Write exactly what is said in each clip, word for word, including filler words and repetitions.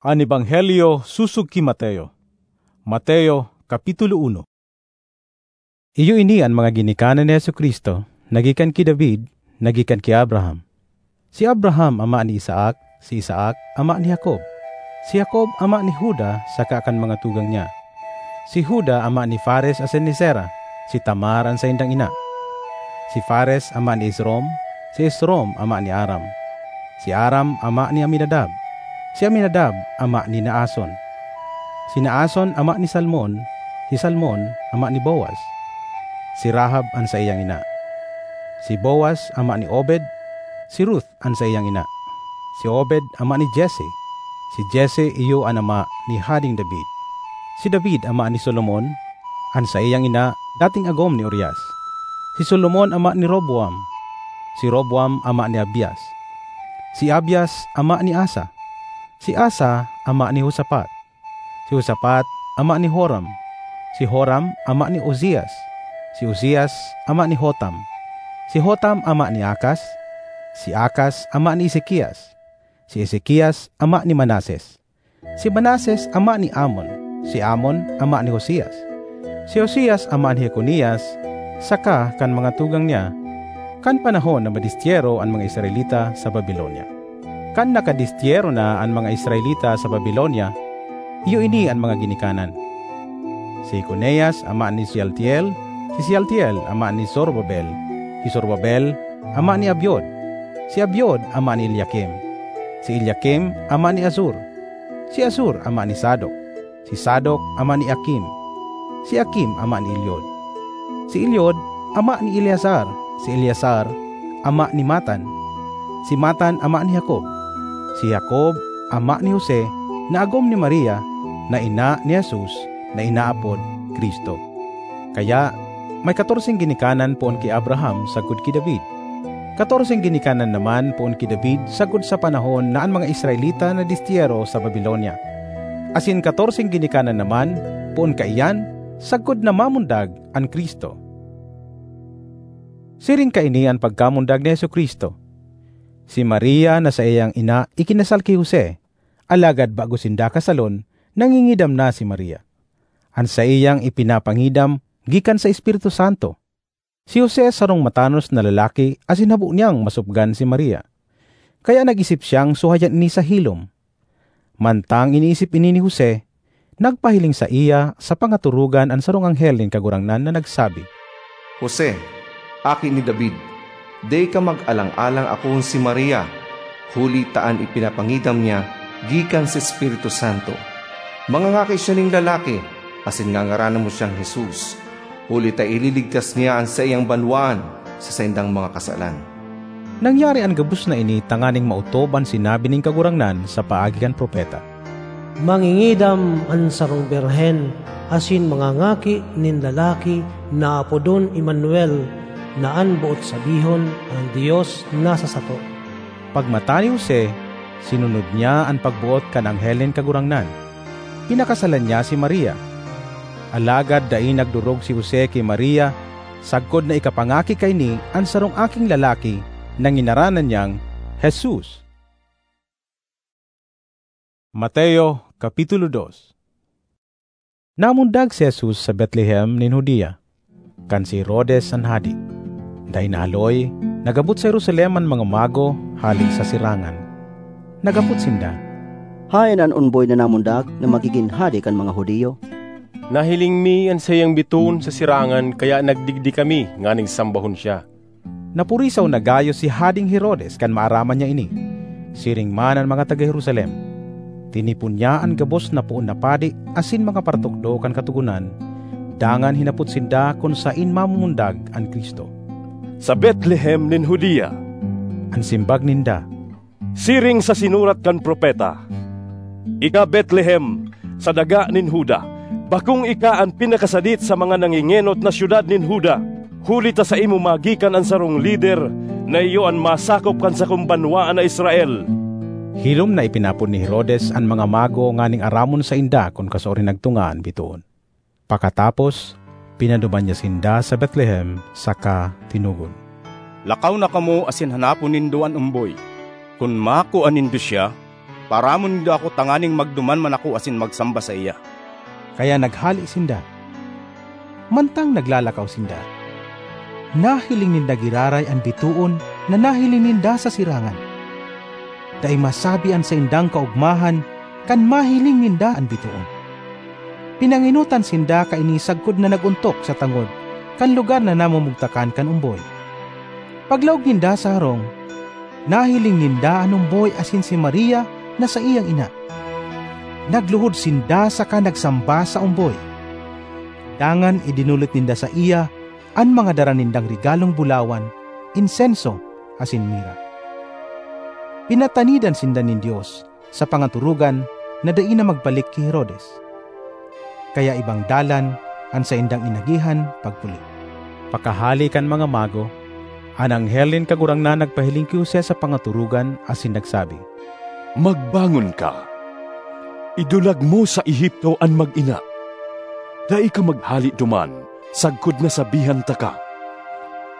An Ebanghelyo sosog ki Mateo. Mateo, Kapitulo uno. Iyo ini an mga ginikanan ni Jesu-Cristo, na gikan ki David, na gikan ki Abraham. Si Abraham ama ni Isaac, si Isaac ama ni Jacob, si Jacob ama ni Juda saka kan mga tugang niya. Si Juda ama ni Fares asin ni Zera, si Tamar an saindang ina. Si Fares ama ni Esrom, si Esrom ama ni Aram. Si Aram ama ni Aminadab, si Aminadab ama ni Naason. Si Naason ama ni Salmon, si Salmon ama ni Boaz. Si Rahab an saiyang ina. Si Boaz ama ni Obed, si Ruth an saiyang ina. Si Obed ama ni Jesse, si Jesse iyo an ama ni Hading David. Si David ama ni Solomon, an saiyang ina dating agom ni Urias. Si Solomon ama ni Roboam, si Roboam ama ni Abias. Si Abias ama ni Asa, si Asa ama ni Josafat. Si Josafat ama ni Joram, si Joram ama ni Uzias, si Uzias ama ni Jotam, si Jotam ama ni Acaz, si Acaz ama ni Ezekias, si Ezekias ama ni Manases, si Manases ama ni Amon, si Amon ama ni Josias, si Josias ama ni Jeconias, saka kan mga tugang niya, kan panahon na madistyero an mga Israelita sa Babilonia. Kan nakadistyero na an mga Israelita sa Babilonia, iyo ini an mga ginikanan: si Jeconias ama ni Sealtiel, si Sealtiel ama ni Zorobabel, si Zorobabel ama ni Abiud, si Abiud ama ni Eliakim, si Eliakim ama ni Azor, si Azor ama ni Sadok, si Sadok ama ni Akim, si Akim ama ni Eliud, si Eliud ama ni Eleazar, si Eleazar ama ni Matan, si Matan ama ni Jacob, si Jacob ama ni Jose na agom ni Maria na ina ni Jesus na inaapod Cristo. Kaya, may katorseng ginikanan poon ki Abraham sagkod ki David. Katorseng ginikanan naman poon ki David sagkod sa panahon na an mga Israelita nadistyero sa Babilonia. Asin katorseng ginikanan naman poon kaiyan sagkod na mamundag an Cristo. Siring kaini an pagkamundag ni Jesu-Cristo. Si Maria na saiyang ina ikinasal ki Jose, alagad bago sinda kasalon, nangingidam na si Maria. An saiyang ipinapangidam gikan sa Espiritu Santo. Si Jose sarong matanos na lalaki asin habo niyang masupgan si Maria. Kaya nag-isip siyang suhayan ini sa hilom. Mantang iniisip ini ni Jose, nagpahiling saiya sa pangatorogan an sarong anghel nin Kagurangnan na nagsabi, "Jose, aki ni David, dai ka mag-alang-alang akoon si Maria, huli ta an ipinapangidam niya gikan sa Espiritu Santo. Mangangaki siya nin lalaki, asin ngangaranan mo siyang Jesus, huli ta ililigtas niya an saiyang banwaan sa saindang mga kasalan." Nangyari an gabos na ini tanganing maotob an sinabi nin Kagurangnan sa paagi kan propeta, "Mangingidam an sarong birhen asin mangangaki nin lalaki na apodon Emmanuel, na an boot sabihon, 'An Dios nasa sato.'" Pagmata ni Jose, sinunod niya an pagboot kan anghel nin Kagurangnan. Pinakasalan niya si Maria. Alagad dai nagdorog si Jose ki Maria sagkod na ikapangaki kaini an sarong aking lalaki na nginaranan niyang Jesus. Mateo, Kapitulo dos. Namundag si Jesus sa Betlehem nin Judea, kan si Herodes an hade. Dai nahaloy, nag-abot sa Jerusalem an mga mago hale sa sirangan. Naghapot sinda, "Haen an onboy na namundag na magigin hade kan mga Judio?" "Nahiling mi an saiyang bitoon sa sirangan, kaya nagdigdi kami nganing sambahon siya." Napurisaw na gayo si Hading Herodes kan maaraman niya ini. Siring man an mga taga Jerusalem. Tinipon niya an gabos na poon na padi asin mga paratukdo kan Katogonan, dangan hinapot sinda kun saen mamumundag an Cristo. "Sa Betlehem nin Judea," an simbag ninda. "Siring sa sinurat kan propeta, 'Ika, Betlehem, sa daga nin Juda, bakong ika an pinakasadit sa mga nangengenot na syudad nin Juda, huli ta saimo magikan an sarong lider na iyo an masakop kan sakong banwaan na Israel.'" Hilom na ipinapod ni Herodes an mga mago nganing aramon sainda kun kasuarin nagtunga an bitoon. Pakatapos, pinaduman niya sinda sa Betlehem saka tinugon, "Lakaw na kamo asin hanapon nindo an omboy. Kun makua nindo siya, Paaramon nindo ako tanganing magduman man ako asin magsamba saiya." Kaya naghale sinda. Mantang naglalakaw sinda, nahiling ninda giraray an bitoon na nahiling ninda sa sirangan. Dai masabi an saindang kaogmahan kan mahiling ninda an bitoon. Pinangenotan sinda kaini sagkod na nag-ontok sa tangod kan lugar na namumugtakan kan omboy. Paglaog ninda sa harong, nahiling ninda an omboy asin si Maria na saiyang ina. Nagluhod sinda saka nagsamba sa omboy. Dangan idinulit ninda saiya an mga dara nindang regalong bulawan, insenso, asin mira. Pinatanidan sinda nin Dios sa pangaturugan na dai na magbalik ki Herodes. Kaya ibang dalan an saindang inagihan pagpuli. Pakahale kan mga mago, an anghel nin Kagurangnan nagpahiling ki Jose sa pangaturugan asin nagsabi, "Magbangon ka! Idulag mo sa Egipto an mag-ina. Dai ka maghale duman sagkod na sabihan taka,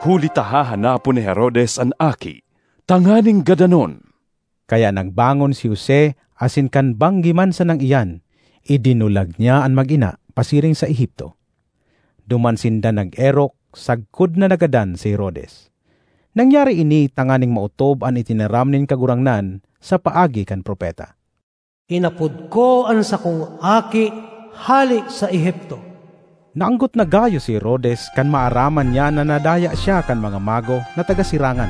huli ta hahanapon ni Herodes an aki tanganing gadanon." Kaya nagbangon si Jose asin kan banggi man sanang iyan, idinulag niya an mag-ina pasiring sa Egipto. Duman sinda nag-erok sagkod na nagadan si Herodes. Nangyari ini tanganing maotob an itinaram nin Kagurangnan sa paagi kan propeta, "Inapod ko an sakong aki hale sa Egipto." Naanggot na gayo si Herodes kan maaraman niya na nadaya siya kan mga mago na taga sirangan.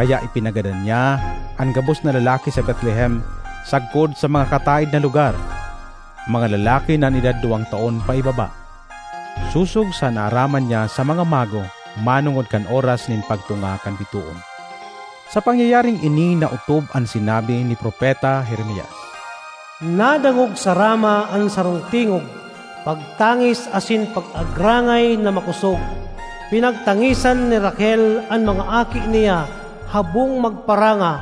Kaya ipinagadan niya an gabos na lalaki sa Betlehem, sagkod sa mga kataed na lugar, mga lalaki na an edad duwang taon paibaba, sosog sa naaraman niya sa mga mago manongod kan oras nin pagtunga kan bitoon. Sa pangyayaring ini naotob an sinabi ni Propeta Jeremias, "Nadangog sa Rama an sarong tingog, pagtangis asin pag-agrangay na makosog. Pinagtangisan ni Raquel an mga aki niya habong magparanga,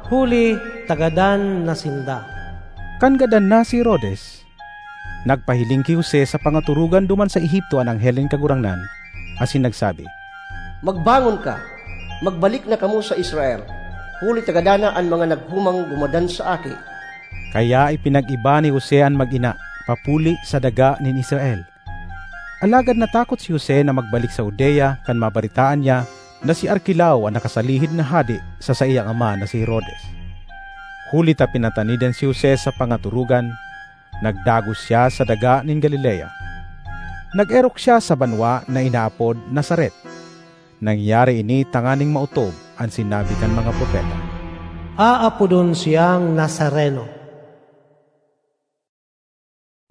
huli ta gadan na sinda." Kan gadan na si Herodes, nagpahiling ki Jose sa pangaturugan duman sa Egipto an anghel nin Kagurangnan, asin nagsabi, "Magbangon ka, magbalik na kamo sa Israel, huli ta gadan na an mga naghumang gumadan sa aki." Kaya ipinag-iba ni Jose an mag-ina papuli sa daga nin Israel. Alagad natakot si Jose na magbalik sa Judea kan mabaretaan niya na si Arkelao an nakasalihid na hade sa saiyang ama na si Herodes. Huli ta pinatanidan si Jose sa pangaturugan, nagdagos siya sa daga nin Galilea. Nag-erok siya sa banwa na inaapod Nazaret. Nangyari ini tanganing maotob an sinabi kan mga propeta, "Aapodon siyang Nazareno."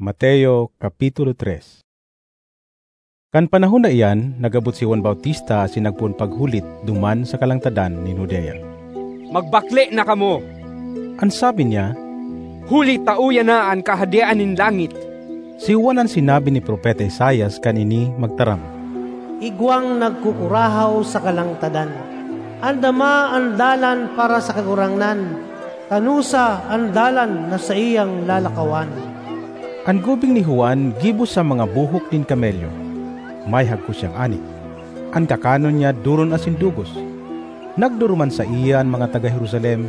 Mateo, Kapitulo tres. Kan panahon na iyan, nag-abot si Juan Bautista asin nagpoon paghulit duman sa kalangtadan nin Judea. "Magbakle na kamo," an sabi niya, "huli ta uya na an Kahadean nin langit." Si Juan an sinabi ni Propeta Isaias kan ini magtaram, "Igwang nagkukurahaw sa kalangtadan, andama an dalan para sa Kagurangnan, kanosa an dalan na saiyang lalakawan." An gubing ni Juan gibo sa mga buhok nin kamelyo. May hagkos siyang ani. An kakanon niya doron asin dugos. Nagduruman saiya an mga taga Jerusalem,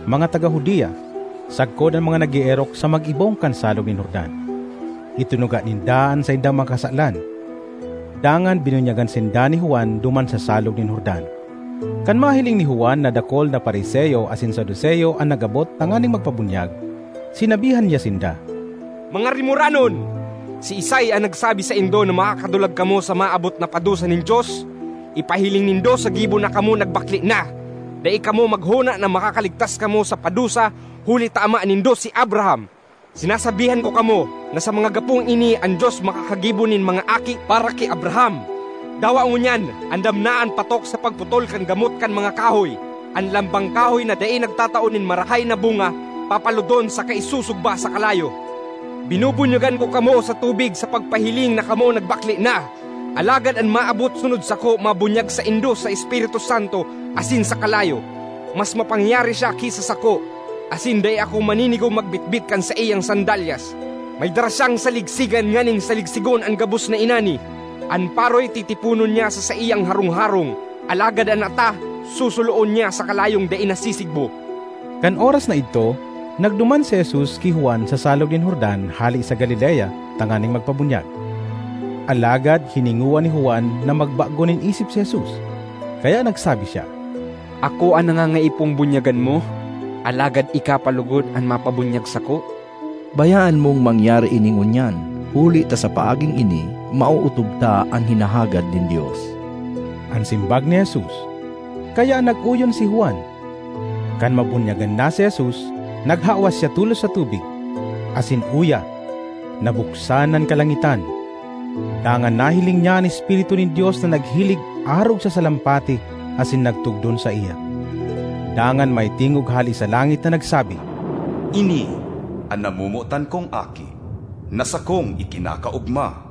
mga taga Judea, sagkod an mga nag-eerok sa mag-ibong kan Salog nin Jordan. Itinuga ninda an saindang mga kasalan. Dangan binunyagan sinda ni Juan duman sa Salog nin Jordan. Kan mahiling ni Juan na dakul na Fariseo asin Saduceo an nag-abot tanganing magpabunyag, sinabihan niya sinda, "Mga rimoranon! Siisay an nagsabi saindo na makakadulag kamo sa maabot na padusa nin Dios? Ipahiling nindo sa gibo na kamo nagbakle na. Dai kamo maghona na makakaligtas kamo sa padusa, huli ta ama nindo si Abraham. Sinasabihan ko kamo na sa mga gapong ini an Dios makakagibo nin mga aki para ki Abraham. Dawa ngunyan, andam na an patok sa pagputol kan gamot kan mga kahoy. An lambang kahoy na dai nagtatao nin marahay na bunga, papalodon saka isusugba sa kalayo. Binubunyagan ko kamo sa tubig sa pagpahiling na kamo nagbakle na. Alagad an maabot sunod sako mabunyag saindo sa Espiritu Santo asin sa kalayo. Mas mapangyari siya ki sa sako, asin dai ako maninigom magbitbit kan saiyang sandalyas. May dara siyang saligsigan nganing saligsigon an gabos na inani. An paroy titiponon niya sa saiyang harong-harong, alagad an ata susuloon niya sa kalayong dai nasisigbo." Kan oras na idto, Nagduman si Jesus ki Juan sa Salog nin Jordan hale sa Galilea tanganing magpabunyag. Alagad hiningowa ni Juan na magbago nin isip si Jesus, kaya nagsabi siya, "Ako an nangangaipo bunyagan mo, alagad ika pa logod an mapabunyag sako?" "Bayaan mong mangyari ini ngunyan, huli ta sa paaging ini maootob ta an hinahagad nin Dios." An simbag ni Jesus, kaya nag-oyon si Juan. Kan mabunyagan na si Jesus, naghawas siya tolos sa tubig, asin uya, nabuksan an kalangitan. Dangan nahiling niya an Espiritu nin Dios na naghilig arog sa salampati asin nagtugdon saiya. Dangan may tingog hale sa langit na nagsabi, "Ini an namomotan kong Aki, na sakong ikinakaogma."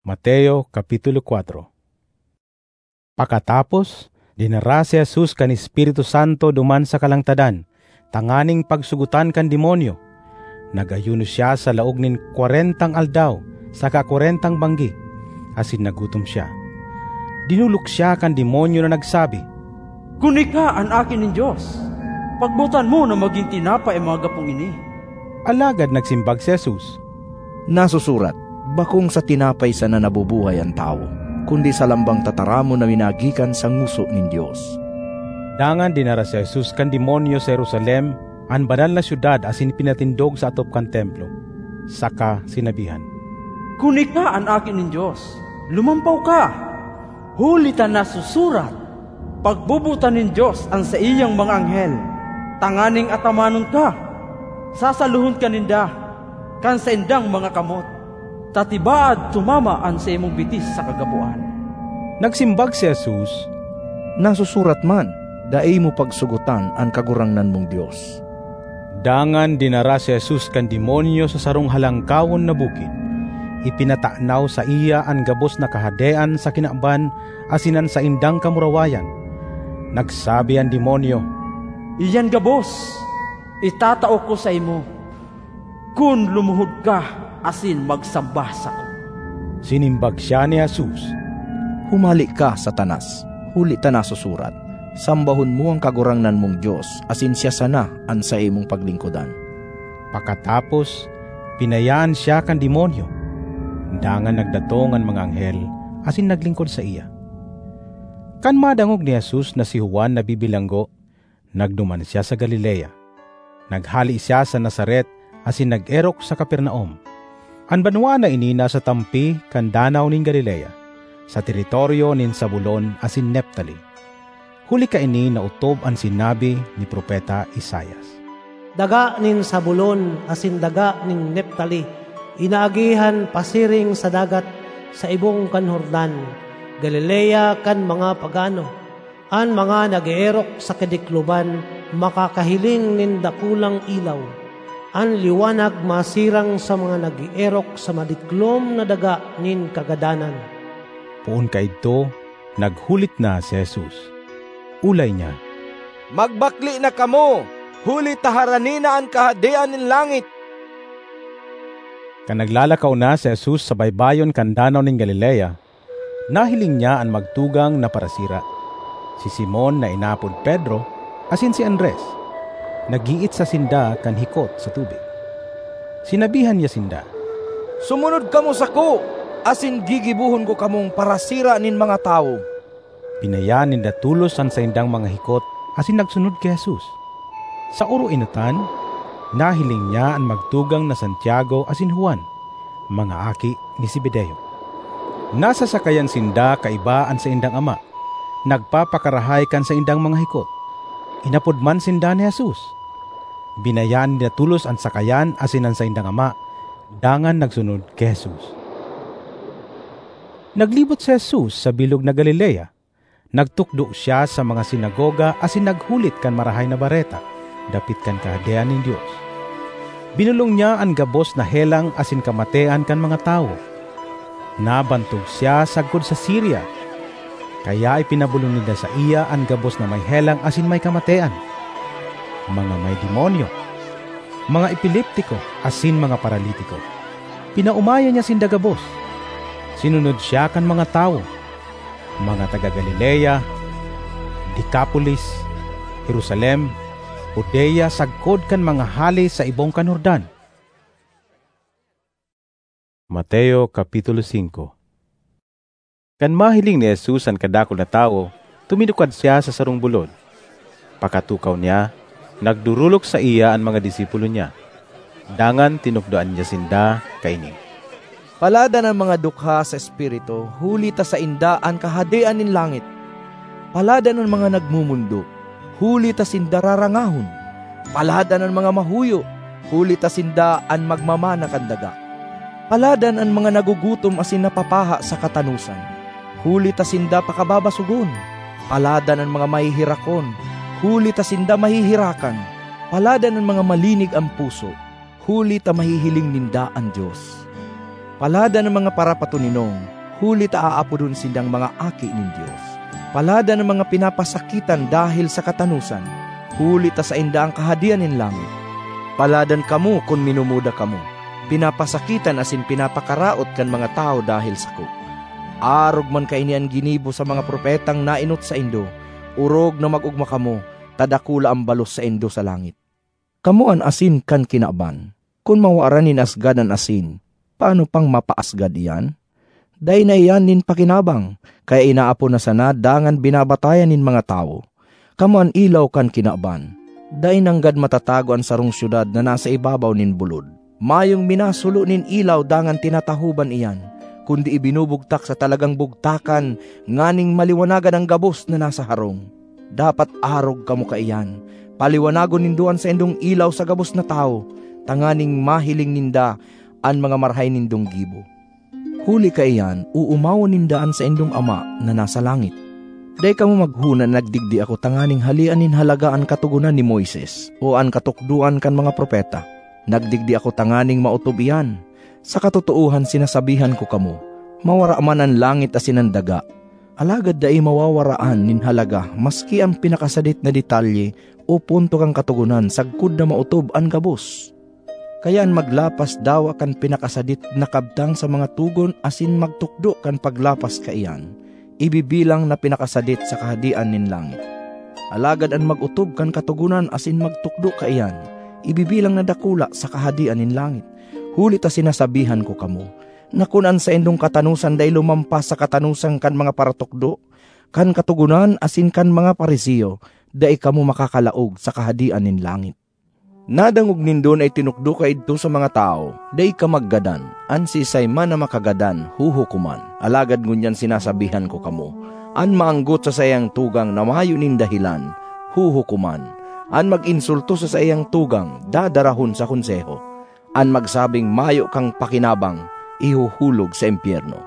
Mateo, Kapitulo kuwatro. Pakatapos, dinara si Jesus kan Espiritu Santo duman sa kalangtadan, tanganing pagsugotan kan demonyo. Nag-ayuno siya sa laog nin kwarentang aldaw saka kwarentang banggi, asin nagutom siya. Dinolok siya kan demonyo na nagsabi, "Kun ika an Aki nin Dios, pagbotan mo na magin tinapay an mga gapong ini." Alagad nagsimbag si Jesus, "Nasusurat, 'Bakong sa tinapay sana nabubuhay an tawo, kundi sa lambang tataramon na minagikan sa ngoso nin Dios.'" Dangan dinara si Jesus kan demonyo sa Jerusalem, an banal na syudad, asin pinatindog sa atop kan Templo, saka sinabihan, "Kun ika an Aki nin Dios, lumampaw ka! Huli ta nasusurat, 'Pagbobotan nin Dios an saiyang mga anghel tanganing atamanon ka.' Sasalohon ka ninda kan saindang mga kamot, ta tibaad tumama an saimong bitis sa kagapoan." Nagsimbag si Jesus, "Nasusurat man, 'Dai mo pagsugotan an Kagurangnan mong Dios.'" Dangan dinara si Jesus kan demonyo sa sarong halangkawon na bukid. Ipinatanaw saiya an gabos na kahadean sa kinaban asin an saindang kamurawayan. Nagsabi an demonyo, "Iyan gabos itatao ko saimo, kun lumuhod ka asin magsamba sako." Sinimbag siya ni Jesus, "Humali ka, Satanas! Huli ta nasusurat, 'Sambahon mo an Kagurangnan mong Dios, asin siya sana an saimong paglingkodan.'" Pakatapos, pinayaan siya kan demonyo. Dangan nagdatong an mga anghel asin naglingkod saiya. Kan madangog ni Jesus na si Juan nabibilanggo, nagduman siya sa Galilea. Naghale siya sa Nazaret asin nag-erok sa Capernaum. An banwaan na ini nasa tampi kan Danaw nin Galilea, sa teritoryo nin Zabulon asin Neftali. Huli kaini naotob an sinabi ni Propeta Isaias, "Daga nin Zabulon asin daga nin Neftali, inaagihan pasiring sa dagat sa ibong kan Jordan, Galilea kan mga pagano. An mga nag-eerok sa kadikloban makakahiling nin dakulang ilaw. An liwanag masirang sa mga nag-eerok sa madiklom na daga nin kagadanan." Poon kaidto, naghulit na si Jesus. Olay niya, "Magbakle na kamo, huli ta harani na an Kahadean nin langit!" Kan naglalakaw na si Jesus sa baybayon kan Danaw nin Galilea, nahiling niya an magtugang na parasira, si Simon na inapod Pedro, asin si Andres. Nag-iitsa sinda kan hikot sa tubig. Sinabihan niya sinda, "Sumunod kamo sako, asin gigibohon ko kamong parasira nin mga tawo." Binayaan ninda tolos an saindang mga hikot asin nagsunod ki Jesus. Sa oroenotan, nahiling niya an magtugang na Santiago asin Juan, mga aki ni Zebedeo. Nasa sakayan sinda kaiba an saindang ama, nagpapakarahay kan saindang mga hikot. Inapod man sinda ni Jesus. Binayaan ninda tolos an sakayan asin an saindang ama, dangan nagsunod ki Jesus. Naglibot si Jesus sa bilog na Galilea. Nagtukdo siya sa mga sinagoga asin naghulit kan Marahay na Bareta dapit kan Kahadean nin Dios. Binolong niya an gabos na helang asin kamatean kan mga tawo. Nabantog siya sagkod sa Siria, kaya ipinabolong ninda saiya an gabos na may helang asin may kamatean, mga may demonyo, mga epileptiko asin mga paralitiko. Pinaomayan niya sinda gabos. Sinunod siya kan mga tawo, mga taga Galilea, Decapolis, Jerusalem, Judea sagkod kan mga hale sa ibong kan Jordan. Mateo Kapitulo singko. Kan mahiling ni Jesus an kadakul na tawo, tuminukad siya sa sarong bulod. Pakatukaw niya, nagdorolok saiya an mga disipulo niya. Dangan tinukdoan niya sinda kaini, "Paladan an mga dukha sa espiritu, huli ta sainda an Kahadean nin langit. Paladan an mga nagmumundok, huli ta sinda rarangahon. Paladan an mga mahuyo, huli ta sinda an magmamana kan daga. Paladan an mga nagugutom asin napapaha sa katanosan, huli ta sinda pakababasogon. Paladan an mga maheherakon, huli ta sinda maheherakan. Paladan an mga malinig an puso, huli ta mahihiling ninda an Dios. Paladan an mga parapatoninong, huli ta aapodon sindang mga aki nin Dios. Paladan an mga pinapasakitan dahel sa katanosan, huli ta sainda an Kahadean nin langit. Paladan kamo kun minumuda kamo, pinapasakitan asin pinapakaraot kan mga tawo dahel sako. Arog man kaini an ginibo sa mga propetang naenot saindo. Orog na mag-ogma kamo, ta dakula an balos saindo sa langit. Kamo an asin kan kinaban. Kun mawaran nin asgad an asin, paano pang mapaasgad iyan? Dai na iyan nin pakinabang, kaya inaapon na sana dangan binabatayan nin mga tawo. Kamo an ilaw kan kinaban. Dai nanggad matatago an sarong syudad na nasa ibabaw nin bulod. Mayong minasulo nin ilaw dangan tinatahoban iyan, kundi ibinubugtak sa talagang bugtakan nganing maliwanagan an gabos na nasa harong. Dapat arog kamo kaiyan. Paliwanagon nindo an saindong ilaw sa gabos na tawo, tanganing mahiling ninda an mga marahay nindong gibo. Huli kaiyan, oomawon ninda an saindong Ama na nasa langit. Dai kamo maghona na nagdigdi ako tanganing halean nin halaga an Katogonan ni Moises o an katukdoan kan mga propeta. Nagdigdi ako tanganing maotob iyan. Sa katotoohan, sinasabihan ko kamo, mawara man an langit asin an daga, alagad dai mawawaraan nin halaga maski an pinakasadit na detalye o punto kan Katogonan sagkod na maotob an gabos. Kaya an maglapas dawa kan pinakasadit na kabtang sa mga togon asin magtukdo kan paglapas kaiyan, ibibilang na pinakasadit sa Kahadean nin langit. Alagad an mag-otob kan Katogonan asin magtukdo kaiyan, ibibilang na dakula sa Kahadean nin langit. Huli ta sinasabihan ko kamo, na kun an saindong katanosan dai lumampas sa katanosan kan mga paratukdo, kan Katogonan asin kan mga Fariseo, dai kamo makakalaog sa Kahadean nin langit. Nadangog nindo na itinukdo kaidto sa mga tawo, "Dai ka maggadan, an siisay man na makagadan, huhukoman." Alagad ngunyan sinasabihan ko kamo, an maanggot sa saiyang tugang na mayo nin dahelan, huhukoman. An mag-insulto sa saiyang tugang, dadarahon sa konseho. An magsabing mayo kang pakinabang, ihuhulog sa impyerno.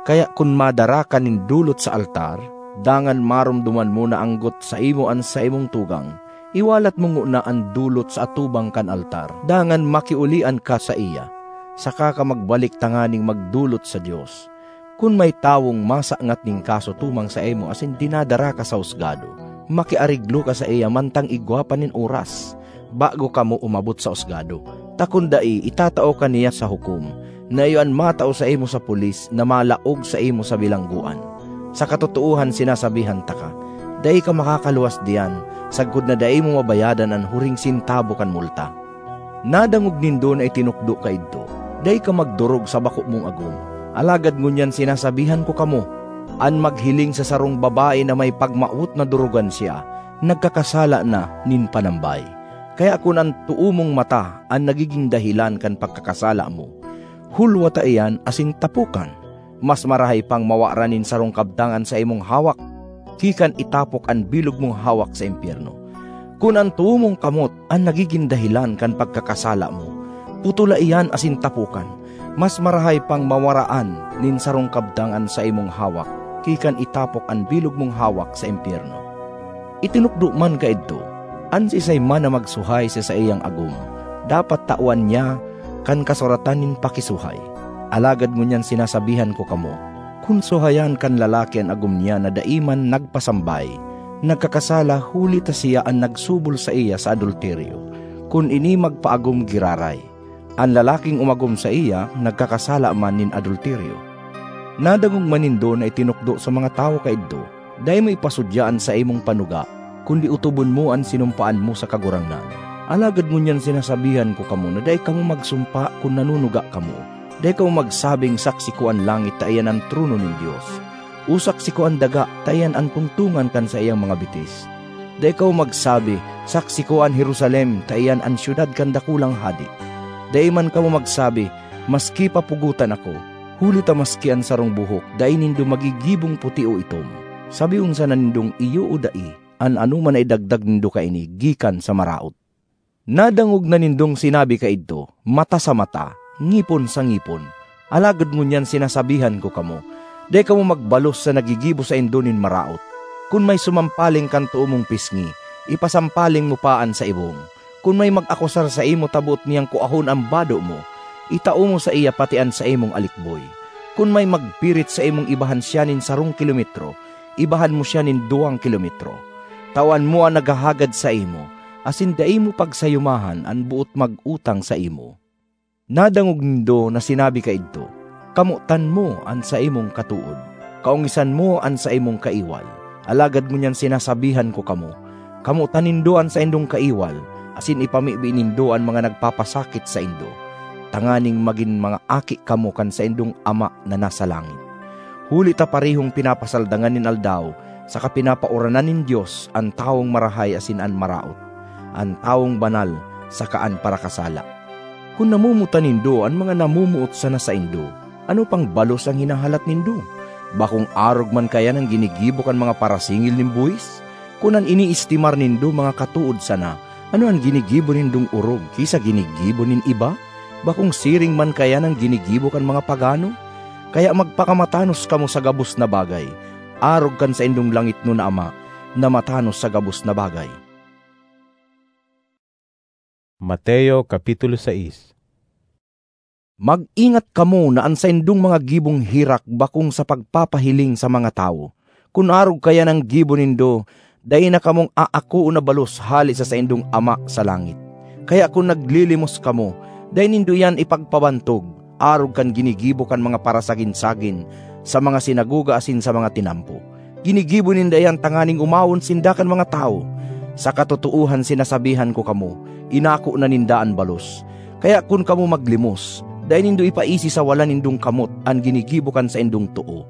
Kaya kun madara ka nin dulot sa altar, dangan maromdoman mo na anggot saimo an saimong tugang, iwalat mo ngona an dulot sa atubang kan altar, dangan makiolian ka saiya, saka ka magbalik tanganing magdolot sa Dios. Kun may tawong masangat nin kaso tumang saimo asin dinadara ka sa husgado, makiariglo ka saiya mantang igwa pa nin oras, bago kamo umabot sa husgado, ta kun dai, itatao ka niya sa hukom, na iyo an matao saimo sa pulis na malaog saimo sa bilanggoan. Sa katotoohan, sinasabihan taka, dai ka makakaluwas diyan, sagkod na dai mo mabayadan an huring sentabo kan multa. Nadangog nindo na itinukdo kaidto, "Dai ka magdorog sa bako mong agom." Alagad ngunyan sinasabihan ko kamo, an maghiling sa sarong babae na may pagmawot na dorogan siya, nagkakasala na nin panambay. Kaya kun an too mong mata an nagigin dahelan kan pagkakasala mo, hulwata iyan asin tapokan. Mas marahay pang mawaran nin sarong kabtang an saimong hawak, ki kan itapok an bilog mong hawak sa impyerno. Kun an too mong kamot an nagigin dahelan kan pagkakasala mo, putola iyan asin tapokan. Mas marahay pang mawaraan nin sarong kabtang an saimong hawak, ki kan itapok an bilog mong hawak sa impyerno. Itinukdo man kaidto, an siisay man na magsuhay sa saiyang agom, dapat tawan niya kan kasuratan nin pakisuhay. Alagad ngunyan sinasabihan ko kamo, kun suhayan kan lalaki an agom niya na dai man nagpasambay, nagkakasala huli ta siya an nagsubol saiya sa adulteryo. Kun ini magpaagom giraray, an lalaking umagom saiya nagkakasala man nin adulteryo. Nadangog man nindo na itinukdo sa mga tawo kaidto, "Dai mo ipasudya an saimong panuga, kundi otobon mo an sinumpaan mo sa Kagurangnan. Alagad ngunyan sinasabihan ko kamo na dai kamo magsumpa kun nanunuga kamo. Dai kamo magsabing, "Saksi ko an langit ta iyan an trono nin Dios, o saksi ko an daga ta iyan an tungtongan kan saiyang mga bitis." Dai kamo magsabi, "Saksi ko an Jerusalem ta iyan an syudad kan dakulang hade." Dai man kamo magsabi, "Maski pa pugotan ako," huli ta maski an sarong buhok dai nindo magigibong puti o itom. Sabihon sana nindong iyo o dai, an anoman na idagdag nindo kaini gikan sa maraot. Nadangog na nindong sinabi kaidto, "Mata sa mata, ngipon sa ngipon." Alagad ngunyan sinasabihan ko kamo, dai kamo magbalos sa naggigibo saindo nin maraot. Kun may sumampaling kan too mong pisngi, ipasampaling mo pa an sa ibong. Kun may mag-akusar saimo ta boot niyang kuahon an bado mo, itao mo saiya pati an saimong alikboy. Kun may magpirit saimong ibahan siya nin sarong kilometro, ibahan mo siya nin duwang kilometro. Tawan mo an naghahagad saimo, asin dai mo pagsayumahan an boot mag-utang saimo. Nadangog nindo na sinabi kaidto, "Kamotan mo an saimong katood, kaongisan mo an saimong kaiwal." Alagad ngunyan sinasabihan ko kamo, kamotan nindo an saindong kaiwal, asin ipamibi nindo an mga nagpapasakit saindo, tanganing magin mga aki kamo kan saindong Ama na nasa langit. Huli ta parehong pinapasaldangan nin aldaw saka pinapauranan nin Dios an tawong marahay asin an maraot, an tawong banal saka an parakasala. Kun namomotan nindo an mga namomoot sana saindo, ano pang balos an hinahalat nindo? Bakong arog man kaiyan an ginigibo kan mga parasingil nin buhis? Kun an iniestimar nindo mga katood sana, ano an ginigibo nindong orog ki sa ginigibo nin iba? Bakong siring man kaiyan an ginigibo kan mga pagano? Kaya magpakamatanos kamo sa gabos na bagay, arog kan saindong langitnon na Ama na matanos sa gabos na bagay. Mateo, Kapitulo sais. Mag-ingat kamo na an saindong mga gibong herak bakong sa pagpapahiling sa mga tawo. Kun arog kaiyan an gibo nindo, dai na kamong aakoon na balos hale sa saindong Ama sa langit. Kaya kun naglilimos kamo, dai nindo iyan ipagpabantog, arog kan ginigibo kan mga parasagin-sagin sa mga sinagoga asin sa mga tinampo. Ginigibo ninda iyan tanganing omawon sinda kan mga tawo. Sa katotoohan sinasabihan ko kamo, inako na ninda an balos. Kaya kun kamo maglimos, dai nindo ipaisi sa wala nindong kamot an ginigibo kan saindong too,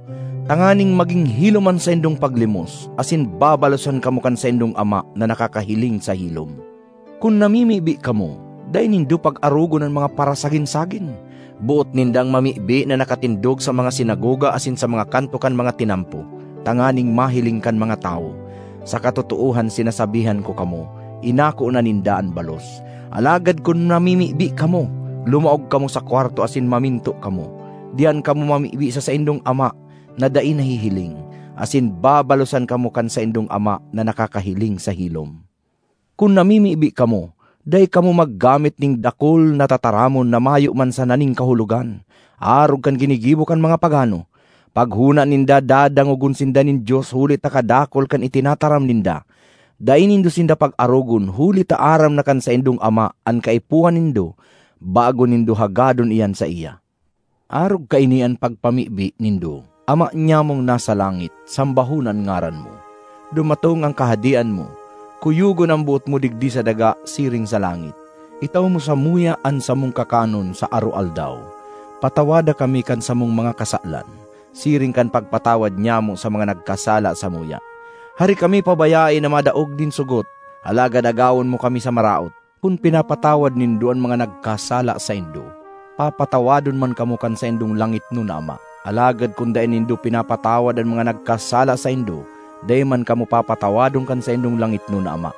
tanganing magin hilom an saindong paglimos, asin babalosan kamo kan saindong Ama na nakakahiling sa hilom. Kun namimibi kamo, dai nindo pag-arogon an mga parasagin-sagin. Boot nindang mamibi na nakatindog sa mga sinagoga asin sa mga kanto kan mga tinampo, tanganing mahiling kan mga tawo. Sa katotoohan sinasabihan ko kamo, inako na ninda an balos. Alagad kun namimibi kamo, lumaog kamo sa kwarto asin maminto kamo. Diyan kamo mamibi sa saindong Ama na dai nahihiling, asin babalosan kamo kan saindong Ama na nakakahiling sa hilom. Kun namimibi kamo, dai kamo maggamit nin dakul na tataramon na mayo man sana nin kahulogan, arog kan ginigibo kan mga pagano. Paghona ninda, dadangogon sinda nin Dios huli ta kadakul kan itinataram ninda. Dai nindo sinda pag-arogon huli ta aram na kan saindong Ama an kaipuhan nindo, bago nindo hagadon iyan saiya. Arog kaini an pagpamibi nindo, "Ama nyamong nasa langit, sambahon an ngaran mo. Dumatong an Kahadean mo. Kuyogon an boot mo digdi sa daga siring sa langit. Itao mo samuya an samong kakanon sa aroaldaw. Patawada kami kan samong mga kasalan, siring kan pagpatawad nyamo sa mga nagkasala samuya. Hari kami pabayae na madaog nin sugot, alagad agawon mo kami sa maraot. Kun pinapatawad nindo an mga nagkasala saindo, papatawadon man kamo kan saindong langitnon na Ama. Alagad kun dai nindo pinapatawad an mga nagkasala saindo, dai man kamo papatawadon kan saindong langitnon na Ama.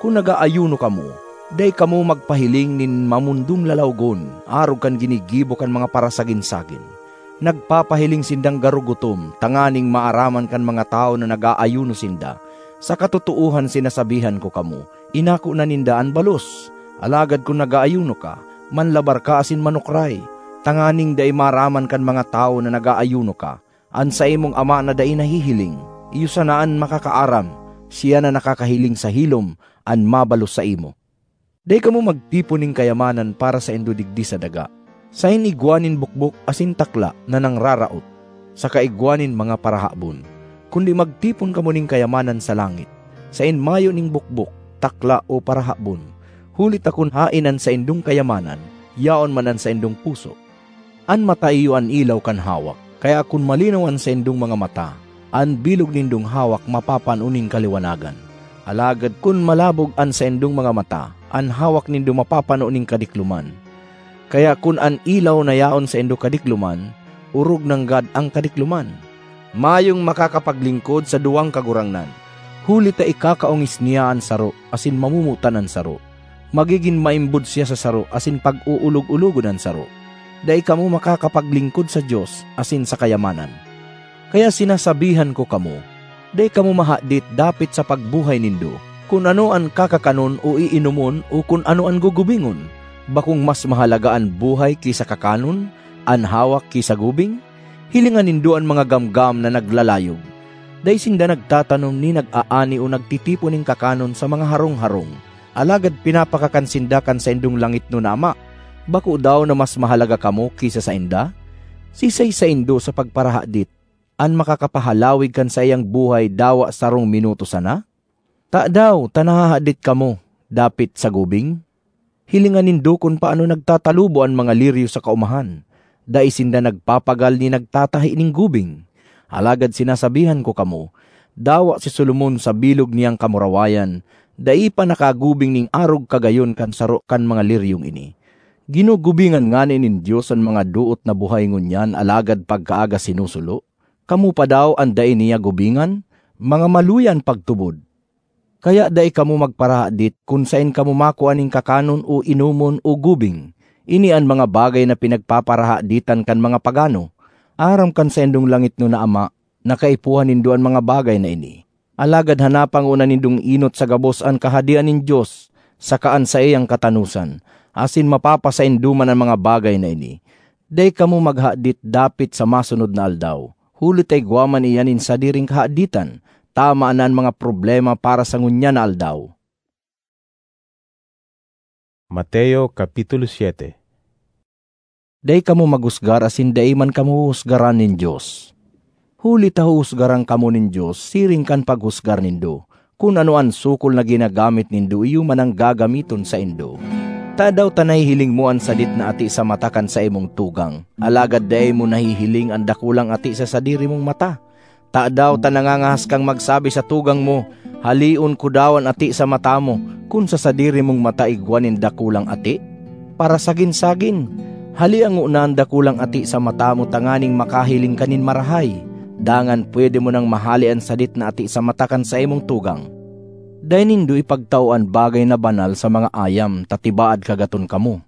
Kun nag-aayuno kamo, dai kamo magpahiling nin mamondong lalawgon, arog kan ginigibo kan mga parasagin-sagin. Nagpapahiling sindang garo gutom tanganing maaraman kan mga tawo na nag-aayuno sinda. Sa katotoohan sinasabihan ko kamo, inako na ninda an balos. Alagad kun nag-aayuno ka, manlabar ka asin manukray, tanganing dai maaraman kan mga tawo na nag-aayuno ka. An saimong Ama na dai nahihiling, iyo sana an makakaaram, siya na nakakahiling sa hilom an mabalos saimo. Dai kamo magtipon nin kayamanan para saindo digdi sa daga, saen igwa nin bukbok asin takla na nangraraot, saka igwa nin mga parahabon, kundi magtipon kamo nin kayamanan sa langit, saen mayo nin bukbok, takla o parahabon. Huli ta kun haen an saindong kayamanan, yaon man an saindong puso. An mata iyo an ilaw kan hawak. Kaya kun malinaw an saindong mga mata, an bilog nindong hawak mapapano nin kaliwanagan. Alagad kun malabog an saindong mga mata, an hawak nindo mapapano nin kadikloman. Kaya kun an ilaw na yaon saindo kadikloman, orog nanggad an kadikloman. Mayong makakapaglingkod sa duwang kagurangnan, huli ta ikakaongis niya an saro asin mamomotan an saro. Magigin maimbod siya sa saro asin pag-oolog-ologon an saro. Dai kamo makakapaglingkod sa Dios asin sa kayamanan. Kaya sinasabihan ko kamo, dai kamo mahadit dapit sa pagbuhay nindo, kun ano an kakakanon o iinomon o kun ano an gugubingon. Bakong mas mahalaga an buhay ki sa kakanon, an hawak ki sa gubing? Hilinga nindo an mga gamgam na naglalayog. Dai sinda nagtatanom ni nag-aani o nagtitipon nin kakanon sa mga harong-harong, alagad pinapakakan sinda kan saindong langitnon na Ama. Bako daw na mas mahalaga kamo ki sa sainda? Sisay saindo sa pagparahadit an makakapahalawig kan saiyang buhay dawa sarong minuto sana? Tadaw ta nahahadit kamo dapit sa gubing? Hilinga nindo kun paano nagtatalubo an mga liryo sa kaomahan. Dai sinda nagpapagal ni nagtatahi nin gubing. Alagad sinasabihan ko kamo, dawa si Solomon sa bilog niyang kamurawayan, dai pa nakagubing nin arog kagayon kan saro kan mga liryong ini. Ginugubingan ngani nin Dios an mga doot na buhay ngunyan, alagad pagkaaga sinusulo. Kamo pa daw an dai niya gubingan? Mga maluya an pagtubod! Kaya dai kamo magparahadit kun saen kamo makua nin kakanon o inomon o gubing. Ini an mga bagay na pinagpaparahaditan kan mga pagano. Aram kan saindong langitnon na Ama na kaipuhan nindo an mga bagay na ini. Alagad hanapa ngona nindong enot sa gabos an Kahadean nin Dios saka an saiyang katanosan, asin mapapasaindo man an mga bagay na ini. Dai kamo maghadit dapit sa masunod na aldaw, huli ta igwa man iyan nin sadiring kahaditan, tama na an mga problema para sa ngunyan na aldaw. Mateo, Kapitulo siete. Dai kamo maghusgar asin dai man kamo huhusgaran nin Dios. Huli ta huhusgaran kamo nin Dios siring kan paghusgar nindo. Kun ano an sukol na ginagamit nindo, iyo man an gagamiton saindo. Tadaw ta nahihiling mo an sadit na ati sa mata kan saimong tugang, alagad dai mo nahihiling an dakulang ati sa sadiri mong mata? Tadaw ta nangangahas kang magsabi sa tugang mo, "Haleon ko daw an ati sa mata mo," kun sa sadiri mong mata igwa nin dakulang ati? Parasagin-sagin, halea ngona an dakulang ati sa mata mo tanganing makahiling ka nin marahay. Dangan pwede mo nang mahale an sadit na ati sa mata kan saimong tugang. Dai nindo ipagtao an bagay na banal sa mga ayam, ta tibaad kagaton kamo.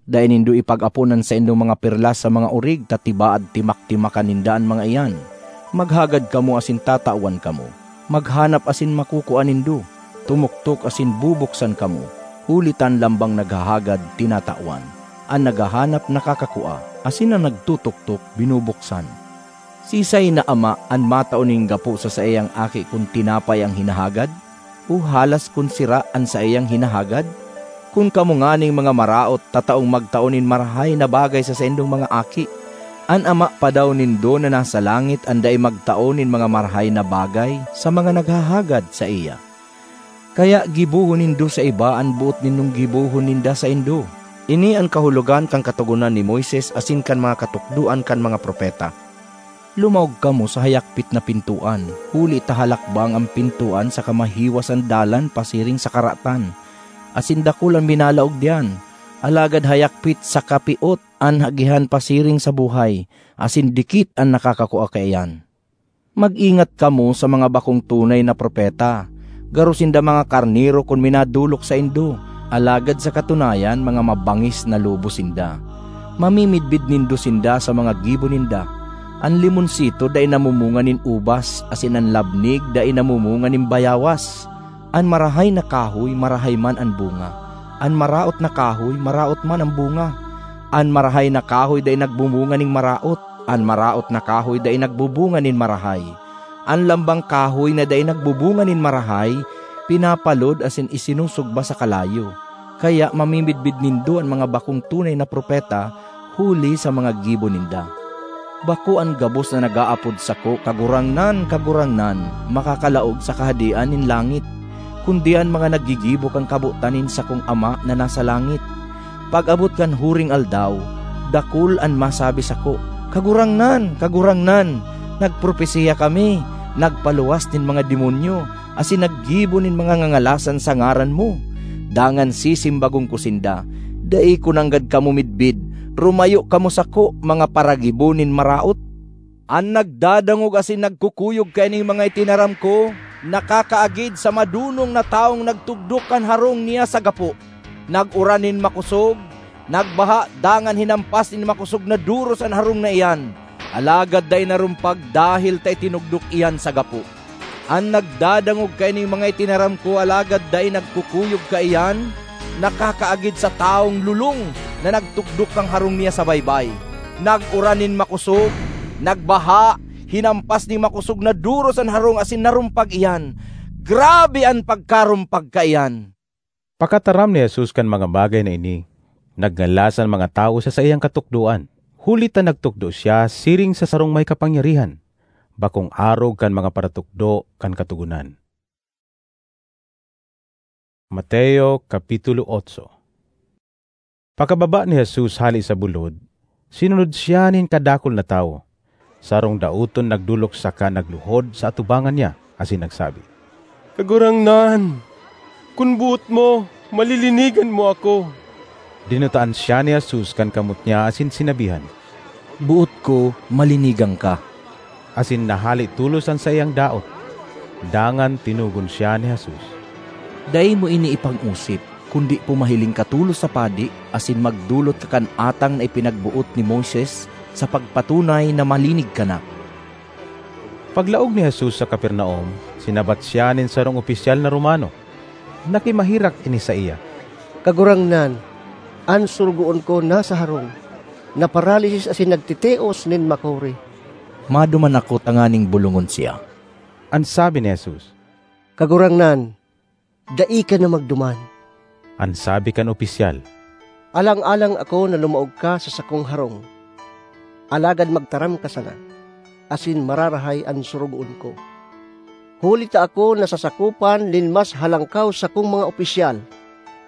Dai nindo ipag-apon an saindong mga perlas sa mga orig, ta tibaad timaktimakan ninda an mga iyan. Maghagad kamo asin tatawan kamo. Maghanap asin makukua nindo. Tumuktok asin bubuksan kamo, huli ta an lambang naghahagad, tinatawan. An naghahanap, nakakakua, asin an nagtutuktok, binubuksan. Siisay na ama an matao nin gapo sa saiyang aki kun tinapay an hinahagad, o halas kun sira an saiyang hinahagad? Kun kamo nganing mga maraot tataong magtao nin marahay na bagay sa saindong mga aki, an Ama pa daw nindo na nasa langit an dai magtao nin mga marahay na bagay sa mga naghahagad saiya? Kaya gibohon nindo sa iba an boot nindong gibohon ninda saindo. Ini an kahulogan kan Katogonan ni Moises asin kan mga katukdoan kan mga propeta. Lumaog kamo sa hayakpit na pintoan, huli ta halakbang an pintoan saka mahiwas an dalan pasiring sa karatan, asin dakul an minalaog diyan. Alagad hayakpit saka piot an agihan pasiring sa buhay, asin dikit an nakakakua kaiyan. Mag-ingat kamo sa mga bakong tunay na propeta. Garo sinda mga karnero kun minadolok saindo, alagad sa katunayan, mga mabangis na lobo sinda. Mamimidbid nindo sinda sa mga gibo ninda. An limonsito dai namumunga nin ubas, asin an labnig dai namumunga nin bayawas. An marahay na kahoy, marahay man an bunga. An maraot na kahoy, maraot man an bunga. An marahay na kahoy dai nagbumunga nin maraot. An maraot na kahoy dai nagbubunga nin marahay. An lambang kahoy na dai nagbubunga nin marahay, pinapalod asin isinusugba sa kalayo. Kaya mamimidbid nindo an mga bakong tunay na propeta huli sa mga gibo ninda. Bako an gabos na nag-aapod sako, 'Kagurangnan, Kagurangnan,' makakalaog sa Kahadean nin langit. kundi an mga naggigibo kan kabotan nin sakong Ama na nasa langit. Pag-abot kan huring aldaw, dakul an masabi sako, 'Kagurangnan, Kagurangnan, nagpropesiya kami, nagpaluwas nin mga demonyo, asin naggibo nin mga ngangalasan sa ngaran mo.' Dangan sisimbagon ko sinda, 'Dai ko nanggad kamo midbid! Rumayo kamo sako, mga paragibo nin maraot!' An nagdadangog asin nagkukuyog kaining mga itinaram ko, nakakaagid sa madonong na tawong nagtugdok kan harong niya sa gapo. Nag-uran nin makosog, nagbaha, dangan hinampas nin makosog na doros an harong na iyan, alagad dai narumpag dahel ta itinugdok iyan sa gapo. An nagdadangog kaining mga itinaram ko alagad dai nagkukuyog kaiyan, nakakaagid sa tawong lolong na nagtukdok kan harong niya sa baybay. Nag-uran nin makosog, nagbaha, hinampas nin makosog na doros an harong asin narumpag iyan. Grabe an pagkarumpag kaiyan! Pakataram ni Jesus kan mga bagay na ini, nagngalas an mga tawo sa saiyang katukdoan, huli ta nagtukdo siya siring sa sarong may kapangyarihan, bakong arog kan mga paratukdo kan Katogonan. Mateo, Kapitulo otso. Pakababa ni Jesus hale sa bulod, sinunod siya nin kadakul na tawo. Sarong daoton nagdolok saka nagluhod sa atubangan niya asin nagsabi, "Kagurangnan, kun boot mo, malilinigan mo ako." Dinutaan siya ni Jesus kan kamot niya asin sinabihan, "Boot ko, malinigan ka." Asin nahale tolos an saiyang daot. Dangan tinugon siya ni Jesus, "Dai mo ini ipag-osip, kundi pumahiling ka tolos sa padi asin magdolot ka kan atang na ipinagboot ni Moises, sa pagpatunay na malinig ka na." Paglaog ni Jesus sa Capernaum, sinabat siya nin sarong opisyal na Romano. Nakimaherak ini saiya, "Kagurangnan, an sorogoon ko nasa harong, naparalisis asin nagtitios nin makuri." "Maduman ako tanganing bolongon siya," an sabi ni Jesus. "Kagurangnan, dai ka na magduman," an sabi kan opisyal. "Alang-alang ako na lumaog ka sa sakong harong. Alagad magtaram ka sana, asin mararahay an sorogoon ko. Huli ta ako nasasakopan nin mas halangkaw sakong mga opisyal,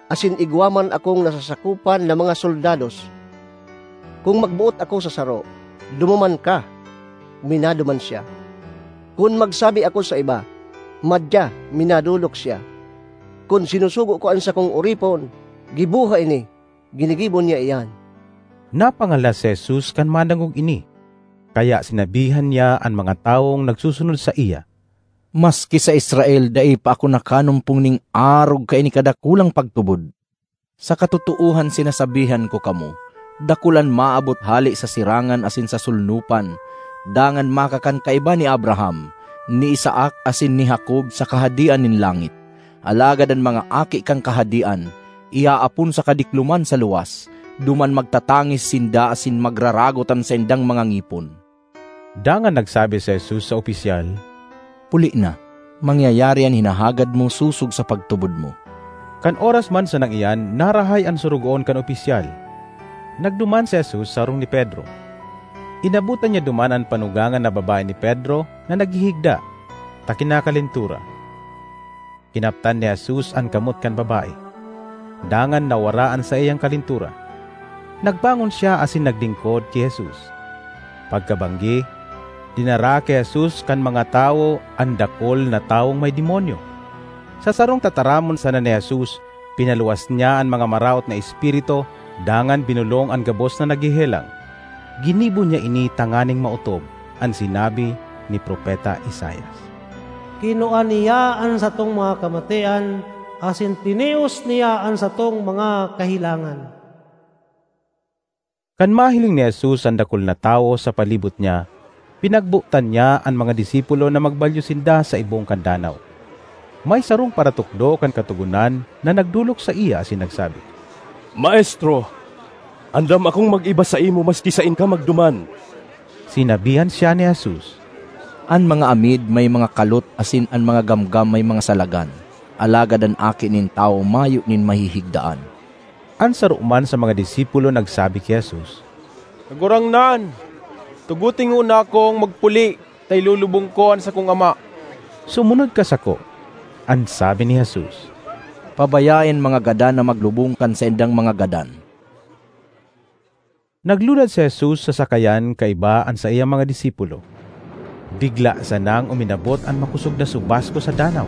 asin igwa man akong nasasakopan na mga soldados. Kun magboot ako sa saro, 'Dumuman ka,' minaduman siya. Kun magsabi ako sa iba, 'Madya,' minadolok siya. Kun sinusugo ko an sakong oripon, 'Giboha ini,' ginigibo niya iyan." Napangalas si Jesus kan madangog ini, kaya sinabihan niya an mga tawong nagsusunod saiya, "Maski sa Israel dai pa ako nakanumpong nin arog kaini kadakulang pagtubod. Sa katotoohan sinasabihan ko kamo, dakul an maabot hale sa sirangan asin sa solnopan, dangan makakan kaiba ni Abraham, ni Isaac asin ni Jacob sa Kahadean nin langit. Alagad an mga aki kan Kahadean, iaapon sa kadikloman sa luwas, duman magtatangis sinda asin magraragot an saindang mga ngipon." Dangan nagsabi si Jesus sa opisyal, "Puli na, mangyayari an hinahagad mo sosog sa pagtubod mo." Kan oras man sanang iyan, narahay an sorogoon kan opisyal. Nagduman si Jesus sa harong ni Pedro. Inabotan niya duman an panugangan na babae ni Pedro na naghihigda, ta kinakalentura. Kinaptan ni Jesus an kamot kan babae, dangan nawara an saiyang kalentura. Nagbangon siya asin naglingkod ki Jesus. Pagkabanggi, dinara ki Jesus kan mga tawo an dakul na tawong may demonyo. Sa sarong tataramon sana ni Jesus, pinaluwas niya an mga maraot na espiritu, dangan binolong an gabos na naghehelang. Ginibo niya ini tanganing maotob an sinabi ni Propeta Isaias, "Kinua niya an satong mga kamatian, asin tinios niya an satong mga kahelangan." Kan mahiling ni Jesus an dakul na tawo sa palibot niya, pinagbotan niya an mga disipulo na magbalyo sinda sa ibong kan danaw. May sarong paratukdo kan Katogonan na nagdolok saiya asin nagsabi, "Maestro, andam akong mag-iba saimo maski saen ka magduman." Sinabihan siya ni Jesus, "An mga amid may mga kalot asin an mga gamgam may mga salagan, alagad an Aki nin Tawo mayo nin mahihigdaan." An saro man sa mga disipulo nagsabi ki Jesus, "Kagurangnan, tugote ngona akong magpuli ta ilolobong ko an sakong ama." "Sumunod ka sako," An sabi ni Jesus, "Pabayae an mga gadan na maglubong kan saindang mga gadan." Naglunad si Jesus sa sakayan kaiba an saiyang mga disipulo. Bigla sanang uminabot an makosog na subasko sa danaw,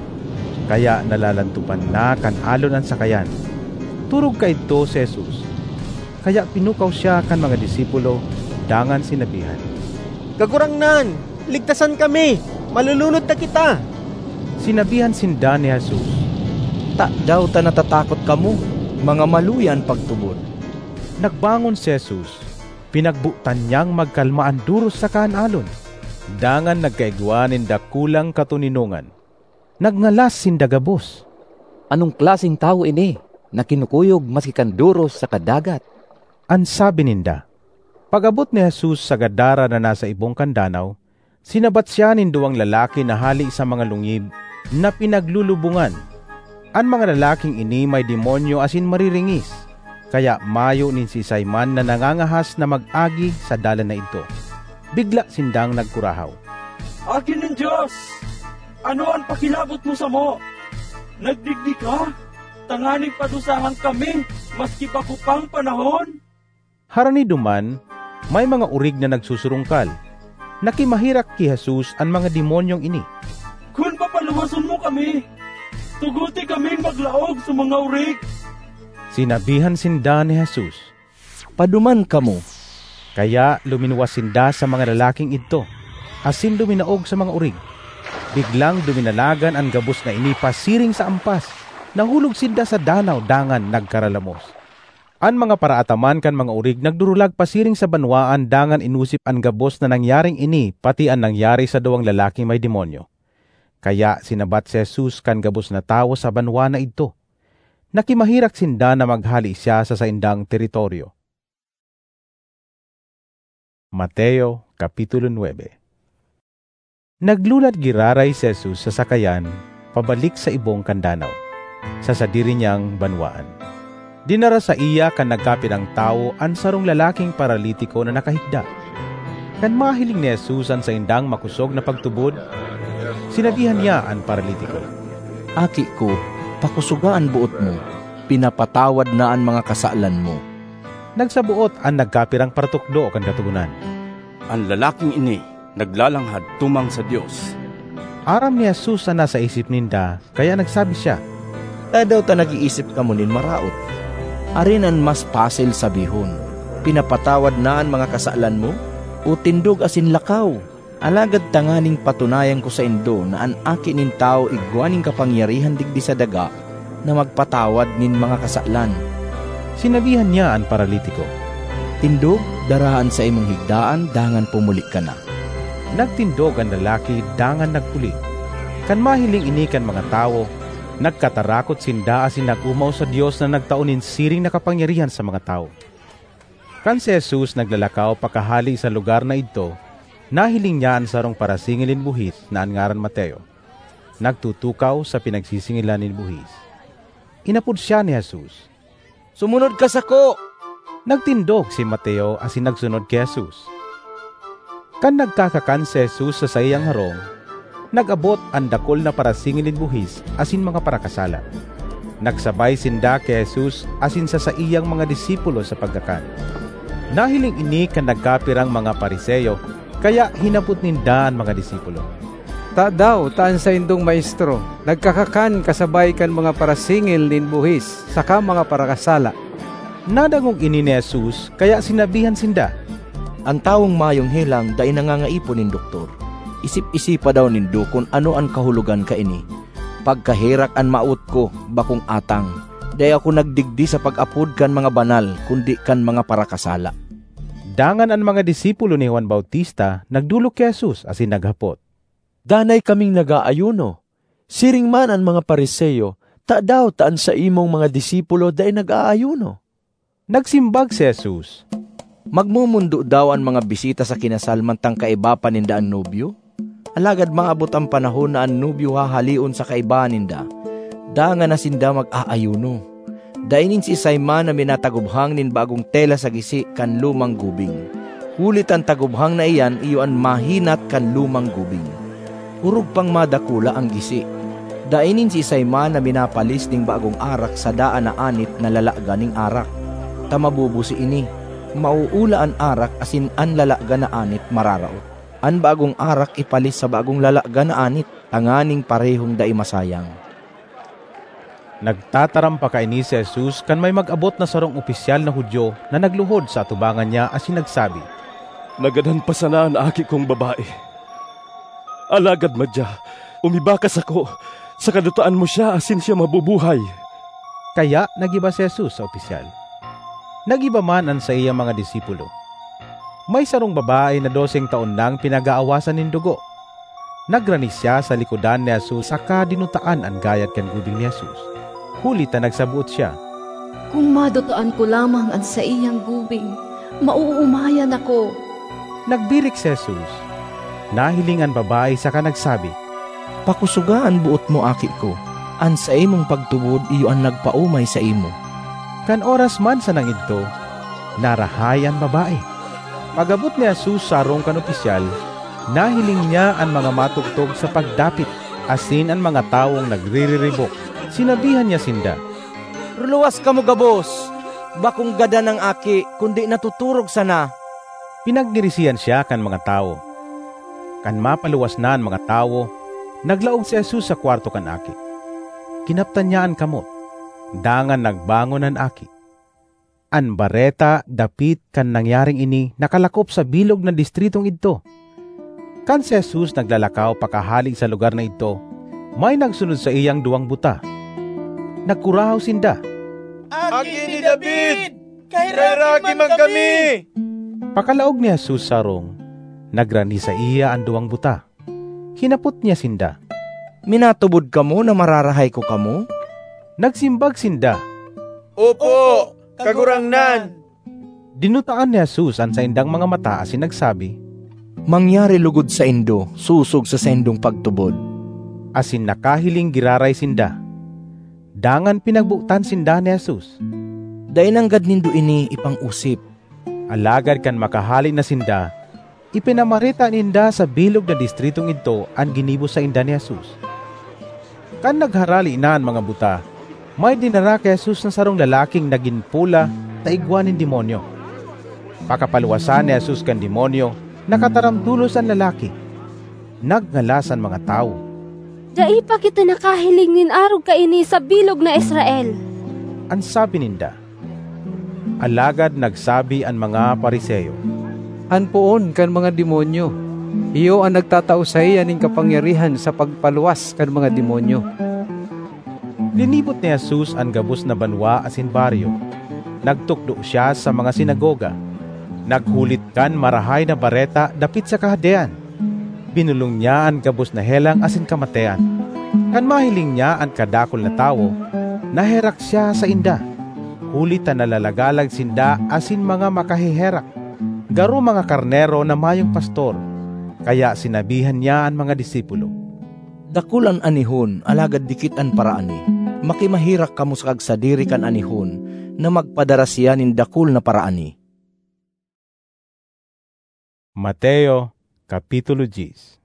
kaya nalalantopan na kan alon an sakayan. Torog kaidto si Jesus, kaya pinukaw siya kan mga disipulo dangan sinabihan, "Kagurangnan, ligtasan kami! Malulunod na kita!" Sinabihan sinda ni Jesus, "Tadaw ta natatakot kamo? Mga maluya an pagtubod." Nagbangon si Jesus, pinagbotan niyang magkalma an doros saka an alon, dangan nagkaigwa nin dakulang katoninongan. Nagngalas sinda gabos, "Anong klaseng tawo ini, na kinukuyog maski kan doros saka dagat?" an sabi ninda. Pag-abot ni Jesus sa Gadara na nasa ibong kan danaw, sinabat siya nin duwang lalaki na hale sa mga lungib na pinaglulubongan. An mga lalaking ini may demonyo asin mariringis, kaya mayo nin siisay man na nangangahas na mag-agi sa dalan na idto. Bigla sindang nagkurahaw, "Aki nin Dios, ano an pakilabot mo samo? Nagdigdi ka tanganing padusahan kami maski bako pang panahon?" Harani duman, may mga orig na nagsusurungkal. Nakimaherak ki Jesus an mga demonyong ini, "Kun papaluwason mo kami, tugote kaming maglaog sa mga orig." Sinabihan sinda ni Jesus, "Paduman kamo." Kaya luminuwas sinda sa mga lalaking idto, asin luminaog sa mga orig. Biglang duminalagan an gabos na ini pasiring sa ampas. Nahulog sinda sa danaw dangan nagkaralamos. An mga paraataman kan mga orig nagdurulag pasiring sa banwaan dangan inosip an gabos na nangyaring ini pati an nangyari sa duwang lalaking may demonyo. Kaya sinabat si Jesus kan gabos na tawo sa banwaan na idto. Nakimaherak sinda na maghale siya sa saindang teritoryo. Mateo, Kapitulo nuebe. Naglunad giraray si Jesus sa sakayan pabalik sa ibong kan danaw, sa sadiri niyang banwaan. Dinara saiya kan nagkapirang tawo an sarong lalaking paralitiko na nakahigda. Kan mahiling ni Jesus an saindang makosog na pagtubod, sinabihan niya an paralitiko, "Aki ko, pakosoga an boot mo, pinapatawad na an mga kasalan mo." Nagsaboot an nagkapirang paratukdo kan Katogonan, "An lalaking ini naglalanghad tumang sa Dios." Aram ni Jesus an nasa isip ninda, kaya nagsabi siya, "Tadaw ta nag-iisip kamo nin maraot? Arin an mas pasil sabihon, 'Pinapatawad na an mga kasalan mo,' o 'Tindog asin lakaw'? Alagad tanganing patunayan ko saindo na an Aki nin Tawo igwa nin kapangyarihan digdi sa daga na magpatawad nin mga kasalan." Sinabihan niya an paralitiko, "Tindog, daraha an saimong higdaan, dangan pumuli ka na." Nagtindog an lalaki dangan nagpuli. Kan mahiling ini kan mga tawo, nagkatarakot sinda asin nag-omaw sa Dios na nagtao nin siring na kapangyarihan sa mga tawo. Kan si Jesus naglalakaw pakahale sa lugar na idto, nahiling niya an sarong parasingil nin buhis na an ngaran Mateo, nagtutukaw sa pinagsisingilan nin buhis. Inapod siya ni Jesus, "Sumunod ka sako!" Nagtindog si Mateo asin nagsunod ki Jesus. Kan nagkakakan si Jesus sa saiyang harong, nag-abot an dakul na parasingil nin buhis asin mga parakasala. Nagsabay sinda ki Jesus asin sa saiyang mga disipulo sa pagkakan. Nahiling ini kan nagkapirang mga Fariseo, kaya hinapot ninda an mga disipulo, "Tadaw ta an saindong Maestro nagkakakan kasabay kan mga parasingil nin buhis saka mga parakasala?" Nadangog ini ni Jesus, kaya sinabihan sinda, "An tawong mayong helang dai nangangaipo nin doktor. Isip-isipa daw nindo kun ano an kahulogan kaini, 'Pagkaherak an mawot ko, bakong atang.' Dai ako nagdigdi sa pag-apod kan mga banal, kundi kan mga parakasala." Dangan an mga disipulo ni Juan Bautista nagdolok ki Jesus asin naghapot, "Danay kaming nag-aayuno, siring man an mga Fariseo, tadaw ta an saimong mga disipulo dai nag-aayuno?" Nagsimbag si Jesus, "Magmomondo daw an mga bisita sa kinasal mantang kaiba pa ninda an nobyo? Alagad maabot an panahon na an nobyo hahaleon sa kaiba ninda, dangan na sinda mag-aayuno. Dai nin siisay man na minataguphang nin bagong tela sa gisi kan lumang gubing, huli ta an taguphang na iyan iyo an mahinat kan lumang gubing. Orog pang madakula an gisi." Dai nin siisay man na minapalis nin bagong arak sa daan na anit na lalagan nin arak, ta mabubusi ini. Mauula an arak asin an lalagan na anit mararaot. An bagong arak ipalis sa bagong lalagan na anit, tanganing parehong dai masayang. Nagtataram pa kaini si Jesus kan may mag-abot na sarong opisyal na Judio na nagluhod sa atubangan niya asin nagsabi, "Nagadan pa sana an aki kong babae. Alagad madya, umiba ka sako, saka dutaan mo siya asin siya mabubuhay." Kaya nag-iba si Jesus sa opisyal. Nag-iba man an saiyang mga disipulo. May sarong babae na doseng taon nang pinag-aawasan nin dugo. Nagrani siya sa likodan ni Jesus saka dinutaan an gayad kan gubing ni Jesus, huli ta nagsaboot siya, "Kun madutaan ko lamang an saiyang gubing, maoomayan ako." Nagbirik si Jesus. Nahiling an babae saka nagsabi, "Pakosoga an boot mo, aki ko. An saimong pagtubod iyo an nagpaomay saimo." Kan oras man sanang idto, narahay an babae. Pag-abot ni Jesus sa harong kan opisyal, nahiling niya an mga matugtog sa pagdapit asin an mga tawong nagririribok. Sinabihan niya sinda, "Ruluwas kamo gabos! Bakong gadan an aki, kundi natuturog sana!" Pinagngirisihan siya kan mga tawo. Kan mapaluwas na an mga tawo, naglaog si Jesus sa kwarto kan aki. Kinaptan niya an kamot, dangan nagbangon an aki. An bareta dapit kan nangyaring ini nakalakop sa bilog na distritong idto. Kan si Jesus naglalakaw pakahale sa lugar na idto, may nagsunod saiyang duwang buta. Nagkurahaw sinda, "Aki ni David, kaheraki man kami!" Pakalaog ni Jesus sa harong, nagrani saiya an duwang buta. Hinapot niya sinda, "Minatubod kamo na mararahay ko kamo?" Nagsimbag sinda, "Opo, Kagurangnan." Dinutaan ni Jesus an saindang mga mata asin nagsabi, "Mangyari logod saindo sosog sa saindong pagtubod." Asin nakahiling giraray sinda. Dangan pinagbotan sinda ni Jesus. "Dai nanggad nindo ini ipang-osip." Alagad kan makahale na sinda, ipinamareta ninda sa bilog na distritong idto an ginibo sainda ni Jesus. Kan nagharale na an mga buta, may dinara ki Jesus na sarong lalaking nagin pola ta igwa nin demonyo. Pakapaluwasan ni Jesus kan demonyo, nakataram tolos an lalaki. Nagngalas an mga tawo. "Dai pa kita nakahiling nin arog kaini sa bilog na Israel," an sabi ninda. Alagad nagsabi an mga Fariseo, "An poon kan mga demonyo, iyo an nagtatao saiya nin kapangyarihan sa pagpaluwas kan mga demonyo." Linibot ni Jesus an gabos na banwa asin baryo. Nagtukdo siya sa mga sinagoga. Naghulit kan Marahay na Bareta dapit sa Kahadean. Binolong niya an gabos na helang asin kamatean. Kan mahiling niya an kadakul na tawo, naherak siya sainda, huli ta nalalagalag sinda asin mga makaheherak, garo mga karnero na mayong pastor. Kaya sinabihan niya an mga disipulo, "Dakul an anihon, alagad dikit an paraani. Makimaherak kamo sa kagsadiri kan anihon na magpadara siya nin dakul na paraani." Mateo, Kapitulo diyes.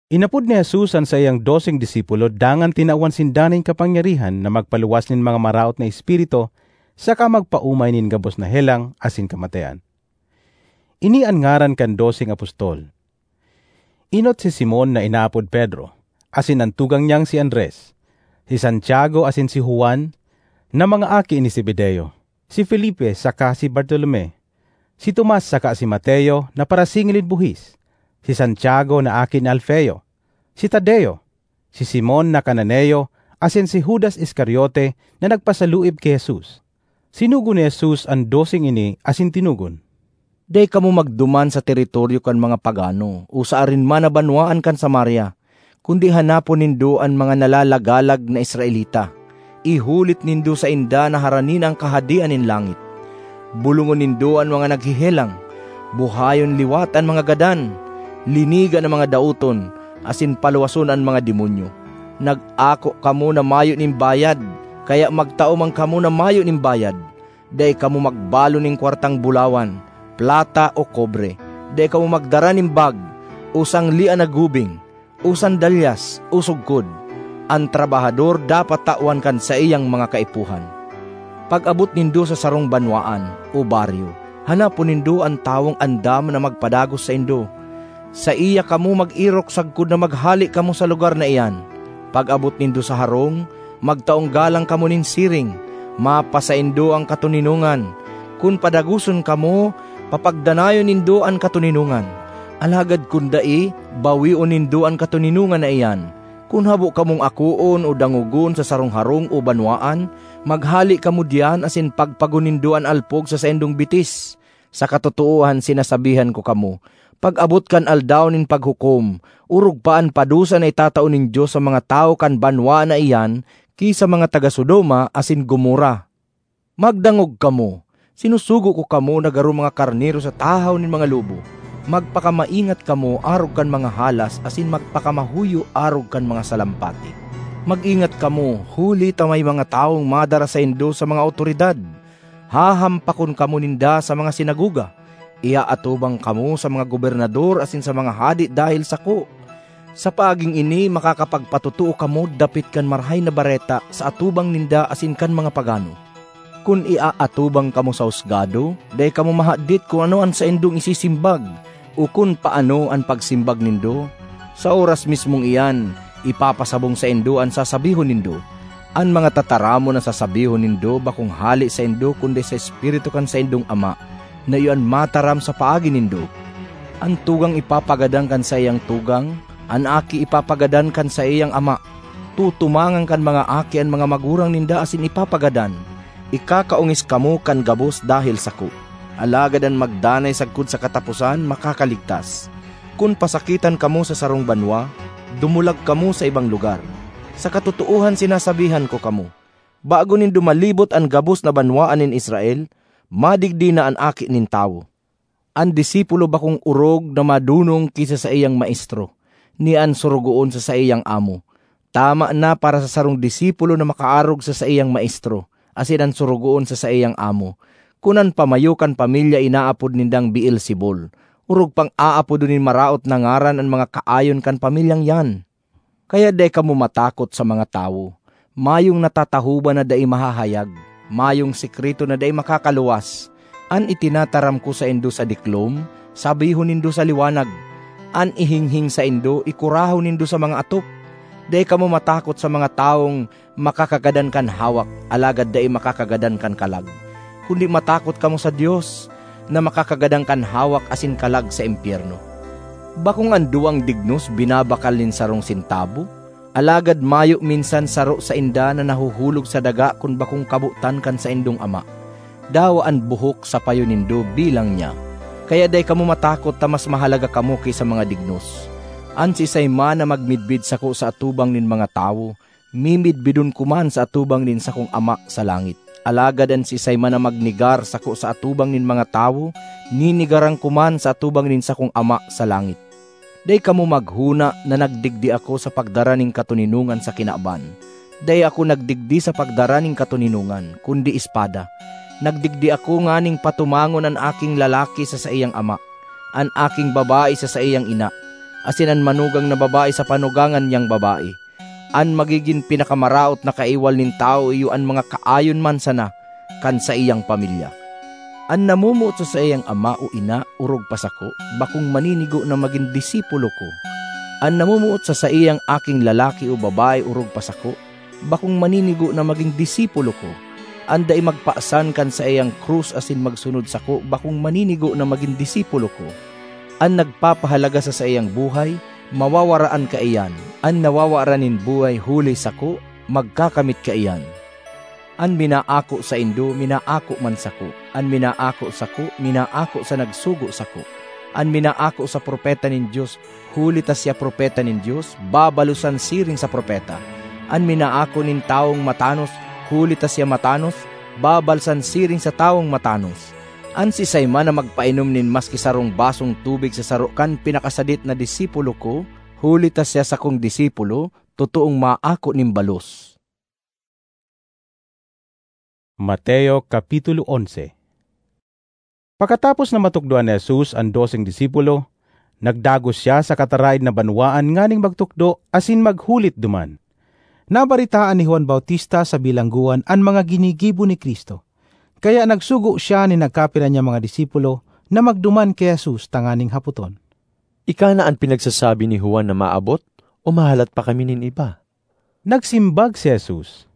Inapod ni Jesus an saiyang doseng disipulo dangan tinawan sinda nin kapangyarihan na magpaluwas nin mga maraot na espiritu saka magpaomay nin gabos na helang asin kamatean. Ini an ngaran kan doseng apostol. Enot si Simon na inaapod Pedro, asin an tugang niyang si Andres, si Santiago asin si Juan, na mga aki ni Zebedeo, si Felipe saka si Bartolome, si Tomas saka si Mateo na parasingil nin buhis, si Santiago na aki ni Alfeo, si Tadeo, si Simon na Cananeo, asin si Judas Iscariote na nagpasaluib ki Jesus. Sinugo ni Jesus an doseng ini asin tinugon, "Dai kamo magduman sa teritoryo kan mga pagano o sa arin man na banwaan kan Samaria, kundi hanapon nindo an mga nalalagalag na Israelita. Ihulit nindo sainda na harani na an Kahadean nin langit. Bolongon nindo an mga naghehelang, buhayon liwat an mga gadan, linigan an mga daoton, asin paluwason an mga demonyo. Nag-ako kamo na mayo nin bayad, kaya magtao man kamo na mayo nin bayad. Dai kamo magbalon nin kwartang bulawan, plata o kobre. Dai kamo magdara nin bag, o sanglean na gubing, o sandalyas, o sugkod. an trabahador dapat tawan kan saiyang mga kaipuhan. Pag-abot nindo sa sarong banwaan o baryo, hanapon nindo an tawong andam na magpadagos saindo. Saiya kamo mag-erok sagkod na maghale kamo sa lugar na iyan. Pag-abot nindo sa harong, magtaong galang kamo nin siring. Mapasaindo an katoninongan. Kun padagoson kamo, papagdanayon nindo an katoninongan. Alagad kun dai, bawion nindo an katoninongan na iyan. Kun habo kamong akoon o dangogon sa sarong harong o banwaan, maghale kamo diyan asin pagpagon nindo an alpog sa saindong bitis. Sa katotoohan sinasabihan ko kamo, pag-abot kan Aldaw nin Paghukom, orog pa an padusa na itatao nin Dios sa mga tawo kan banwaan na iyan ki sa mga taga Sodoma asin Gomorra. Magdangog kamo! Sinusugo ko kamo na garo mga karnero sa tahaw nin mga lobo. Magpakamaingat kamo arog kan mga halas asin magpakamahuyo arog kan mga salampati. Mag-ingat kamo, huli ta may mga tawong madara saindo sa mga awtoridad. Hahampakon kamo ninda sa mga sinagoga. Iaatubang kamo sa mga gobernador asin sa mga hade dahel sako. Sa paaging ini, makakapagpatotoo kamo dapit kan Marahay na Bareta sa atubang ninda asin kan mga pagano. Kun iaatubang kamo sa husgado, dai kamo mahadit kun ano an saindong isisimbag o kun paano an pagsimbag nindo. Sa oras mismong iyan, ipapasabong saindo an sasabihon nindo. An mga tataramon na sasabihon nindo bakong hale saindo kundi sa Espiritu kan saindong Ama, na iyo an mataram sa paagi nindo. An tugang ipapagadan kan saiyang tugang, an aki ipapagadan kan saiyang ama. Tutumangan kan mga aki an mga magurang ninda asin ipapagadan. Ikakaongis kamo kan gabos dahel sako. Alagad an magdanay sagkod sa kataposan, makakaligtas. Kun pasakitan kamo sa sarong banwa, dumulag kamo sa ibang lugar. Sa katotoohan sinasabihan ko kamo, bago nindo malibot an gabos na banwaan nin Israel, madigdi na an Aki nin Tawo. An disipulo bakong orog na madonong ki sa saiyang maestro, ni an sorogoon sa saiyang amo. Tama na para sa sarong disipulo na makaarog sa saiyang maestro, asin an sorogoon sa saiyang amo. Kun an pamayo kan pamilya inaapod nindang Beelzebul, orog pang aapodon nin maraot na ngaran an mga kaayon kan pamilyang iyan. Kaya dai kamo matakot sa mga tawo. Mayong natatahoban na dai mahahayag, mayong sekreto na dai makakaluwas. An itinataram ko saindo sa diklom, sabihon nindo sa liwanag. An ihinghing saindo, ikurahon nindo sa mga atop. Dai kamo matakot sa mga tawong makakagadan kan hawak, alagad dai makakagadan kan kalag, kundi matakot kamo sa Dios, na makakagadan kan hawak asin kalag sa impyerno. Bakong an duwang dignos binabakal nin sarong sentabo, alagad mayo minsan saro sainda na nahuhulog sa daga kun bakong kabotan kan saindong ama. Dawa an buhok sa payo nindo bilang niya. Kaya dai kamo matakot ta mas mahalaga kamo ki sa mga dignos. An siisay man na magmidbid sako sa atubang nin mga tawo, mimidbidon ko man sa atubang nin sakong Ama sa langit. Alagad an siisay man na magnegar sako sa atubang nin mga tawo, nenegaran ko man sa atubang nin sakong Ama sa langit. Dai kamo maghona na nagdigdi ako sa pagdara nin katoninongan sa kinaban. Dai ako nagdigdi sa pagdara nin katoninongan, kundi espada. Nagdigdi ako nganing patumangon an aking lalaki sa saiyang ama, an aking babae sa saiyang ina, asin an manugang na babae sa panugangan niyang babae. An magigin pinakamaraot na kaiwal nin tawo iyo an mga kaayon man sana kan saiyang pamilya. An namomoot sa saiyang ama o ina orog pa sako, bakong maninigo na magin disipulo ko. An namomoot sa saiyang aking lalaki o babae orog pa sako, bakong maninigo na magin disipulo ko. An dai magpasan kan saiyang krus asin magsunod sako, bakong maninigo na magin disipulo ko. An nagpapahalaga sa saiyang buhay, mawawaraan kaiyan. An nawawaran nin buhay huli sako, magkakamit kaiyan. An minaako saindo, minaako man sako. An minaako sako, minaako sa nagsugo sako. An minaako sa propeta nin Dios, huli ta siya propeta nin Dios, babalosan siring sa propeta. An minaako nin tawong matanos, huli ta siya matanos, babalsan siring sa tawong matanos. An siisay man na magpainom nin maski sarong basong tubig sa saro kan pinakasadit na disipulo ko, huli ta siya sakong disipulo, totoong maako nin balos. Mateo Kapitulo onse. Pakatapos na matukdoan ni Jesus an doseng disipulo, nagdagos siya sa kataraed na banwaan nganing magtukdo asin maghulit duman. Nabaretaan ni Juan Bautista sa bilanggoan an mga ginigibo ni Cristo, kaya nagsugo siya nin nagkapira niyang mga disipulo na magduman ki Jesus tanganing hapoton, "Ika na an pinagsasabi ni Juan na maabot, o mahalat pa kami nin iba?" Nagsimbag si Jesus,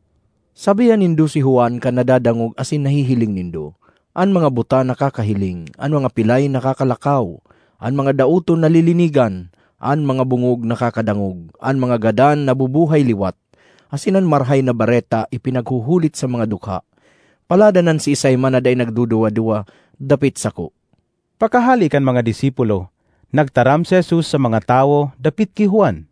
"Sabihan nindo si Juan kan nadadangog asin nahihiling nindo, an mga buta nakakahiling, an mga pilay nakakalakaw, an mga daoton nalilinigan, an mga bongog nakakadangog, an mga gadan nabubuhay liwat, asin an Marahay na Bareta ipinaghuhulit sa mga dukha. Paladan an siisay man na dai nagduduwa-duwa dapit sako." Pakahale kan mga disipulo, nagtaram si Jesus sa mga tawo dapit ki Juan,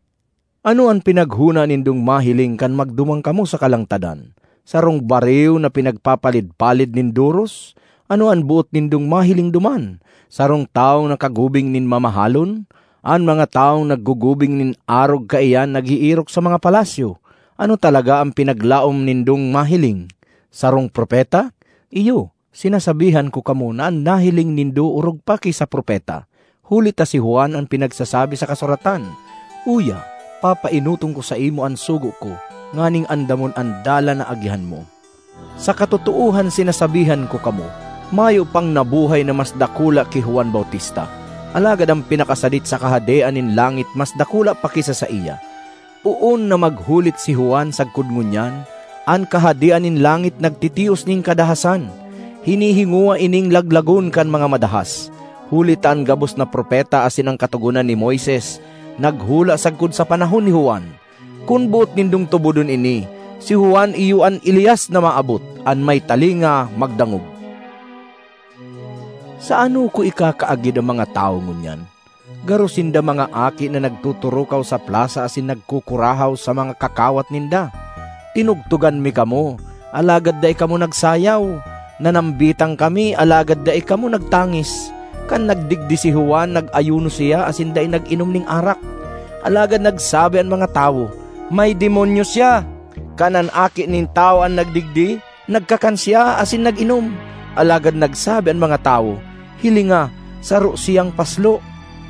"Ano an pinaghona nindong mahiling kan magduman kamo sa kalangtadan? Sarong bariw na pinagpapalid-palid nin doros? Ano an boot nindong mahiling duman? Sarong tawong nakagubing nin mamahalon? An mga tawong naggugubing nin arog kaiyan nag-iirok sa mga palasyo. Ano talaga an pinaglaom nindong mahiling? Sarong propeta? Iyo, sinasabihan ko kamo na an nahiling nindo orog pa ki sa propeta. Huli ta si Juan an pinagsasabi sa kasuratan, 'Uya, papaenoton ko saimo an sugo ko, nganing andamon an dalan na agihan mo.' Sa katotoohan sinasabihan ko kamo, mayo pang nabuhay na mas dakula ki Juan Bautista, alagad an pinakasadit sa Kahadean nin langit mas dakula pa ki sa saiya. Poon na maghulit si Juan sagkod ngunyan, an Kahadean nin langit nagtitios nin kadahasan. Hinihingowa ining laglagon kan mga madahas, huli ta an gabos na propeta asin an Katogonan ni Moises naghula sagkod sa panahon ni Juan. Kun boot nindong tubodon ini, si Juan iyo an Elias na maabot, an may talinga magdangog. Sa ano ko ikakaagid an mga tawo ngunyan? Garo sinda mga aki na nagtuturukaw sa plasa asin nagkukurahaw sa mga kakawat ninda. Tinugtugan mi kamo, alagad dai kamo nagsayaw. Nanambitan kami, alagad dai kamo nagtangis. Kan nagdigdi si Juan, nag-ayuno siya asin dai nag-inom nin arak. Alagad nagsabi an mga tawo, 'May demonyo siya!' Kan an Aki nin Tawo an nagdigdi, nagkakan siya asin nag-inom. Alagad nagsabi an mga tawo, 'Hilinga, saro siyang paslo,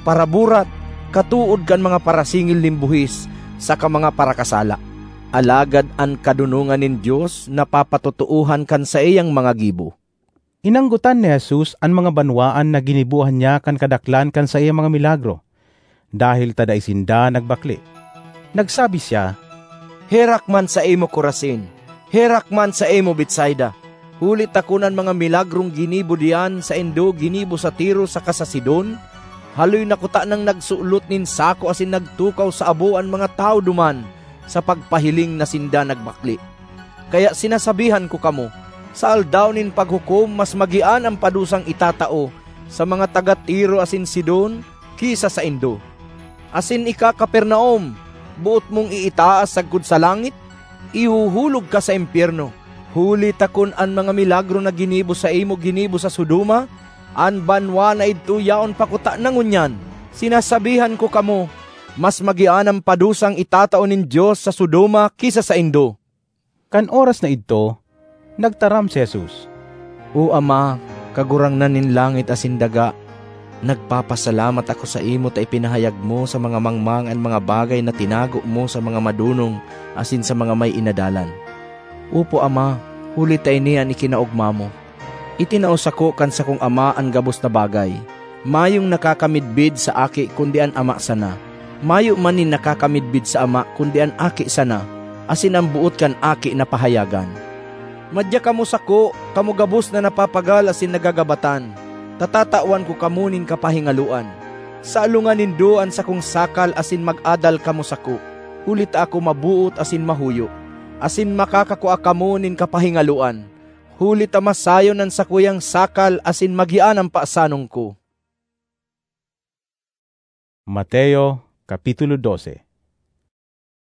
paraburat, katood kan mga parasingil nin buhis saka mga parakasala.' Alagad an kadonongan nin Dios napapatotoohan kan saiyang mga gibo." Inanggotan ni Jesus an mga banwaan na ginibohan niya kan kadaklan kan saiyang mga milagro, dahel ta dai sinda nagbakle. Nagsabi siya, "Herak man saimo, Corazin! Herak man saimo, Betsaida! Huli ta kun an mga milagrong ginibo diyan saindo ginibo sa Tiro saka sa Sidon, haloy na kutanang nagsulot nin sako asin nagtukaw sa abo an mga tawo duman sa pagpahiling na sinda nagbakle. Kaya sinasabihan ko kamo, sa Aldaw nin Paghukom mas magian an padusang itatao sa mga taga Tiro asin Sidon ki sa saindo. Asin ika, Capernaum, boot mong iitaas sagkod sa langit? Ihuhulog ka sa impyerno! Huli ta kun an mga milagro na ginibo saimo ginibo sa Sodoma, an banwa na idto yaon pa kutana ngunyan. Sinasabihan ko kamo, mas magian an padusang itatao nin Dios sa Sodoma ki sa saindo." Kan oras na idto, nagtaram si Jesus, "O Ama, Kagurangnan nin langit asin daga, nagpapasalamat ako saimo ta ipinahayag mo sa mga mangmang an mga bagay na tinago mo sa mga madonong asin sa mga may inadalan. Opo, Ama, huli ta ini an ikinaogma mo. Itinao sako kan sakong Ama an gabos na bagay. Mayong nakakamidbid sa Aki kundi an Ama sana. Mayo man nin nakakamidbid sa Ama kundi an Aki sana, asin an boot kan Aki na pahayagan. Madya kamo sako, kamo gabos na napapagal asin nagagabatan, ta tatawan ko kamo nin kapahingaloan. Salongan nindo an sakong sakal asin mag-adal kamo sako, huli ta ako maboot asin mahuyo, asin makakakua kamo nin kapahingaloan, huli ta masayon an sakuyang sakal asin magian an pasanon ko." Mateo, Kapitulo dose.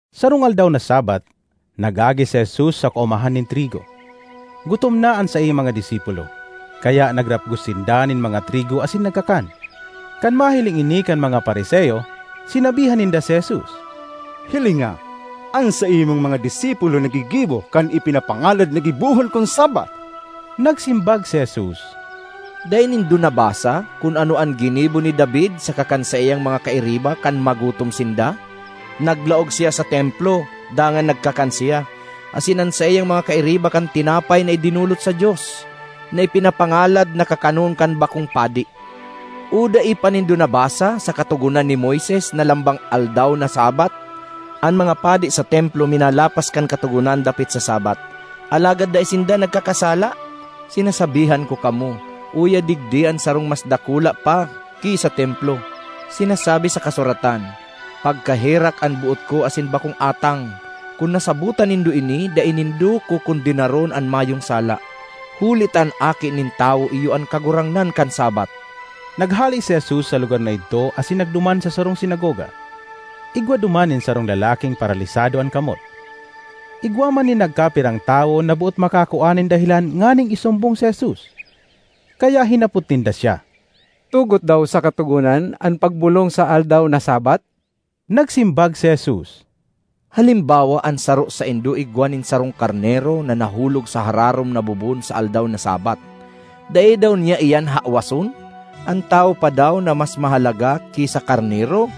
Sarong aldaw na Sabat, nag-agi si Jesus sa kaomahan nin trigo. Gutom na an saiyang mga disipulo, kaya nagrapgos sinda nin mga trigo asin nagkakan. Kan mahiling ini kan mga Fariseo, sinabihan ninda si Jesus, "Hilinga, an saimong mga disipulo naggigibo kan ipinapangalad na gibohon kun Sabat." Nagsimbag si Jesus, "Dai nindo nabasa kun ano an ginibo ni David saka kan saiyang mga kairiba kan magutom sinda? Naglaog siya sa Templo, Dangan nagkakan siya, asin an saiyang mga kairiba kan tinapay na idinolot sa Dios, na ipinapangalad na kakanon kan bakong padi. O dai pa nindo nabasa sa Katogonan ni Moises na lambang aldaw na Sabbath, an mga padi sa Templo minalapas kan Katogonan dapit sa Sabbath, alagad dai sinda nagkakasala? Sinasabihan ko kamo, uya digdi an sarong mas dakula pa ki sa Templo. Sinasabi sa kasuratan, "Pagkaherak an boot ko asin bakong atang." Kun nasabotan nindo ini, dai nindo kokondenaron an mayong sala, huli ta an Aki nin Tawo iyo an Kagurangnan kan Sabbath. Naghale si Jesus sa lugar na idto asin nagduman sa sarong sinagoga. Igwa duman nin sarong lalaking paralisado an kamot. Igwa man nin nagkapirang tawo na boot makakua nin dahelan nganing isumbong si Jesus. Kaya hinapot ninda siya, "Tugot daw sa Katogonan an pagbolong sa aldaw na Sabbath?" Nagsimbag si Jesus, "Halimbawa, an saro saindo igwa nin sarong karnero na nahulog sa hararom na bubon sa aldaw na Sabbath. Dai daw niya iyan hawason? An tawo pa daw na mas mahalaga ki sa karnero?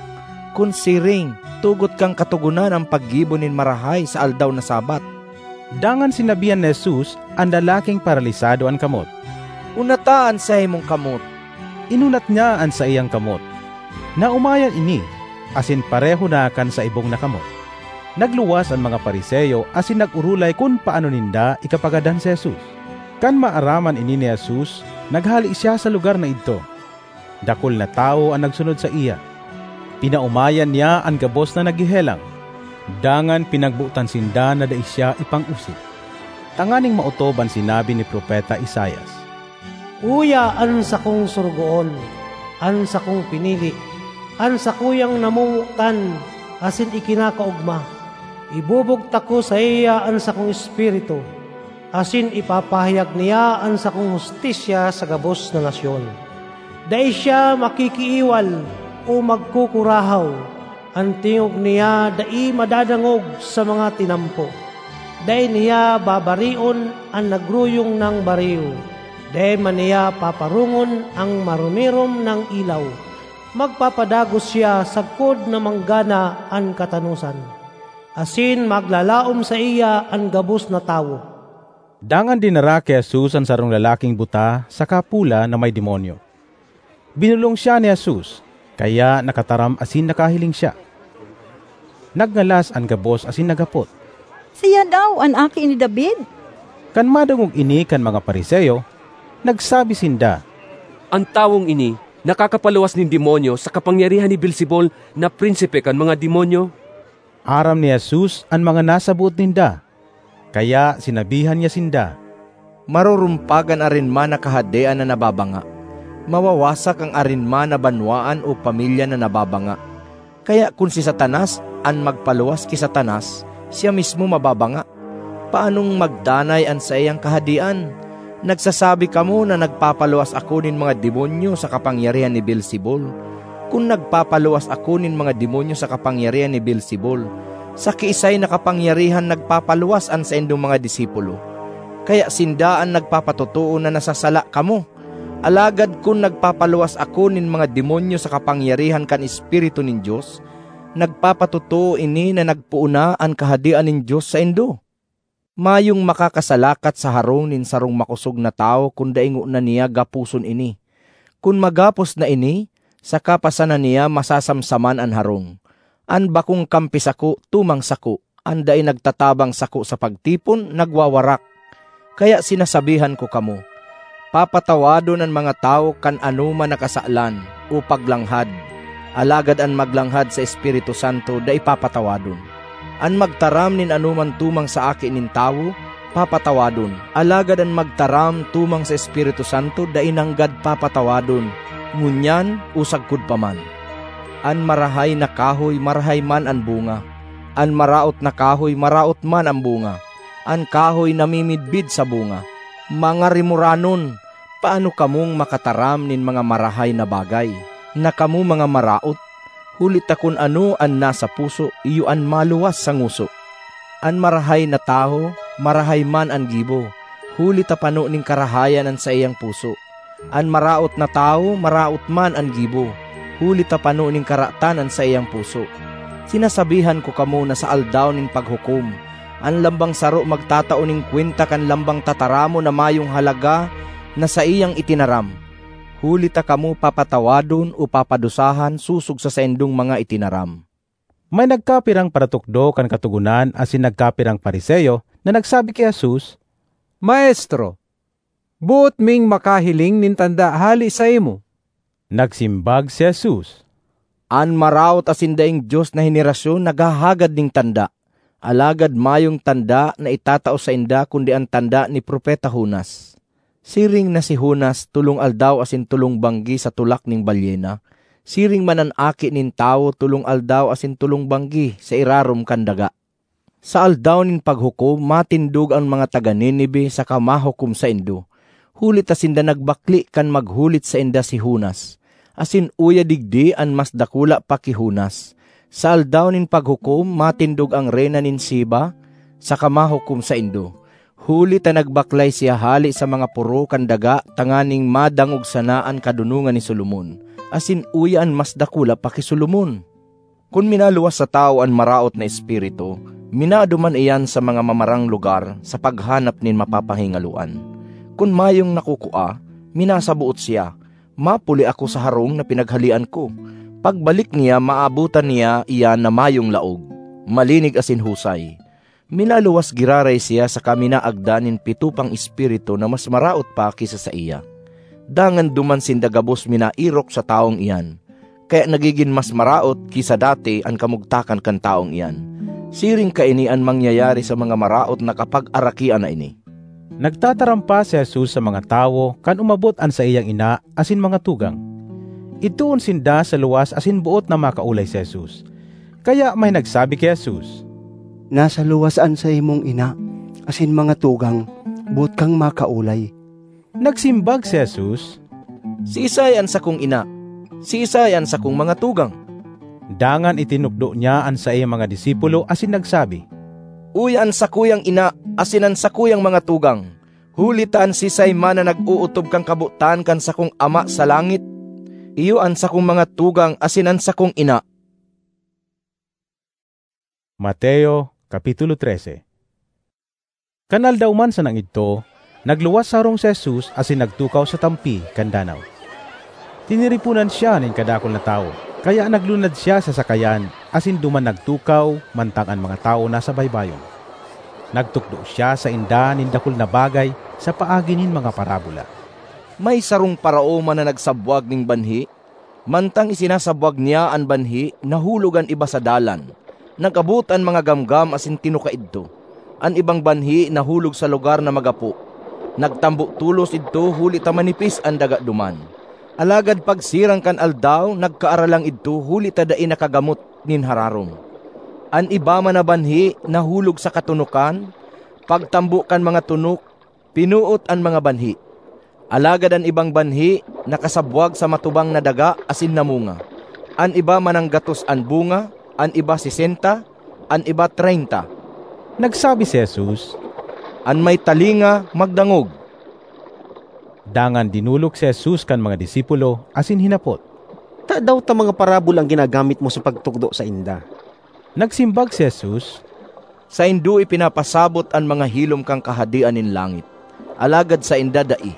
Kun siring, tugot kan Katogonan an paggibo nin marahay sa aldaw na Sabbath." Dangan sinabihan ni Jesus an lalaking paralisado an kamot, "Unata an saimong kamot." Inunat niya an saiyang kamot. Naomayan ini, asin pareho na kan sa ibong na kamot. Nagluwas an mga Fariseo asin nag-orolay kun paano ninda ikapagadan si Jesus. Kan maaraman ini ni Jesus, naghale siya sa lugar na idto. Dakul na tawo an nagsunod saiya. Pinaomayan niya an gabos na naghehelang, dangan pinagbotan sinda na dai siya ipang-osip, tanganing maotob an sinabi ni Propeta Isaias, "Uya an sakong sorogoon, an sakong pinili, an sakuyang namomotan asin ikinakaogma. Ibubugtak ko saiya an sakong Espiritu, asin ipapahayag niya an sakong hustisya sa gabos na nasyon. Dai siya makikiiwal o magkukurahaw, an tingog niya dai madadangog sa mga tinampo. Dai niya babarion an nagruyong nang bariw, dai man niya paparongon an marumirom nang ilaw. Magpapadagos siya sagkod na manggana an katanosan, asin maglalaom saiya an gabos na tawo." Dangan dinara ki Jesus an sarong lalaking buta saka pola na may demonyo. Binolong siya ni Jesus, kaya nakataram asin nakahiling siya. Nagngalas an gabos asin naghapot, "Siya daw an Aki ni David?" Kan madangog ini kan mga Fariseo, nagsabi sinda, "An tawong ini nakakapaluwas nin demonyo sa kapangyarihan ni Beelzebul na prinsipe kan mga demonyo." Aram ni Jesus an mga nasaboot ninda, kaya sinabihan niya sinda, "Marurumpag an arinman na kahadean na nababanga. Mawawasak an arinman na banwaan o pamilya na nababanga. Kaya kun si Satanas an magpaluwas ki Satanas, siya mismo mababanga. Paanong magdanay an saiyang kahadean? Nagsasabi kamo na nagpapaluwas ako nin mga demonyo sa kapangyarihan ni Beelzebul. Kun nagpapaluwas ako nin mga demonyo sa kapangyarihan ni Beelzebul, sa kiisay na kapangyarihan nagpapaluwas an saindong mga disipulo? Kaya sinda an nagpapatotoo na nasasala kamo. Alagad kun nagpapaluwas ako nin mga demonyo sa kapangyarihan kan Espiritu nin Dios, nagpapatotoo ini na nagpoon na an Kahadean nin Dios saindo. Mayong makakasalakat sa harong nin sarong makosog na tawo kun dai ngona niya gaposon ini. Kun magapos na ini, saka pa sana niya masasamsaman an harong. An bakong kampi sako tumang sako, an dai nagtatabang sako sa pagtipon, nagwawarak. Kaya sinasabihan ko kamo, papatawadon an mga tawo kan anoman na kasalan o paglanghad, alagad an maglanghad sa Espiritu Santo dai papatawadon. An magtaram nin anoman tumang sa Aki nin Tawo, papatawadon, alagad an magtaram tumang sa Espiritu Santo dai nanggad papatawadon, ngunyan o sagkod pa man. An marahay na kahoy, marahay man an bunga. An maraot na kahoy, maraot man an bunga. An kahoy namimidbid sa bunga. Mga rimoranon, paano kamong makataram nin mga marahay na bagay, na kamo mga maraot? Huli ta kun ano an nasa puso, iyo an maluwas sa ngoso. An marahay na tawo, marahay man an gibo, huli ta pano nin karahayan an saiyang puso. An maraot na tawo, maraot man an gibo, huli ta pano nin karatan an saiyang puso. Sinasabihan ko kamo na sa Aldaw nin Paghukom, an lambang saro magtatao nin kwenta kan lambang tataramon na mayong halaga na saiyang itinaram, huli ta kamo papatawadon o papadusahan sosog sa saindong mga itinaram. May nagkapirang paratukdo kan Katogonan asin nagkapirang Fariseo na nagsabi ki Jesus, "Maestro, boot ming makahiling nin tanda hale saimo." Nagsimbag si Jesus, "An maraot asin daing Dios na henerasyon naghahagad nin tanda, alagad mayong tanda na itatao sainda kundi an tanda ni Propeta Jonas. Siring na si Jonas tolong aldaw asin tolong banggi sa tulak nin balyena, siring man an Aki nin Tawo tolong aldaw asin tolong banggi sa irarom kan daga. Sa Aldaw nin Paghukom, matindog an mga taga Ninive saka mahukom saindo, huli ta sinda nagbakle kan maghulit sainda si Jonas, asin uya digdi an mas dakula pa ki Jonas. Sa Aldaw nin Paghukom, matindog an reyna nin Sheba saka mahukom saindo, huli ta nagbaklay siya hale sa mga poro kan daga tanganing madangog sana an kadonongan ni Solomon, asin uya an mas dakula pa ki Solomon." Kun minaluwas sa tawo an maraot na espiritu, minaduman iyan sa mga mamarang lugar sa paghanap nin mapapahingaloan. Kun mayong nakukua, minasaboot siya, "Mapuli ako sa harong na pinaghalean ko." Pagbalik niya, maabotan niya iyan na mayong laog, malinig asin husay. Minaluwas giraray siya saka minaagdan nin pito pang espiritu na mas maraot pa ki sa saiya. Dangan duman sinda gabos minaerok sa tawong iyan, kaya nagigin mas maraot ki sa dati an kamugtakan kan tawong iyan. Siring kaini an mangyayari sa mga maraot na kapagarakian na ini. Nagtataram pa si Jesus sa mga tawo kan umabot an saiyang ina asin mga tugang. Idtoon sinda sa luwas asin boot na makaolay si Jesus. Kaya may nagsabi ki Jesus, "Nasa luwas an saimong ina asin mga tugang, boot kang makaolay." Nagsimbag si Jesus, "Siisay an sakong ina? Siisay an sakong mga tugang?" Dangan itinukdo niya an saiyang mga disipulo asin nagsabi, "Uya an sakuyang ina asin an sakuyang mga tugang, huli ta an siisay man na nag-ootob kan kabotan kan sakong Ama sa langit, iyo an sakong mga tugang asin an sakong ina." Mateo, Kapitulo trese. Kan aldaw man sanang idto, nagluwas sa harong si Jesus asin nagtukaw sa tampi kan danaw. Tiniriponan siya nin kadakul na tawo, kaya naglunad siya sa sakayan asin duman nagtukaw mantang an mga tawo nasa baybayon. Nagtukdo siya sainda nin dakul na bagay sa paagi nin mga parabola. May sarong paraoma na nagsabwag nin banhi. Mantang isinasabwag niya an banhi, nahulog an iba sa dalan. Nag-abot an mga gamgam asin tinuka idto. An ibang banhi nahulog sa lugar na magapo. Nagtambo tolos idto huli ta manipis an daga duman. Alagad pagsirang kan aldaw, nagkaaralang idto huli ta dai nakagamot nin hararom. An iba man na banhi nahulog sa katunokan, pagtambo kan mga tunok, pinuot an mga banhi. Alagad an ibang banhi nakasabwag sa matubang na daga asin namunga. An iba mananggatos an bunga, an iba sesenta, an iba treinta. Nagsabi si Jesus, "An may talinga, magdangog." Dangan dinolok si Jesus kan mga disipulo asin hinapot, "Tadaw ta mga parabola an ginagamit mo sa pagtukdo sainda?" Nagsimbag si Jesus, "Saindo ipinapasabot an mga hilom kan Kahadean nin langit, alagad sainda dai.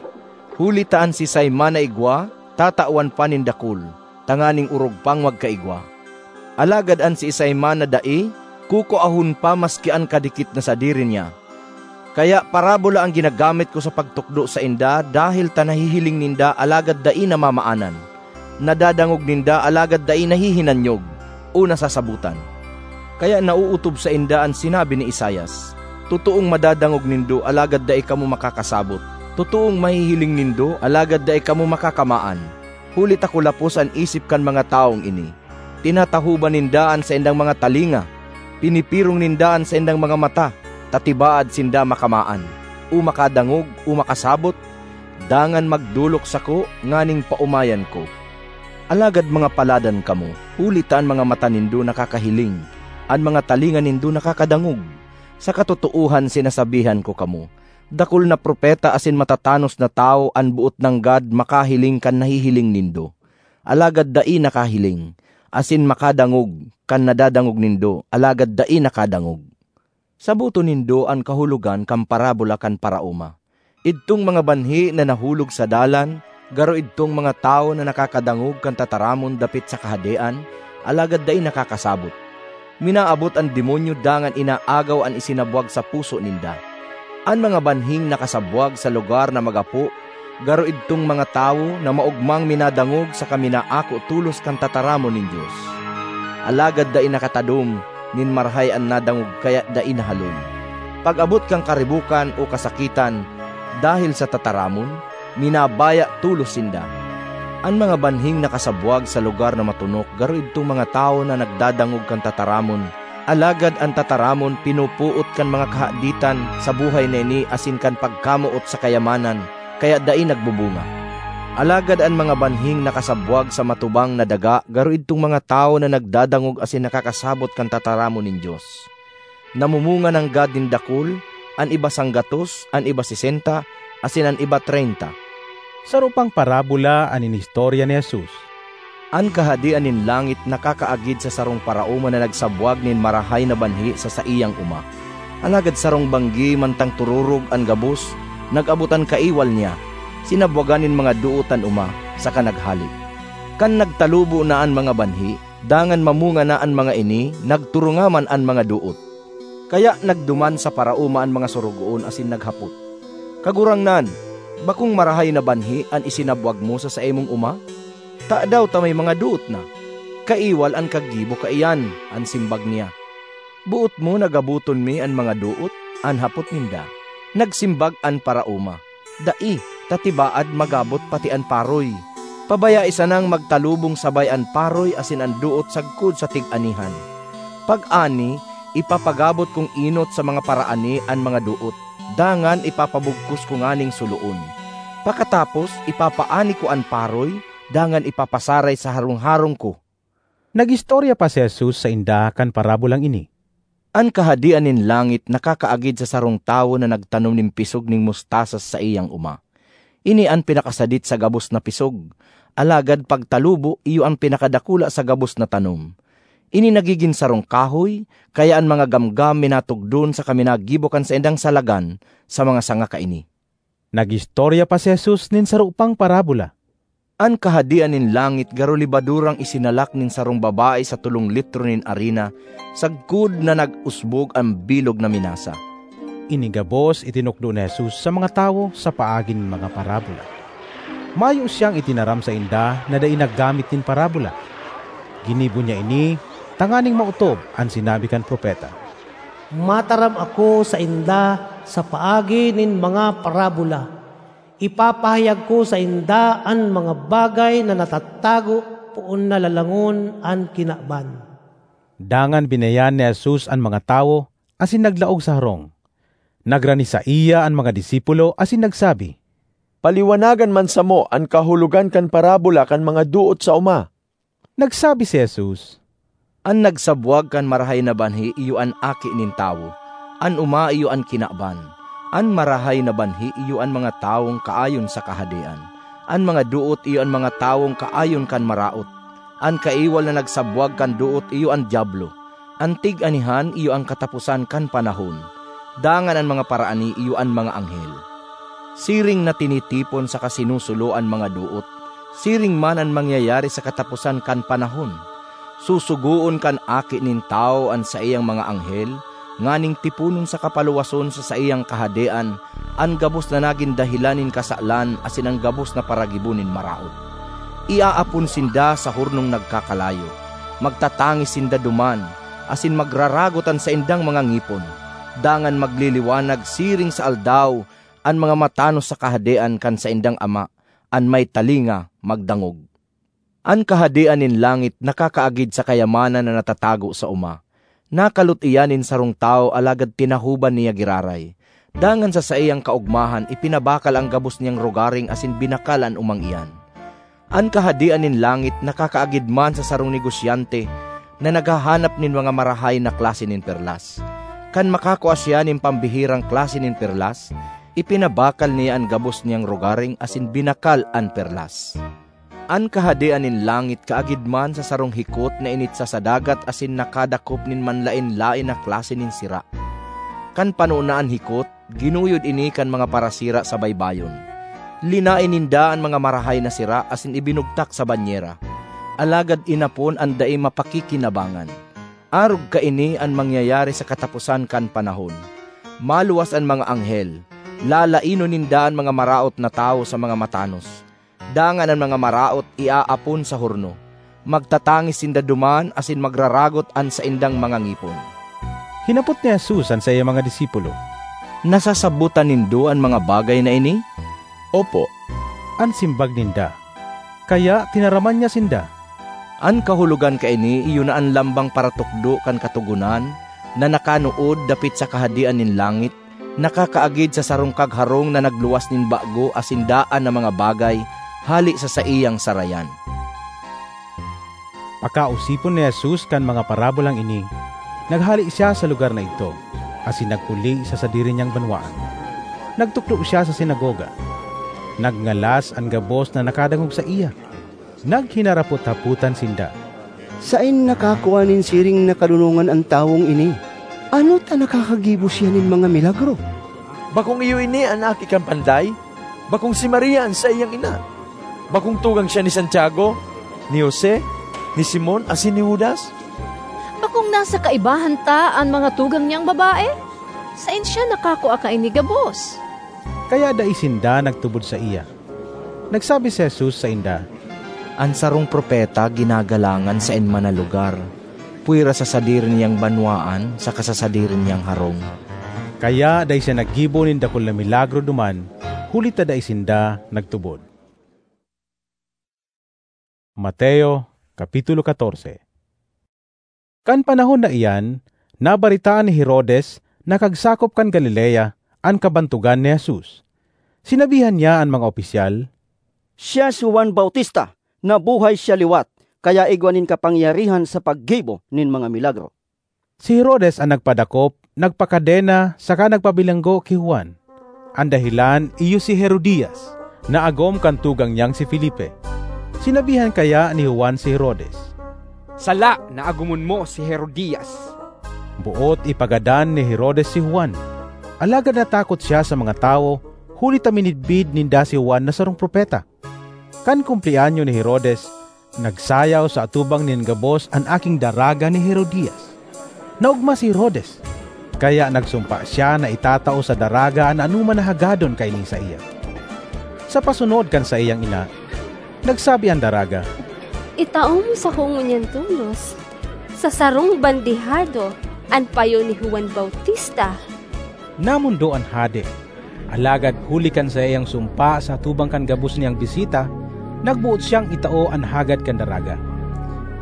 Huli ta an siisay man na igwa, tatawan pa nin dakul, tanganing orog pang magkaigwa. Alagad an siisay man na dai, kukuahon pa maski an kadikit na sadiri niya. Kaya parabola an ginagamit ko sa pagtukdo sainda, dahel ta nahihiling ninda alagad dai namamaanan, nadadangog ninda alagad dai nahihinanyog o nasasabotan. Kaya naootob sainda an sinabi ni Isaias, 'Totoong madadangog nindo, alagad dai kamo makakasabot. Totoong mahihiling nindo, alagad dai kamo makakamaan.' Huli ta kulapos an isip kan mga tawong ini. Tinatahoban ninda an saindang mga talinga, pinipirong ninda an saindang mga mata, ta tibaad sinda makamaan, o makadangog, o makasabot, dangan magdolok sako nganing paomayan ko. Alagad mga paladan kamo, huli ta an mga mata nindo nakakahiling, an mga talinga nindo nakakadangog. Sa katotoohan sinasabihan ko kamo, dakul na propeta asin matatanos na tawo an boot nanggad makahiling kan nahihiling nindo, alagad dai nakahiling, asin makadangog kan nadadangog nindo, alagad dai nakadangog. Saboton nindo an kahulogan kan parabola kan paraoma. Idtong mga banhi na nahulog sa dalan, garo idtong mga tawo na nakakadangog kan tataramon dapit sa Kahadean, alagad dai nakakasabot. Minaabot an demonyo dangan inaagaw an isinabwag sa puso ninda. An mga banhing nakasabwag sa lugar na magapo, garo idtong mga tawo na maogmang minadangog saka minaako tolos kan tataramon nin Dios. Alagad dai nakatadom nin marahay an nadangog kaya dai nahaloy. Pag-abot kan karibokan o kasakitan dahel sa tataramon, minabaya tolos sinda. An mga banhing nakasabwag sa lugar na matonok garo idtong mga tawo na nagdadangog kan tataramon, alagad an tataramon pinupuot kan mga kahaditan sa buhay na ini asin kan pagkamoot sa kayamanan, kaya dai nagbubunga. Alagad an mga banhing nakasabwag sa matubang na daga garo idtong mga tawo na nagdadangog asin nakakasabot kan tataramon nin Dios. Namumunga nanggad nin dakul, an iba sanggatos, an iba sesenta, asin an iba treynta. Saro pang parabola an inistorya ni Jesus. An Kahadean nin langit nakakaagid sa sarong paraoma na nagsabwag nin marahay na banhi sa saiyang oma. Alagad sarong banggi mantang tururog an gabos, nag-abot an kaiwal niya, sinabwagan nin mga doot an oma, saka naghale. Kan nagtalubo na an mga banhi, dangan mamunga na an mga ini, nagturunga man an mga doot. Kaya nagduman sa paraoma an mga sorogoon asin naghapot, "Kagurangnan, bakong marahay na banhi an isinabwag mo sa saimong oma? Tadaw ta may mga doot na? Kaiwal an kaggibo kaiyan," an simbag niya. "Boot mo na gaboton mi an mga doot?" an hapot ninda. Nagsimbag an paraoma, "Dai, ta tibaad magabot pati an paroy. Pabayai sanang magtalubong sabay an paroy asin an doot sagkod sa tig-anihan. Pag-ani, ipapagabot kong enot sa mga paraani an mga doot, dangan ipapabugkos ko nganing suloon. Pakatapos, ipapaani ko an paroy, dangan ipapasaray sa harong-harong ko." Nag-istorya pa si Jesus sainda kan parabolang ini. An Kahadean nin langit nakakaagid sa sarong tawo na nagtanom nin pisog nin mustasa sa saiyang oma. Ini an pinakasadit sa gabos na pisog, alagad pagtalubo, iyo an pinakadakula sa gabos na tanom. Ini nagigin sarong kahoy, kaya an mga gamgam minatugdon saka minagibo kan saindang salagan sa mga sanga kaini. Nag-istorya pa si Jesus nin saro pang parabola. An Kahadean nin langit garo lebadurang isinalak nin sarong babae sa tolong litro nin arina, sagkod na nag-usbog an bilog na minasa. Ini gabos itinukdo ni Jesus sa mga tawo sa paagi nin mga parabola. Mayo siyang itinaram sainda na dai naggamit nin parabola. Ginibo niya ini tanganing maotob an sinabi kan propeta, "Mataram ako sainda sa paagi nin mga parabola. Ipapahayag ko sainda an mga bagay na natatago poon na lalangon an kinaban." Dangan binayan ni Jesus an mga tawo asin naglaog sa harong. Nagrani saiya an mga disipulo asin nagsabi, "Paliwanagan man samo an kahulogan kan parabola kan mga doot sa oma." Nagsabi si Jesus, "An nagsabwag kan marahay na banhi iyo an Aki nin Tawo, an oma iyo an kinaban. An marahay na banhi iyo an mga tawong kaayon sa Kahadean. An mga doot iyo an mga tawong kaayon kan maraot. An kaiwal na nagsabwag kan doot iyo an Diablo. An tig-anihan iyo an kataposan kan panahon, dangan an mga paraani iyo an mga anghel. Siring na tinitipon saka sinusulo an mga doot, siring man an mangyayari sa kataposan kan panahon. Susugoon kan Aki nin Tawo an saiyang mga anghel nganing tiponon saka paluwason sa saiyang kahadean an gabos na nagin dahelan nin kasalan asin an gabos na paragibo nin maraot. Iaapon sinda sa hornong nagkakalayo. Magtatangis sinda duman, asin magraragot an saindang mga ngipon. Dangan magliliwanag siring sa aldaw an mga matanos sa kahadean kan saindang Ama. An may talinga, magdangog. An Kahadean nin langit nakakaagid sa kayamanan na natatago sa oma. Nakalot iyan nin sarong tawo, alagad tinahoban niya giraray. Dangan sa saiyang kaogmahan, ipinabakal an gabos niyang rogaring asin binakal an omang iyan. An Kahadean nin langit nakakaagid man sa sarong negosyante na naghahanap nin mga marahay na klase nin perlas. Kan makakua siya nin pambihirang klase nin perlas, ipinabakal niya an gabos niyang rogaring asin binakal an perlas. An Kahadean nin langit kaagid man sa sarong hikot na initsa sa dagat asin nakadakop nin manlaen-laen na klase nin sira. Kan pano na an hikot, ginuyod ini kan mga parasira sa baybayon. Linaen ninda an mga marahay na sira asin ibinugtak sa banyera, alagad inapon an dai mapakikinabangan. Arog kaini an mangyayari sa kataposan kan panahon. Maluwas an mga anghel, lalainon ninda an mga maraot na tawo sa mga matanos, dangan an mga maraot iaapon sa horno. Magtatangis sinda duman asin magraragot an saindang mga ngipon. Hinapot ni Jesus an saiyang mga disipulo, "Nasasabotan nindo an mga bagay na ini?" "Opo," an simbag ninda. Kaya tinaraman niya sinda. An kahulogan kaini iyo na an lambang paratukdo kan Katogonan na nakanood dapit sa Kahadean nin langit, nakakaagid sa sarong kagharong na nagluwas nin bago asin daan na mga bagay hale sa saiyang sarayan. Pakaosipon ni Jesus kan mga parabolang ini, naghale siya sa lugar na idto, asin nagpuli sa sadiri niyang banwaan. Nagtukdo siya sa sinagoga. Nagngalas an gabos na nakadangog saiya. Naghinarapot-hapotan sinda, "Saen nakakua nin siring na kadonongan an tawong ini? Ano ta nakakagibo siya nin mga milagro? Bakong iyo ini an aki kan panday? Bakong si Maria an saiyang ina? Bakong tugang siya ni Santiago, ni Jose, ni Simon asin ni Judas? Bakong nasa kaibahan ta an mga tugang niyang babae? Saen siya nakakua kaini gabos?" Kaya dai sinda nagtubod saiya. Nagsabi si Jesus sainda, "An sarong propeta ginagalangan saen man na lugar, pwera sa sadiri niyang banwaan saka sa sadiri niyang harong." Kaya dai siya naggibo nin dakul na milagro duman, huli ta dai sinda nagtubod. Mateo, Kapitulo catorce. Kan panahon na iyan, nabaretaan ni Herodes na kagsakop kan Galilea an kabantogan ni Jesus. Sinabihan niya an mga opisyal, "Siya si Juan Bautista, nabuhay siya liwat, kaya igwa nin kapangyarihan sa paggibo nin mga milagro." Si Herodes an nagpadakop, nagpakadena, saka nagpabilanggo ki Juan. An dahelan iyo si Herodias, na agom kan tugang niyang si Felipe. Sinabihan kaya ni Juan si Herodes, "Sala na agomon mo si Herodias." Boot ipagadan ni Herodes si Juan, alagad natakot siya sa mga tawo, huli ta minidbid ninda si Juan na sarong propeta. Kan kumpleanyo ni Herodes, nagsayaw sa atubang nin gabos an aking daraga ni Herodias. Naogma si Herodes, kaya nagsumpa siya na itatao sa daraga an anoman na hagadon kaini saiya. Sa pasunod kan saiyang ina, nagsabi an daraga, "Itao mo sako ngunyan tolos, sa sarong bandehado, an payo ni Juan Bautista." Namondo an hade. Alagad huli kan saiyang sumpa sa atubang kan gabos niyang bisita, nagboot siyang itao an hagad kan daraga.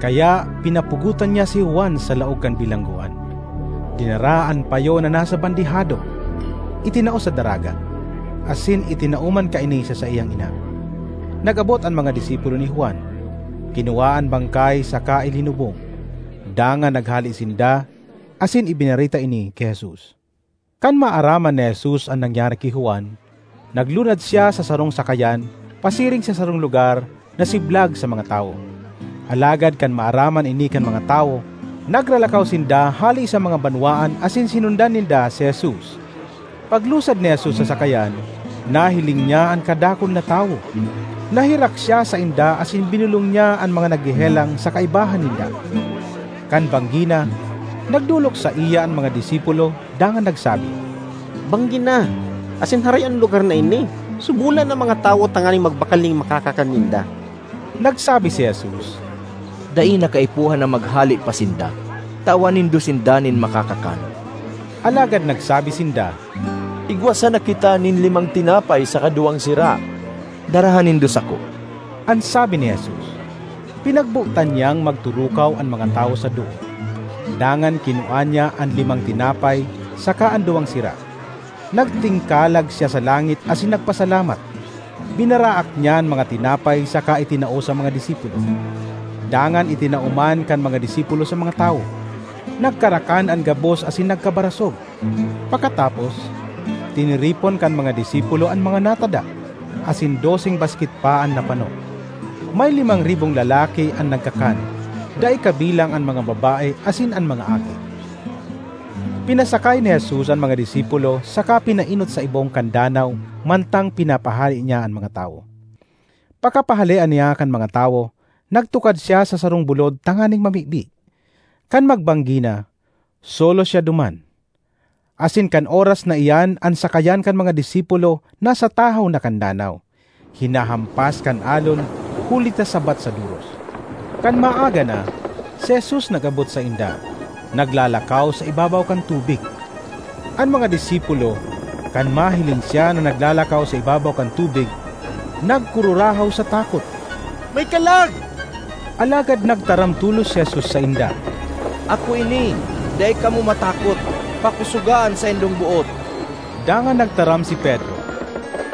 Kaya pinapugotan niya si Juan sa laog kan bilanggoan. Dinara an payo na nasa bandehado, itinao sa daraga, asin itinao man kaini sa saiyang ina. Nag-abot an mga disipulo ni Juan, kinua an bangkay saka ilinubong. Dangan naghale sinda asin ibinareta ini ki Jesus. Kan maaraman ni Jesus an nangyari ki Juan, naglunad siya sa sarong sakayan pasiring sa sarong lugar na siblag sa mga tawo. Alagad kan maaraman ini kan mga tawo, nagralakaw sinda hale sa mga banwaan asin sinundan ninda si Jesus. Paglusad ni Jesus sa sakayan, nahiling niya an kadakul na tawo. Nahirak siya sainda asin binolong niya an mga naghehelang sa kaibahan ninda. Kan banggi na, nagdolok saiya an mga disipulo dangan nagsabi, "Banggi na, asin haray an lugar na ini. Subolan an mga tawo tanganing magbakal nin makakakan ninda." Nagsabi si Jesus, "Dai na kaipuhan na maghale pa sinda. Tawan nindo sinda nin makakakan." Alagad nagsabi sinda, "Igwa sana kita nin limang tinapay saka duwang sira. Daraha nindo sako." An sabi ni Jesus, pinagbotan niyang magturukaw an mga tawo sa doot. Dangan kinua niya an limang tinapay saka an duwang sira. Nagtingkalag siya sa langit asin nagpasalamat. Binaraak niya an mga tinapay saka itinao sa mga disipulo. Dangan itinao man kan mga disipulo sa mga tawo. Nagkarakan an gabos asin nagkabarasog. Pakatapos, tiniripon kan mga disipulo an mga natada, asin doseng basket pa an napano. May limang ribong lalaki an nagkakan, dai kabilang an mga babae asin an mga aki. Pinasakay ni Jesus an mga disipulo saka pinaenot sa ibong kan danaw mantang pinapahale niya an mga tawo. Pakapahale niya kan mga tawo, nagtukad siya sa sarong bulod tanganing mamibi. Kan magbanggi na, solo siya duman. Asin kan oras na iyan an sakayan kan mga disipulo nasa tahaw na kan danaw, hinahampas kan alon huli ta sabat sa doros. Kan maaga na, si Jesus nag-abot sainda, naglalakaw sa ibabaw kan tubig. An mga disipulo, kan mahiling siya na naglalakaw sa ibabaw kan tubig, nagkururahaw sa takot. "May kalag!" Alagad nagtaram tolos si Jesus sainda, "Ako ini, dai kamo matakot. Pakosoga an saindong boot." Dangan nagtaram si Pedro,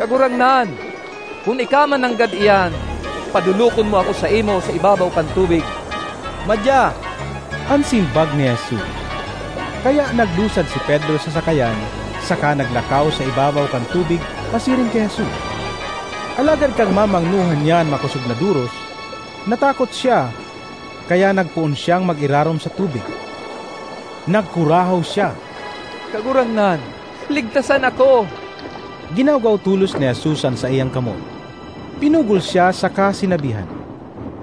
"Kagurangnan, kun ika man nanggad iyan, padolokon mo ako saimo sa ibabaw kan tubig." "Madya," an simbag ni Jesus. Kaya naglusad si Pedro sa sakayan saka naglakaw sa ibabaw kan tubig pasiring ki Jesus. Alagad kan mamangnohan niya an makosog na doros, natakot siya, kaya nagpoon siyang mag-irarom sa tubig. Nagkurahaw siya, "Kagurangnan, ligtasan ako!" Ginawgaw tolos ni Jesus an saiyang kamot. Pinugol siya saka sinabihan,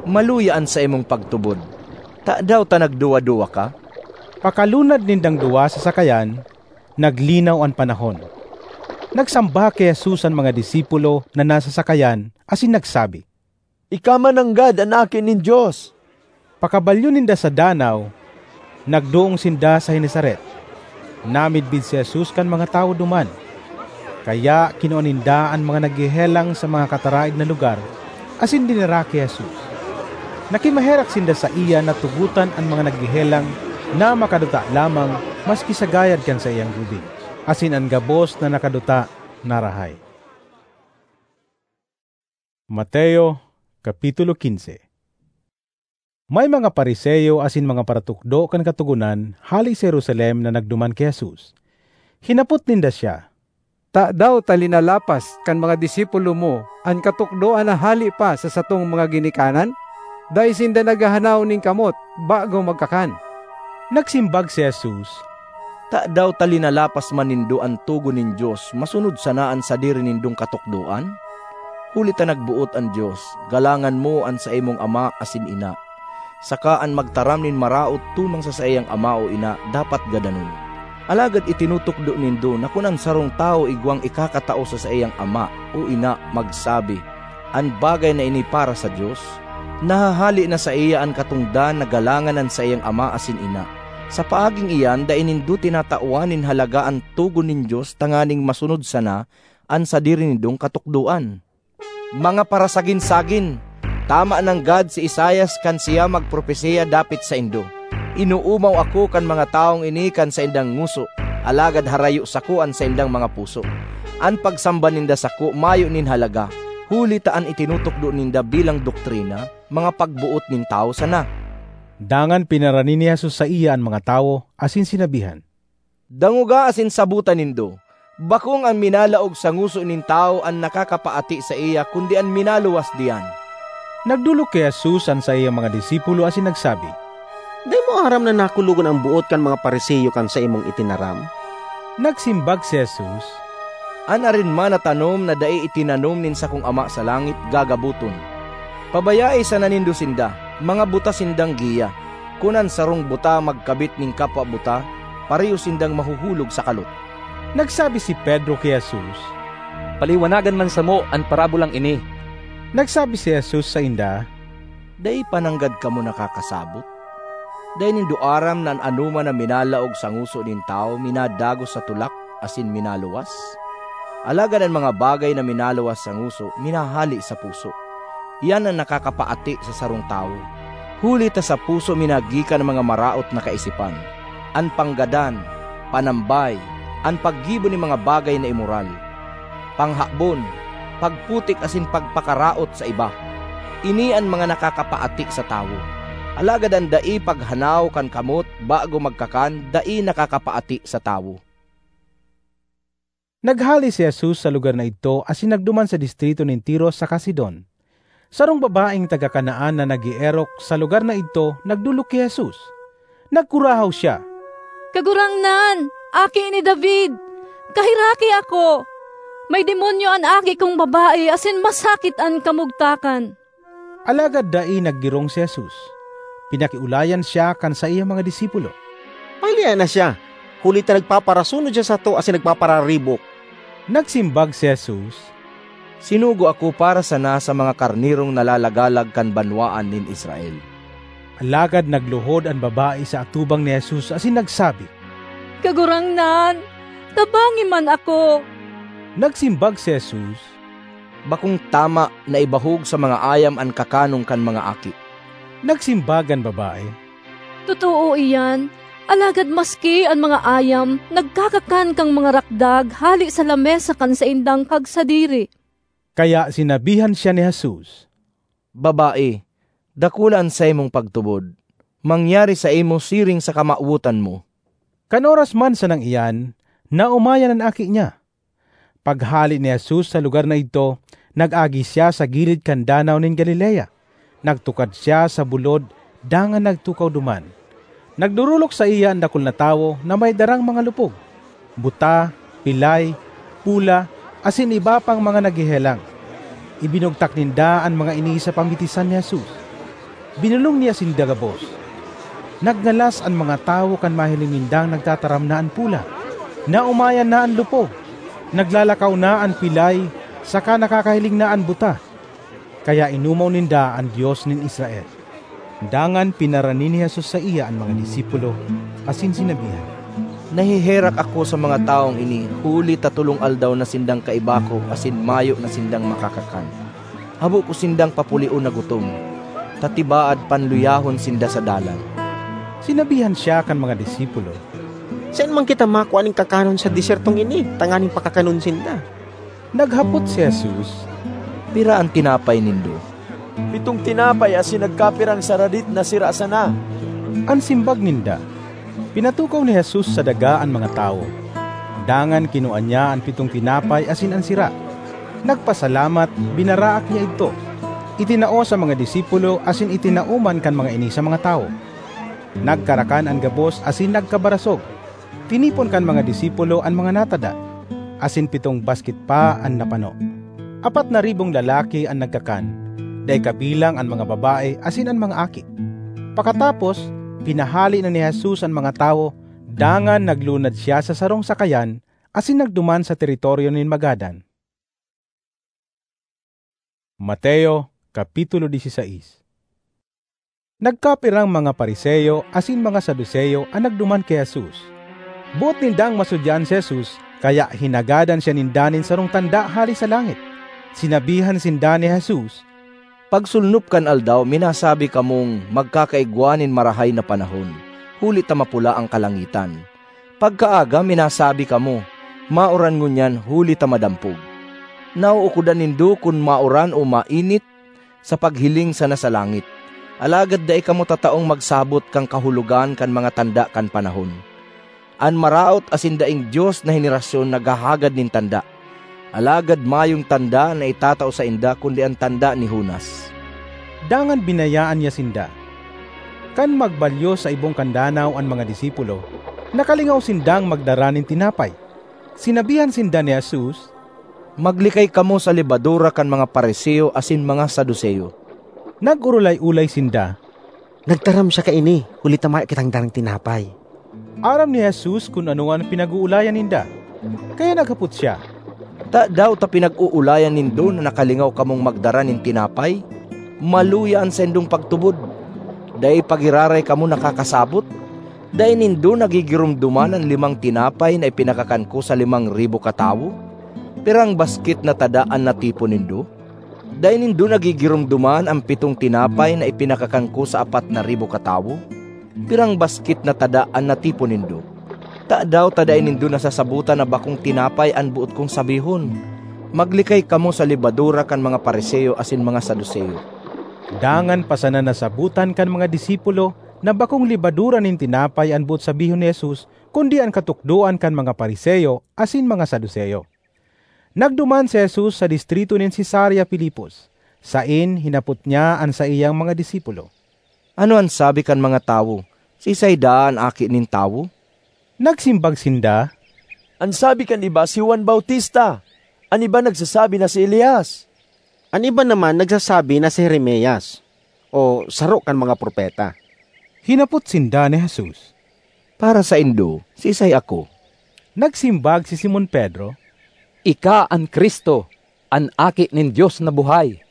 "Maluya an saimong pagtubod. Tadaw ta nagduwa-duwa ka?" Pakalunad nindang duwa sa sakayan, naglinaw an panahon. Nagsamba ki Jesus an mga disipulo na nasa sakayan asin nagsabi, "Ika man nanggad an Aki nin Dios." Pakabalyo ninda sa danaw, nagdoong sinda sa Genesaret. Namidbid si Jesus kan mga tawo duman. Kaya kinua ninda an mga naghehelang sa mga kataraed na lugar asin dinara ki Jesus. Nakimaherak sinda saiya na tugotan an mga naghehelang na makaduta lamang maski sa gayad kan saiyang gubing, asin an gabos na nakaduta narahay. Mateo, Kapitulo quince. May mga Fariseo asin mga paratukdo kan Katogonan hale sa Jerusalem na nagduman ki Jesus. Hinapot ninda siya, "Tadaw ta linalapas kan mga disipulo mo an katukdoan na hale pa sa satong mga ginikanan? Dai sinda naghahanaw nin kamot bago magkakan." Nagsimbag si Jesus, "Tadaw ta linalapas man nindo an togon nin Dios masunod sana an sadiri nindong katukdoan? Huli ta nagboot an Dios, 'Galangan mo an saimong ama asin ina,' saka 'An magtaram nin maraot tumang sa saiyang ama o ina dapat gadanon.' Alagad itinutukdo nindo na kun an sarong tawo igwang ikakatao sa saiyang ama o ina magsabi, 'An bagay na ini para sa Dios,' nahahale na saiya an katongdan na galangan an saiyang ama asin ina. Sa paaging iyan, dai nindo tinatawan nin halaga an togon nin Dios tanganing masunod sana an sadiri nindong katukdoan. Mga parasagin-sagin! Tama nanggad si Isaias kan siya magpropesiya dapit saindo, 'Inoomaw ako kan mga tawong ini kan saindang ngoso, alagad harayo sako an saindang mga puso. An pagsamba ninda sako mayo nin halaga, huli ta an itinutukdo ninda bilang doktrina, mga pagboot nin tawo sana.'" Dangan pinarani ni Jesus saiya an mga tawo asin sinabihan, "Dangoga asin sabota nindo, bakong an minalaog sa ngoso nin tawo an nakakapaati saiya, kundi an minaluwas diyan." Nagdolok ki Jesus an saiyang mga disipulo asin nagsabi, "Dai mo aram na nakulogon an boot kan mga Fariseo kan saimong itinaram?" Nagsimbag si Jesus, "An arin man na tanom na dai itinanom nin sakong Ama sa langit, gagaboton. Pabayae sana nindo sinda, mga buta sindang giya. Kun an sarong buta magkabit nin kapwa buta, pareho sindang mahuhulog sa kalot." Nagsabi si Pedro ki Jesus, "Paliwanagan man samo an parabolang ini." Nagsabi si Jesus sainda, "Dai pa nanggad kamo nakakasabot? Dai nindo aram na an anoman na minalaog sa ngoso nin tawo minadagos sa tulak asin minaluwas? Alagad an mga bagay na minaluwas sa ngoso minahale sa puso. Iyan an nakakapaati sa sarong tawo. Huli ta sa puso minagikan an mga maraot na kaisipan, an panggadan, panambay, an paggibo nin mga bagay na imoral, panghabon, pagputik asin pagpakaraot sa iba. Ini an mga nakakapaati sa tawo. Alagad an dai paghanaw kan kamot bago magkakan dai nakakapaati sa tawo." Naghale si Jesus sa lugar na idto asin nagduman sa distrito nin Tiro saka Sidon. Sarong babaeng taga Canaan na nag-eerok sa lugar na idto nagdolok ki Jesus. Nagkurahaw siya, "Kagurangnan, Aki ni David, kaheraki ako! May demonyo an aki kong babae asin masakit an kamugtakan." Alagad dai naggirong si Jesus. Pinakiolayan siya kan saiyang mga disipulo, "Pahilaea na siya, huli ta nagpaparasunod siya sato asin nagpapararibok." Nagsimbag si Jesus, "Sinugo ako para sana sa mga karnerong nalalagalag kan banwaan nin Israel." Alagad nagluhod an babae sa atubang ni Jesus asin nagsabi, "Kagurangnan, tabangi man ako!" Nagsimbag si Jesus, "Bakong tama na ibahog sa mga ayam an kakanon kan mga aki." Nagsimbag an babae, "Totoo iyan, alagad maski an mga ayam nagkakakan kan mga rakdag hale sa lamesa kan saindang kagsadiri." Kaya sinabihan siya ni Jesus, "Babae, dakula an saimong pagtubod. Mangyari saimo siring sa kamawotan mo." Kan oras man sanang iyan, naomayan an aki niya. Paghale ni Jesus sa lugar na idto, nag-agi siya sa gilid kan Danaw nin Galilea. Nagtukad siya sa bulod dangan nagtukaw duman. Nagdorolok saiya an dakul na tawo na may darang mga lupog, buta, pilay, pula, asin iba pang mga naghehelang. Ibinugtak ninda an mga ini sa pamitisan ni Jesus. Binolong niya sinda gabos. Nagngalas an mga tawo kan mahiling nindang nagtataram na an pula, naomayan na an lupog, naglalakaw na an pilay, saka nakakahiling na an buta. Kaya inomaw ninda an Dios nin Israel. Dangan pinarani ni Jesus saiya an mga disipulo asin sinabihan, "Naheherak ako sa mga tawong ini huli ta tolong aldaw na sindang kaiba ko asin mayo na sindang makakakan. Habo ko sindang papulion na gutom, ta tibaad panluyahon sinda sa dalan." Sinabihan siya kan mga disipulo, "Saen man kita makua nin kakanon sa desertong ini tanganing pakakanon sinda?" Naghapot si Jesus, "Pira an tinapay nindo?" "Pitong tinapay asin nagkapirang saradit na sira sana," an simbag ninda. Pinatukaw ni Jesus sa daga an mga tawo. Dangan kinua niya an pitong tinapay asin an sira. Nagpasalamat, binaraak niya idto. Itinao sa mga disipulo asin itinao man kan mga ini sa mga tawo. Nagkarakan an gabos asin nagkabarasog. Tinipon kan mga disipulo an mga natada, asin pitong basket pa an napano. Apat na ribong lalaki an nagkakan, dai kabilang an mga babae asin an mga aki. Pakatapos, pinahale na ni Jesus an mga tawo, dangan naglunad siya sa sarong sakayan asin nagduman sa teritoryo nin Magadan. Mateo, Kapitulo dieciséis. Nagkapirang mga Fariseo asin mga Saduceo an nagduman ki Jesus. Boot nindang masudyaan si Jesus, kaya hinagadan siya ninda nin sarong tanda hale sa langit. Sinabihan sinda ni Jesus, "Pagsulnop kan aldaw, minasabi kamong magkakaigwa nin marahay na panahon, huli ta mapula an kalangitan. Pagkaaga, minasabi kamo, 'Maoran ngunyan huli ta madampog.' Nauukodan nindo kun maoran o mainit sa paghiling sana sa langit. Alagad dai kamo tataong magsabot kan kahulogan kan mga tanda kan panahon. An maraot asin daing Dios na henerasyon naghahagad nin tanda. Alagad mayong tanda na itatao sainda kundi an tanda ni Jonas." Dangan binayaan niya sinda. Kan magbalyo sa ibong kan danaw an mga disipulo, nakalingaw sindang magdara nin tinapay. Sinabihan sinda ni Jesus, "Maglikay kamo sa lebadura kan mga Fariseo asin mga Saduceo." Nag-orolay-olay sinda, "Nagtaram siya kaini, huli ta mayo kitang darang tinapay." Aram ni Jesus kun ano an pinag-oolayan ninda, kaya naghapot siya, "Tadaw ta pinag-oolayan nindo na nakalingaw kamong magdara nin tinapay? Maluya an saindong pagtubod! Dai pa giraray kamo nakakasabot? Dai nindo nagigiromdoman an limang tinapay na ipinakakan ko sa limang ribo katawo? Pirang basket na tada an natipon nindo? Dai nindo nagigiromdoman an pitong tinapay na ipinakakan ko sa apat na ribo katawo? Pirang basket na tada an natipon nindo? Tadaw ta dai nindo nasasabotan na bakong tinapay an boot kong sabihon? Maglikay kamo sa lebadura kan mga Fariseo asin mga Saduceo." Dangan pa sana nasabotan kan mga disipulo na bakong lebadura nin tinapay an boot sabihon ni Jesus, kundi an katukdoan kan mga Fariseo asin mga Saduceo. Nagduman si Jesus sa distrito nin Cesarea Filipos. Saen hinapot niya an saiyang mga disipulo, "Ano an sabi kan mga tawo? Siisay daa an Aki nin Tawo?" Nagsimbag sinda, "An sabi kan iba, si Juan Bautista; an iba nagsasabi na si Elias; an iba naman nagsasabi na si Jeremias, o saro kan mga propeta." Hinapot sinda ni Jesus, "Para saindo, siisay ako?" Nagsimbag si Simon Pedro, "Ika an Cristo, an Aki nin Dios na buhay."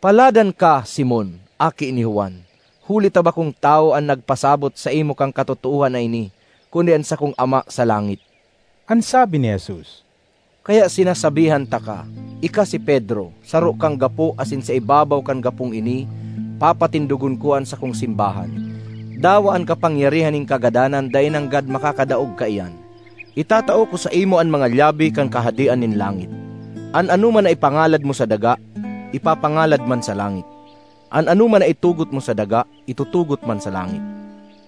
"Paladan ka, Simon, aki ni Juan, huli ta bakong tawo an nagpasabot saimo kan katotoohan na ini, kundi an sakong Ama sa langit." An sabi ni Jesus, "Kaya sinasabihan taka, ika si Pedro, saro kang gapo asin sa ibabaw kan gapong ini, papatindogon ko an sakong simbahan. Dawa an kapangyarihan nin kagadanan dai nanggad makakadaog kaiyan. Itatao ko saimo an mga lyabe kan Kahadean nin langit. An anoman na ipangalad mo sa daga, ipapangalad man sa langit. An anoman na itugot mo sa daga, itutugot man sa langit."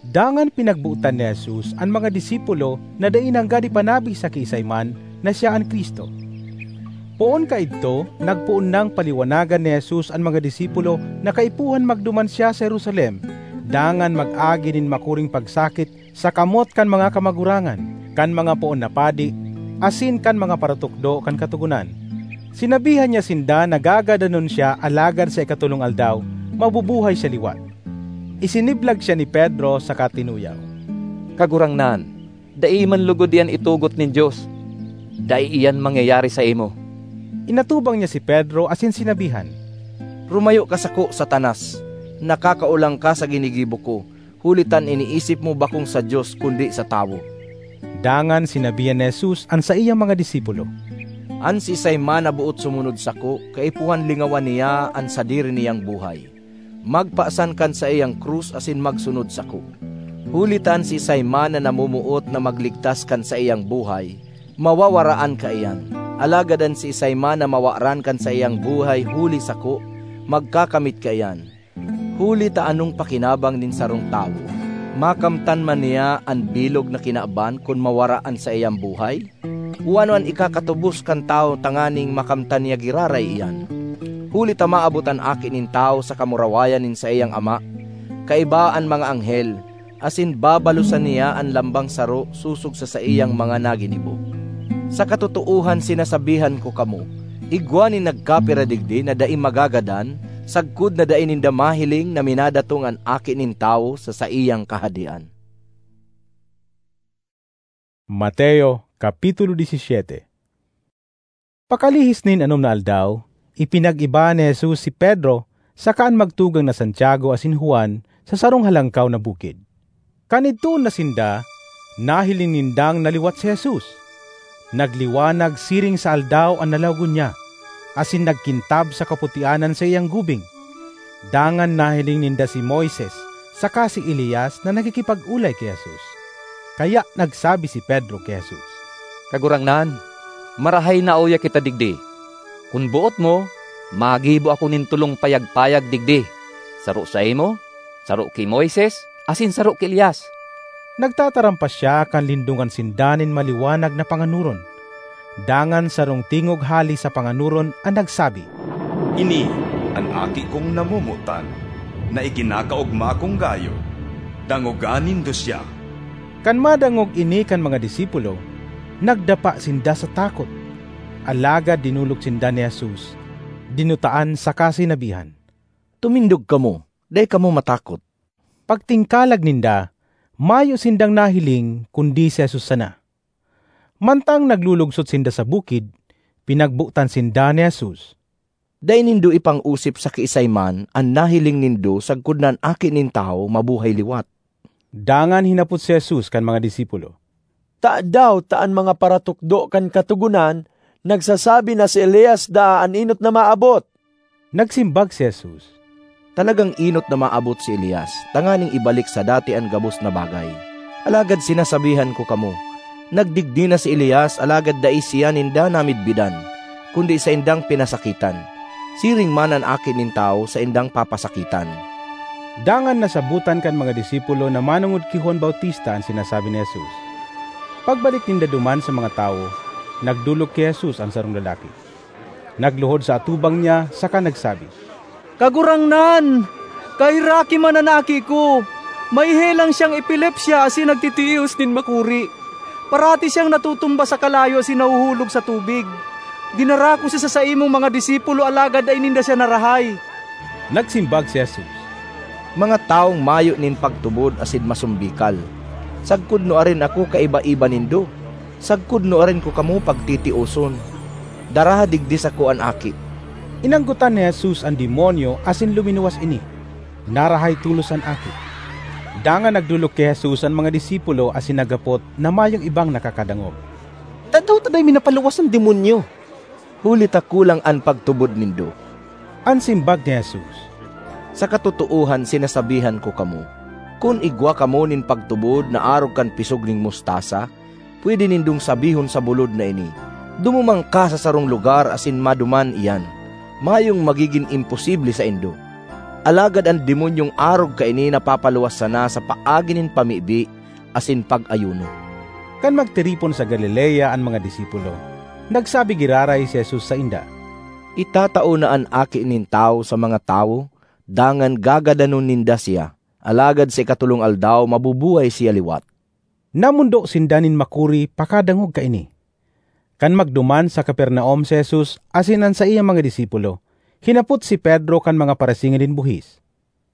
Dangan pinagbotan ni Jesus an mga disipulo na dai nanggad ipanabi sa kiisay man na siya an Cristo. Poon kaidto, nagpoon nang paliwanagan ni Jesus an mga disipulo na kaipuhan magduman siya sa Jerusalem, dangan mag-agi nin makuring pagsakit sa kamot kan mga kamagurangan, kan mga poon na padi, asin kan mga paratukdo kan Katogonan. Sinabihan niya sinda na gagadanon siya, alagad sa ikatolong aldaw, mabubuhay siya liwat. Isiniblag siya ni Pedro saka tinuyaw, "Kagurangnan, dai man logod iyan itugot nin Dios. Dai iyan mangyayari saimo." Inatubang niya si Pedro asin sinabihan, "Rumayo ka sako, Satanas! Nakakaolang ka sa ginigibo ko, huli ta an iniisip mo bakong sa Dios kundi sa tawo." Dangan sinabihan ni Jesus an saiyang mga disipulo, "An siisay man na boot sumunod sako, kaipuhan lingawan niya an sadiri niyang buhay, magpasan kan saiyang krus asin magsunod sako. Huli ta an siisay man na namomoot na magligtas kan saiyang buhay, mawawaraan kaiyan; alagad an siisay man na mawaran kan saiyang buhay huli sako, magkakamit kaiyan. Huli ta anong pakinabang nin sarong tawo? Makamtan man niya an bilog na kinaban kun mawara an saiyang buhay? O ano an ikakatubos kan tawo tanganing makamtan niya giraray iyan? Huli ta maabot an Aki nin Tawo sa kamurawayan nin saiyang Ama, kaiba an mga anghel, asin babalosan niya an lambang saro sosog sa saiyang mga naginibo. Sa katotoohan sinasabihan ko kamo, igwa nin nagkapira digdi na dai magagadan, sagkod na dai ninda mahiling na minadatong an Aki nin Tawo sa saiyang Kahadean." Mateo, Kapitulo disisiete. Pakalihis nin anom na aldaw, ipinag-iba ni Jesus si Pedro saka an magtugang na Santiago asin Juan sa sarong halangkaw na bukid. Kan idtoon na sinda, nahiling nindang naliwat si Jesus. Nagliwanag siring sa aldaw an lalawogon niya, asin nagkintab sa kaputian an saiyang gubing. Dangan nahiling ninda si Moises saka si Elias na nakikipag-olay ki Jesus. Kaya nagsabi si Pedro ki Jesus, "Kagurangnan, marahay na uya kita digdi. Kun boot mo, magibo ako nin tolong payag-payag digdi, saro saimo, saro ki Moises, asin saro ki Elias." Nagtatarampas siya kan lindongan sinda nin maliwanag na panganoron. Dangan sarong tingog hale sa panganoron an nagsabi, "Ini an Aki kong namomotan, na ikinakaogma kong gayo. Dangoga nindo siya." Kan madangog ini kan mga disipulo, nagdapa sinda sa takot. Alagad dinolok sinda ni Jesus, dinutaan saka sinabihan, "Tumindog kamo, dai kamo matakot." Pagtingkalag ninda, mayo sindang nahiling kundi si Jesus sana. Mantang naglulugsot sinda sa bukid, pinagbotan sinda ni Jesus, "Dai nindo ipang-osip sa kiisay man an nahiling nindo sagkod na an Aki nin Tawo mabuhay liwat." Dangan hinapot si Jesus kan mga disipulo, "Tadaw ta an mga paratukdo kan Katogonan nagsasabi na si Elias daa an enot na maabot?" Nagsimbag si Jesus, "Talagang enot na maabot si Elias tanganing ibalik sa dati an gabos na bagay. Alagad sinasabihan ko kamo, nagdigdi na si Elias alagad dai siya ninda namidbidan, kundi saindang pinasakitan. Siring man an Aki nin Tawo saindang papasakitan." Dangan nasabotan kan mga disipulo na manongod ki Juan Bautista an sinasabi ni Jesus. Pagbalik ninda duman sa mga tawo, nagdolok ki Jesus an sarong lalaki. Nagluhod sa atubang niya saka nagsabi, "Kagurangnan, kaheraki man an aki ko. May helang siyang epilepsya asin nagtitios nin makuri. Parati siyang natutumba sa kalayo asin nahuhulog sa tubig. Dinara ko siya sa saimong mga disipulo, alagad dai ninda siya narahay." Nagsimbag si Jesus, "Mga tawong mayo nin pagtubod asin masumbikal, sagkod nuarin ako kaiba-iba nindo? Sagkod nuarin ko kamo pagtitioson? Daraha digdi sako an aki." Inanggotan ni Jesus an demonyo asin luminuwas ini. Narahay tolos an aki. Dangan nagdolok ki Jesus an mga disipulo asin naghapot na mayong ibang nakakadangog, "Tadaw ta dai mi napaluwas an demonyo, huli ta kulang an pagtubod nindo?" An simbag ni Jesus, "Sa katotoohan sinasabihan ko kamo, kun igwa kamo nin pagtubod na arog kan pisog nin mustasa, pwede nindong sabihon sa bulod na ini, 'Dumuman ka sa sarong lugar asin maduman iyan.' Mayong magigin imposible saindo. Alagad an demonyong arog kaini napapaluwas sana sa paagi nin pamibi asin pag-ayuno." Kan magtiripon sa Galilea an mga disipulo, nagsabi giraray si Jesus sainda, "Itatao na an Aki nin Tawo sa mga tawo, dangan gagadanon ninda siya, alagad sa ikatolong aldaw mabubuhay siya liwat." Namondo sinda nin makuri pakadangog kaini. Kan magduman sa Capernaum si Jesus asin an saiyang mga disipulo, hinapot si Pedro kan mga parasingil nin buhis,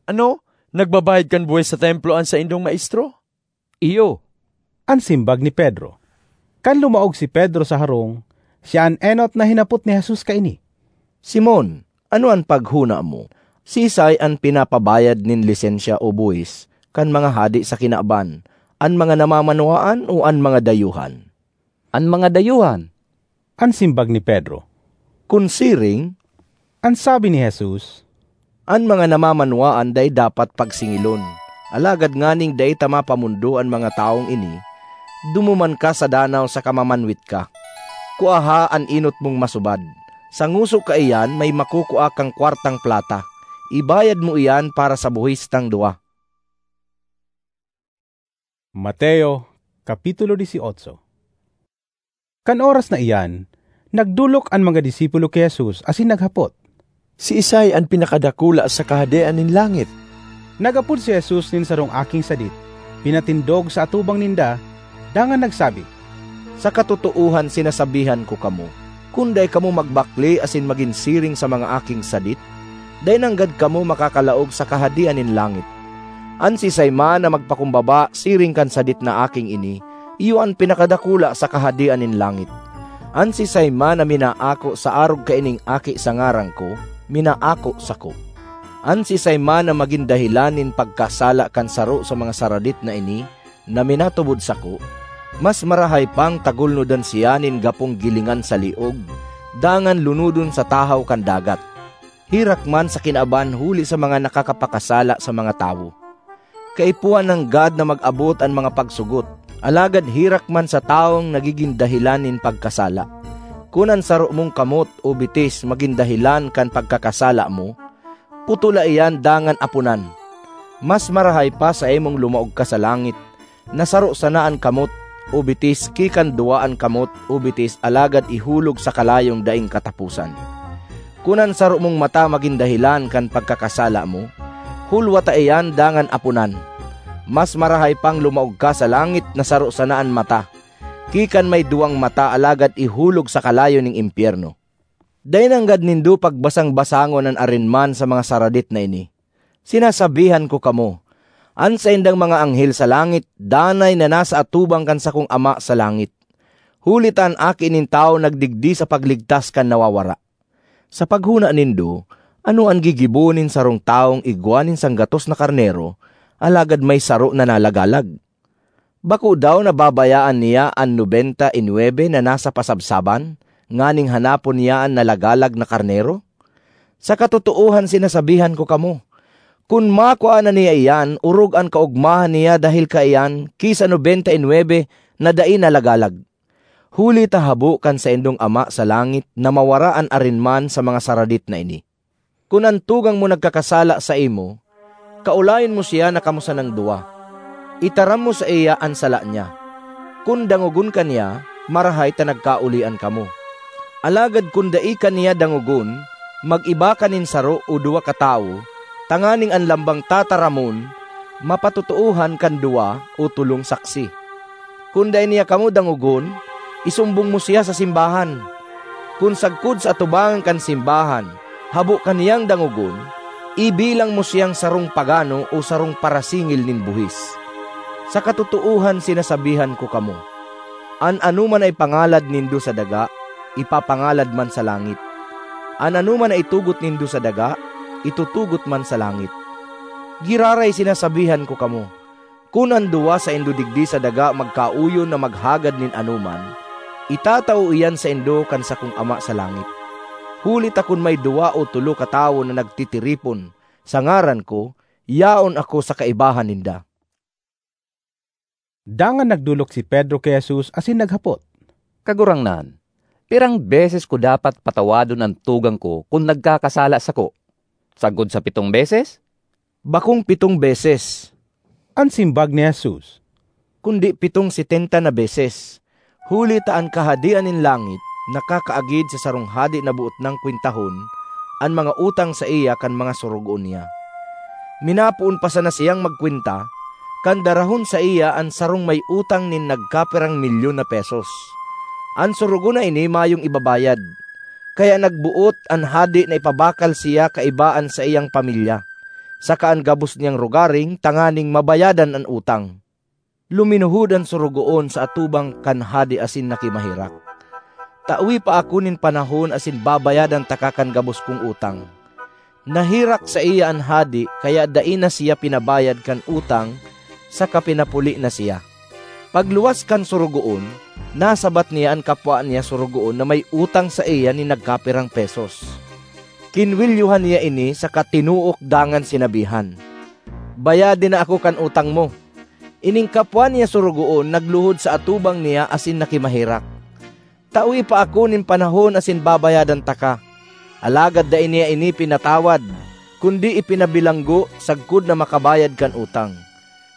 "Ano, nagbabayad kan buhis sa Templo an saindong maestro?" "Iyo," an simbag ni Pedro. Kan lumaog si Pedro sa harong, siya an enot na hinapot ni Jesus kaini, "Simon, ano an paghona mo? Siisay an pinapabayad nin lisensya o buhis kan mga hade sa kinaban, an mga namamanwaan o an mga dayuhan?" "An mga dayuhan," an simbag ni Pedro. "Kun siring," an sabi ni Jesus, "an mga namamanwaan dai dapat pagsingilon. Alagad nganing dai ta mapamondo an mga tawong ini, dumuman ka sa danaw saka mamanwit ka. Kuaha an enot mong masubad. Sa ngoso kaiyan may makukua kang kwartang plata. Ibayad mo iyan para sa buhis tang duwa." Mateo, Kapitulo dieciocho. Kan oras na iyan, nagdolok an mga disipulo ki Jesus asin naghapot, "Siisay an pinakadakula sa Kahadean nin langit?" Naghapot si Jesus nin sarong aking sadit, pinatindog sa atubang ninda, dangan nagsabi, "Sa katotoohan sinasabihan ko kamo, kun dai kamo magbakle asin magin siring sa mga aking sadit, dai nanggad kamo makakalaog sa Kahadean nin langit. An siisay man na magpakumbaba siring kan sadit na aking ini, iyo an pinakadakula sa Kahadean nin langit. An siisay man na minaako sa arog kaining aki sa ngaran ko, minaako sako. An siisay man na magin dahelan nin pagkasala kan saro sa mga saradit na ini, na minatubod sako, mas marahay pang tagulnodan siya nin gapong gilingan sa liog, dangan lunodon sa tahaw kan dagat. Herak man sa kinaban huli sa mga nakakapakasala sa mga tawo. Kaipuhan nanggad na mag-abot an mga pagsugot, alagad herak man sa tawong nagigin dahelan nin pagkasala. Kun an saro mong kamot o bitis magin dahelan kan pagkakasala mo, putola iyan dangan aponan. Mas marahay pa saimong lumaog ka sa langit, na saro sana an kamot o bitis ki kan duwa an kamot o bitis alagad ihulog sa kalayong daing kataposan. Kun an saro mong mata magin dahelan kan pagkakasala mo, hulwata iyan dangan aponan. Mas marahay pang lumaog ka sa langit na saro sana an mata, ki kan may duwang mata alagad ihulog sa kalayo nin impyerno. Dai nanggad nindo pagbasang-basangon an arinman sa mga saradit na ini. Sinasabihan ko kamo, an saindang mga anghel sa langit danay na nasa atubang kan sakong Ama sa langit, huli ta an Aki nin Tawo nagdigdi sa pagligtas kan nawawara. Sa paghona nindo, ano an gigibo nin sarong tawong igwa nin sanggatos na karnero, alagad may saro na nalagalag? Bako daw na babayaan niya an nobenta y nuebe na nasa pasabsaban, nganing hanapon niya an nalagalag na karnero? Sa katotoohan sinasabihan ko kamo, kun makua na niya iyan, orog an kaogmahan niya dahel kaiyan ki sa nobenta y nuebe na dai nalagalag. Huli ta habo kan saindong Ama sa langit na mawara an arinman sa mga saradit na ini. Kun an tugang mo nagkakasala saimo, kaolayon mo siya na kamo sanang duwa. Itaram mo saiya an sala niya. Kun dangogon ka niya, marahay ta nagkaolian kamo. Alagad kun dai ka niya dangogon, mag-iba ka nin saro o duwa katawo, tanganing an lambang tataramon mapatotoohan kan duwa o tolong saksi. Kun dai niya kamo dangogon, isumbong mo siya sa simbahan. Kun sagkod sa atubangan kan simbahan, habo ka niyang dangogon, ibilang mo siyang sarong pagano o sarong parasingil nin buhis. Sa katotoohan sinasabihan ko kamo, an anoman na ipangalad nindo sa daga, ipapangalad man sa langit. An anoman na itugot nindo sa daga, itutugot man sa langit. Giraray sinasabihan ko kamo, kun an duwa saindo digdi sa daga magkauyon na maghagad nin anoman, itatao iyan saindo kan sakong Ama sa langit. Huli ta kun may duwa o tolo katawo na nagtitiripon sa ngaran ko, yaon ako sa kaibahan ninda. Dangan nagdolok si Pedro ki Jesus asin naghapot, "Kagurangnan, pirang beses ko dapat patawadon an tugang ko kun nagkakasala sako? Sagkod sa pitong beses?" "Bakong pitong beses," an simbag ni Jesus, "kundi pitong setenta na beses. Huli ta an Kahadean nin langit nakakaagid sa sarong hade na boot nang kwentahon an mga utang saiya kan mga sorogoon niya. Minapoon pa sana siyang magkwenta, kan darahon saiya an sarong may utang nin nagkapirang milyon na pesos. An sorogoon na ini mayong ibabayad, kaya nagboot an hade na ipabakal siya kaiba an saiyang pamilya, saka an gabos niyang rogaring tanganing mabayadan an utang. Luminuhod an sorogoon sa atubang kan hade asin nakimaherak, 'Tawe pa ako nin panahon asin babayadan taka kan gabos kong utang.' Naherak saiya an hade, kaya dai na siya pinabayad kan utang saka pinapuli na siya. Pagluwas kan sorogoon, nasabat niya an kapwa niya sorogoon na may utang saiya nin nagkapirang pesos. Kinwelyohan niya ini saka tinuok dangan sinabihan, 'Bayadi na ako kan utang mo.' Ining kapwa niya sorogoon nagluhod sa atubang niya asin nakimaherak, 'Tawe pa ako nin panahon asin babayadan taka.' Alagad dai niya ini pinatawad, kundi ipinabilanggo sagkod na makabayad kan utang.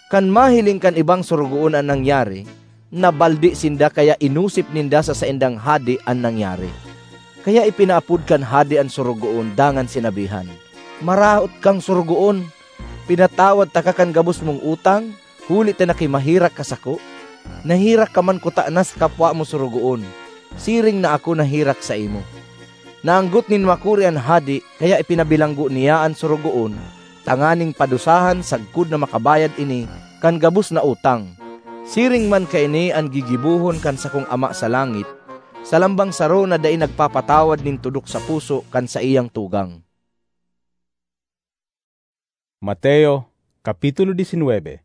Kan mahiling kan ibang sorogoon an nangyari, nabaldi sinda kaya inosip ninda sa saindang hade an nangyari. Kaya ipinaapod kan hade an sorogoon dangan sinabihan, 'Maraot kang sorogoon! Pinatawad taka kan gabos mong utang, huli ta nakimaherak ka sako. Naherak ka man kutana sa kapwa mo sorogoon, siring na ako naherak saimo.' Naanggot nin makuri an hade, kaya ipinabilanggo niya an sorogoon tanganing padusahan sagkod na makabayad ini kan gabos na utang. Siring man kaini an gigibohon kan sakong Ama sa langit sa lambang saro na dai nagpapatawad nin tudok sa puso kan saiyang tugang. Mateo, Kapitulo diecinuebe.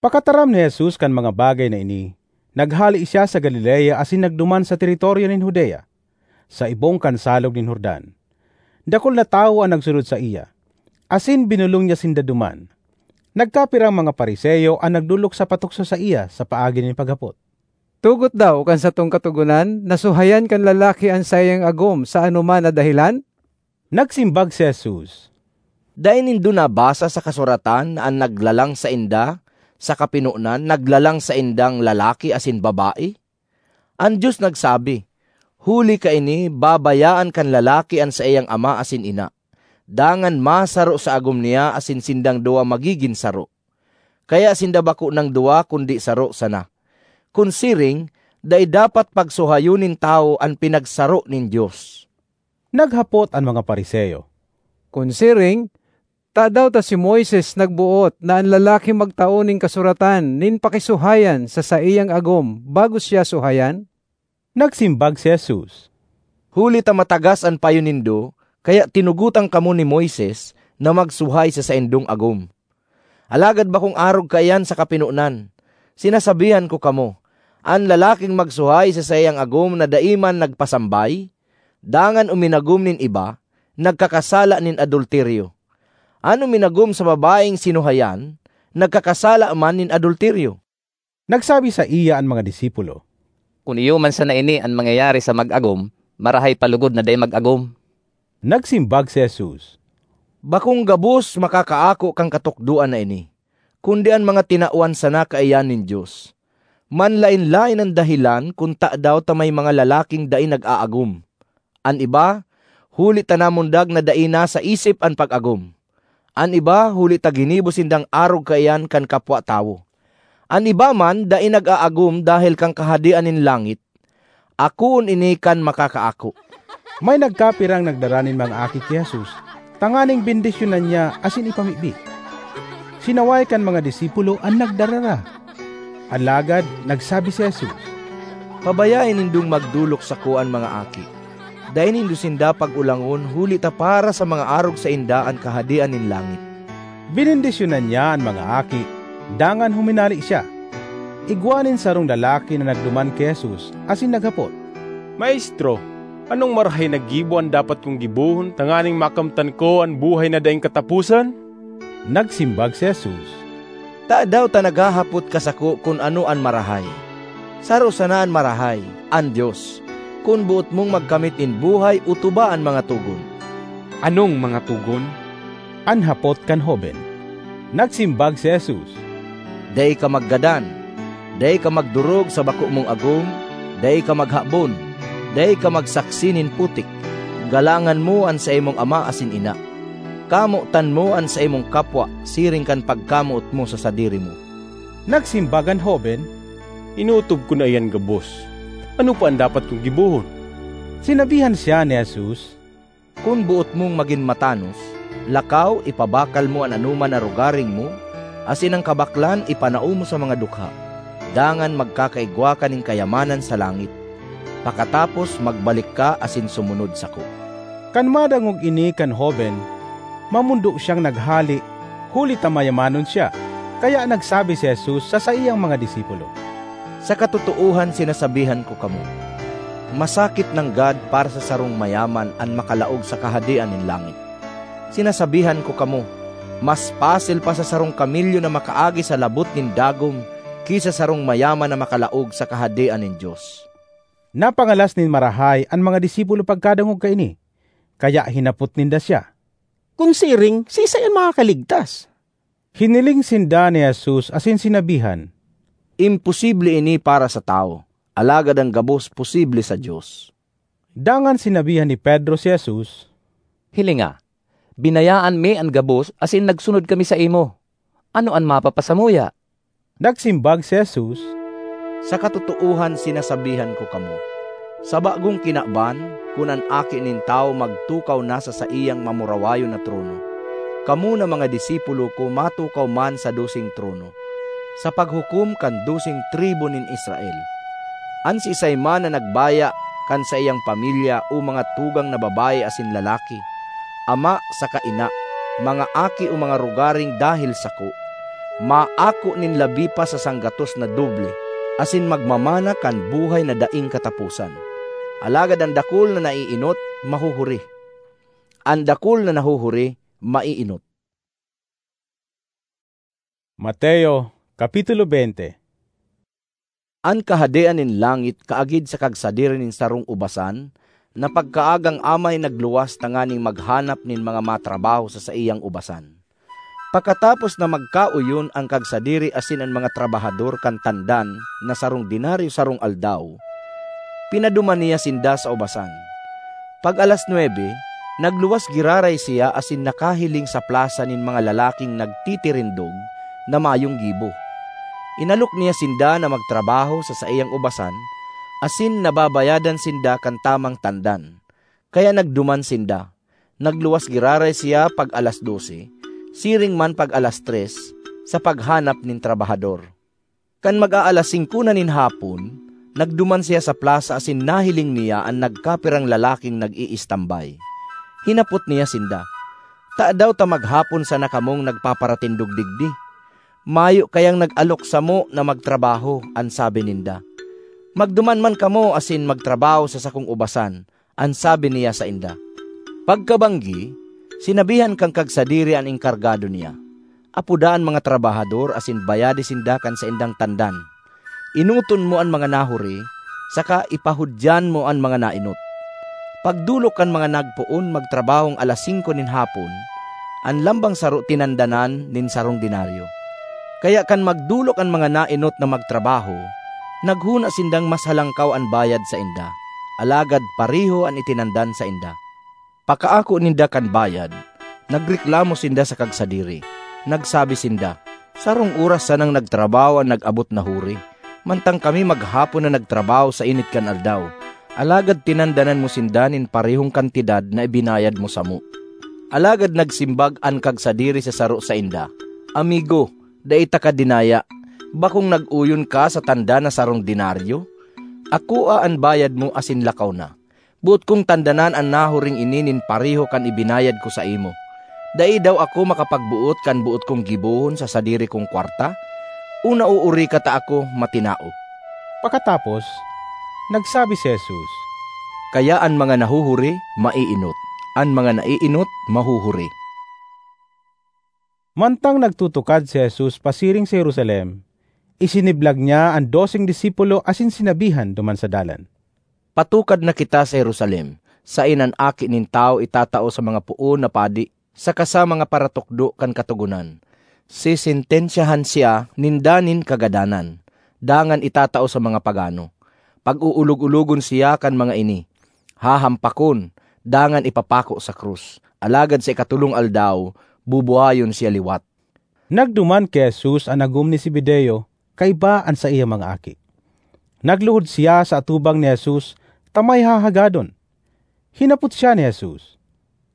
Pakataram ni Jesus kan mga bagay na ini, naghale siya sa Galilea asin nagduman sa teritoryo nin Judea, sa ibong kan Salog nin Jordan. Dakul na tawo an nagsunod saiya, asin binolong niya sinda duman. Nagkapirang mga Fariseo an nagdolok sa patukso saiya sa paagi nin paghapot, "Tugot daw kan satong Katogonan na suhayan kan lalaki an saiyang agom sa anoman na dahelan?" Nagsimbag si Jesus, "Dai nindo nabasa sa kasuratan na an naglalang sainda sa kapinonan naglalang saindang lalaki asin babae? An Dios nagsabi, 'Huli kaini, babayaan kan lalaki an saiyang ama asin ina, dangan masaro sa agom niya asin sindang duwa magigin saro.' Kaya sinda bako nang duwa kundi saro sana. Kun siring, dai dapat pagsuhayon nin tawo an pinagsaro nin Dios." Naghapot an mga Fariseo, "Kun siring, tadaw ta si Moises nagboot na an lalaki magtao nin kasuratan nin pakisuhayan sa saiyang agom bago siya suhayan?" Nagsimbag si Jesus, "Huli ta matagas an payo nindo, kaya tinugotan kamo ni Moises na magsuhay sa saindong agom. Alagad bakong arog kaiyan sa kapinonan. Sinasabihan ko kamo, an lalaking magsuhay sa saiyang agom na dai man nagpasambay, dangan uminagom nin iba, nagkakasala nin adulteryo. An uminagom sa babaeng sinuhayan, nagkakasala man nin adulteryo." Nagsabi saiya an mga disipulo, "Kun iyo man sana ini an mangyayari sa mag-agom, marahay pa logod na dai mag-agom." Nagsimbag si Jesus, "Bakong gabos makakaako kan katukdoan na ini, kundi an mga tinawan sana kaiyan nin Dios. Manlaen-laen an dahelan kun tadaw ta may mga lalaking dai nag-aagom. An iba, huli ta namundag na dai na sa isip an pag-agom. An iba, huli ta ginibo sindang arog kaiyan kan kapwa tawo. An iba man dai nag-aagom dahel kan Kahadean nin langit. Akoon ini kan makakaako." May nagkapirang nagdara nin mga aki ki Jesus tanganing bendisyonan niya asin ipamibi. Sinaway kan mga disipulo an nagdarara. Alagad nagsabi si Jesus, "Pabayae nindong magdolok sako an mga aki. Dai nindo sinda pag-ulangon, huli ta para sa mga arog sainda an Kahadean nin langit." Benendisyonan niya an mga aki, dangan huminale siya. Igwa nin sarong lalaki na nagduman ki Jesus asin naghapot, "Maestro, anong marahay na gibo an dapat kong gibohon tanganing makamtan ko an buhay na daing kataposan?" Nagsimbag si Jesus, "Tadaw ta naghahapot ka sako kun ano an marahay? Saro sana an marahay, an Dios. Kun boot mong magkamit nin buhay, otoba an mga togon." "Anong mga togon?" an hapot kan hoben. Nagsimbag si Jesus, "Dai ka maggadan, dai ka magdorog sa bako mong agom, dai ka maghabon, dai ka magsaksi nin putik, galangan mo an saimong ama asin ina, kamotan mo an saimong kapwa siring kan pagkamoot mo sa sadiri mo." Nagsimbag an hoben, "Inootob ko na iyan gabos. Ano pa an dapat kong gibohon?" Sinabihan siya ni Jesus, "Kun boot mong magin matanos, lakaw, ipabakal mo an anoman na rogaring mo, asin an kabaklan ipanao mo sa mga dukha. Dangan magkakaigwa ka nin kayamanan sa langit. Pakatapos, magbalik ka asin sumunod sako." Kan madangog ini kan hoben, mamondo siyang naghale, huli ta mayamanon siya. Kaya nagsabi si Jesus sa saiyang mga disipulo, "Sa katotoohan sinasabihan ko kamo, masakit nanggad para sa sarong mayaman an makalaog sa Kahadean nin langit. Sinasabihan ko kamo, mas pasil pa sa sarong kamelyo na makaagi sa labot nin dagom ki sa sarong mayaman na makalaog sa Kahadean nin Dios." Napangalas nin marahay an mga disipulo pagkadangog kaini, kaya hinapot ninda siya, "Kun siring, siisay an makakaligtas?" Hiniling sinda ni Jesus asin sinabihan, "Imposible ini para sa tawo, alagad an gabos posible sa Dios." Dangan sinabihan ni Pedro si Jesus, "Hilinga, binayaan mi an gabos asin nagsunod kami saimo. Ano an mapapasamuya?" Nagsimbag si Jesus, "Sa katotoohan sinasabihan ko kamo, sa bagong kinaban, kun an Aki nin Tawo magtukaw na sa saiyang mamurawayon na trono, kamo na mga disipulo ko matukaw man sa doseng trono, sa paghukom kan doseng tribu nin Israel. An siisay man na nagbaya kan saiyang pamilya o mga tugang na babayi asin lalaki, ama saka ina, mga aki o mga rogaring dahel sako, maako nin labi pa sa sanggatos na doble, asin magmamana kan buhay na daing kataposan. Alagad an dakul na naiinot, mahuhuri. An dakul na nahuhuri, maiinot." Mateo, Kapitulo twenty. An Kahadean nin langit kaagid sa kagsadiri nin sarong ubasan na pagkaagang amay nagluwas tanganing maghanap nin mga matrabaho sa saiyang ubasan. Pakatapos na magkaoyon an kagsadiri asin an mga trabahador kan tandan na sarong denaryo sarong aldaw, pinaduman niya sinda sa ubasan. Pag alas nuebe, nagluwas giraray siya asin nakahiling sa plasa nin mga lalaking nagtitirindog na mayong gibo. Inalok niya sinda na magtrabaho sa saiyang ubasan, asin nababayadan sinda kan tamang tandan. Kaya nagduman sinda. Nagluwas giraray siya pag alas dose, siring man pag alas tres, sa paghanap nin trabahador. Kan mag-aalas singko na nin hapon, nagduman siya sa plasa asin nahiling niya an nagkapirang lalaking nag-iistambay. Hinapot niya sinda, "Tadaw ta maghapon sana kamong nagpaparatindog digdi? Mayo kayang nag-alok samo na magtrabaho," an sabi ninda. "Magduman man kamo asin magtrabaho sa sakong ubasan," an sabi niya sainda. Pagkabanggi, sinabihan kan kagsadiri an engkargado niya, "Apoda an mga trabahador asin bayadi sinda kan saindang tandan. Enoton mo an mga nahuri, saka ipahudyan mo an mga naenot." Pagdolok kan mga nagpoon magtrabahong alas singko nin hapon, an lambang saro tinandanan nin sarong denaryo. Kaya kan magdolok an mga naenot na magtrabaho, naghona sindang mas halangkaw an bayad sainda, alagad pareho an itinandan sainda. Pakaako ninda kan bayad, nagreklamo sinda sa kagsadiri. Nagsabi sinda, "Sarong oras sanang nagtrabaho an nag-abot na huri, mantang kami maghapon na nagtrabaho sa init kan aldaw, alagad tinandanan mo sinda nin parehong kantidad na ibinayad mo samo." Alagad nagsimbag an kagsadiri sa saro sainda, "Amigo, dai taka dinaya. Bakong nag-oyon ka sa tanda na sarong denaryo? Akoa an bayad mo asin lakaw na. Boot kong tandanan an nahuring ini nin pareho kan ibinayad ko saimo. Dai daw ako makapagboot kan boot kong gibohon sa sadiri kong kwarta? O nauuri ka ta ako matinao?" Pakatapos, nagsabi si Jesus, "Kaya an mga nahuhuri, maiinot. An mga naiinot, mahuhuri." Mantang nagtutukad si Jesus pasiring sa Jerusalem, isiniblag niya an doseng disipulo asin sinabihan duman sa dalan, "Patukad na kita sa Jerusalem, saen an Aki nin Tawo itatao sa mga poon na padi saka sa mga paratukdo kan Katogonan. Sesentensyahan siya ninda nin kagadanan, dangan itatao sa mga pagano. Pag-uulog-ulogon siya kan mga ini, hahampakon, dangan ipapako sa krus. Alagad sa ikatolong aldaw, bubuhayon siya liwat." Nagduman ki Jesus an agom ni Zebedeo kaiba an saiyang mga aki. Nagluhod siya sa atubang ni Jesus ta may hahagadon. Hinapot siya ni Jesus,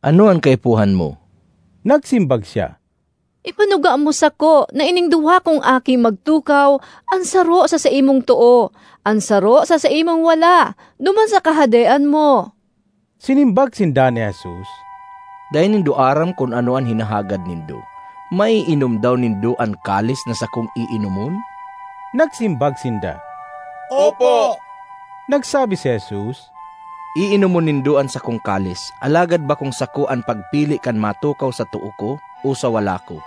"Ano an kaipuhan mo?" Nagsimbag siya, "Ipanuga mo sako na ining duwa kong aki magtukaw, an saro sa saimong too, an saro sa saimong wala, duman sa Kahadean mo." Sinimbag sinda ni Jesus, "Dai nindo aram kun ano an hinahagad nindo. Maiinom daw nindo an kalis na sakong iinomon?" Nagsimbag sinda, "Opo." Nagsabi si Jesus, "Iinomon nindo an sakong kalis, alagad bakong sako an pagpili kan matukaw sa too ko o sa wala ko,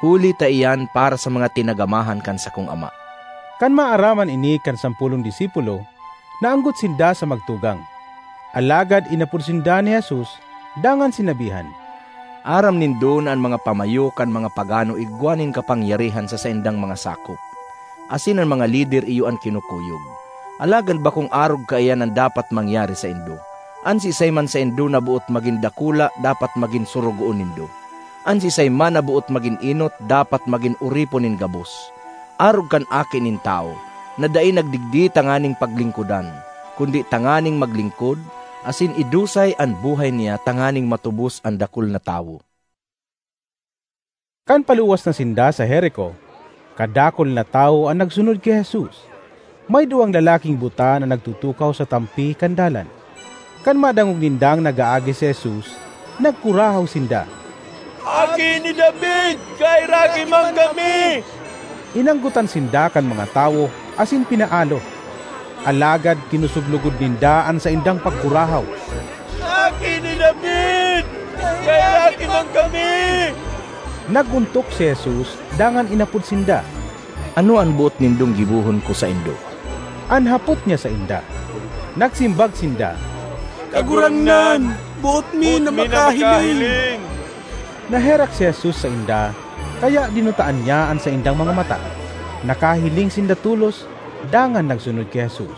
huli ta iyan para sa mga tinagamahan kan sakong Ama." Kan maaraman ini kan sampolong disipulo, naanggot sinda sa magtugang. Alagad inapod sinda ni Jesus, dangan sinabihan, "Aram nindo na an mga pamayo kan mga pagano igwa nin kapangyarihan sa saindang mga sakop, asin an mga lider iyo an kinukuyog. Alagad bakong arog kaiyan an dapat mangyari saindo. An siisay man saindo na boot magin dakula, dapat magin sorogoon nindo. An siisay man na boot magin enot, dapat magin oripon nin gabos. Arog kan Aki nin Tawo, na dai nagdigdi tanganing paglingkodan, kundi tanganing maglingkod, asin idusay an buhay niya tanganing matubos an dakul na tawo." Kan paluwas na sinda sa Jerico, kadakul na tawo an nagsunod ki Jesus. May duwang lalaking buta na nagtutukaw sa tampi kan dalan. Kan madangog nindang nag-aagi si Jesus, nagkurahaw sinda, "Aki ni David, kaheraki man kami!" Inanggotan sinda kan mga tawo asin pinaalo. Alagad kinusog logod ninda an saindang pagkurahaw. "Aki ni David, kaheraki man kami!" Nag-ontok si Jesus dangan inapod sinda, "Ano an boot nindong gibohon ko saindo?" An hapot niya sainda. Nagsimbag sinda, "Kagurangnan, boot mi na makahiling." Naherak si Jesus sainda, kaya dinutaan niya an saindang mga mata. Nakahiling sinda tolos, dangan nagsunod ki Jesus.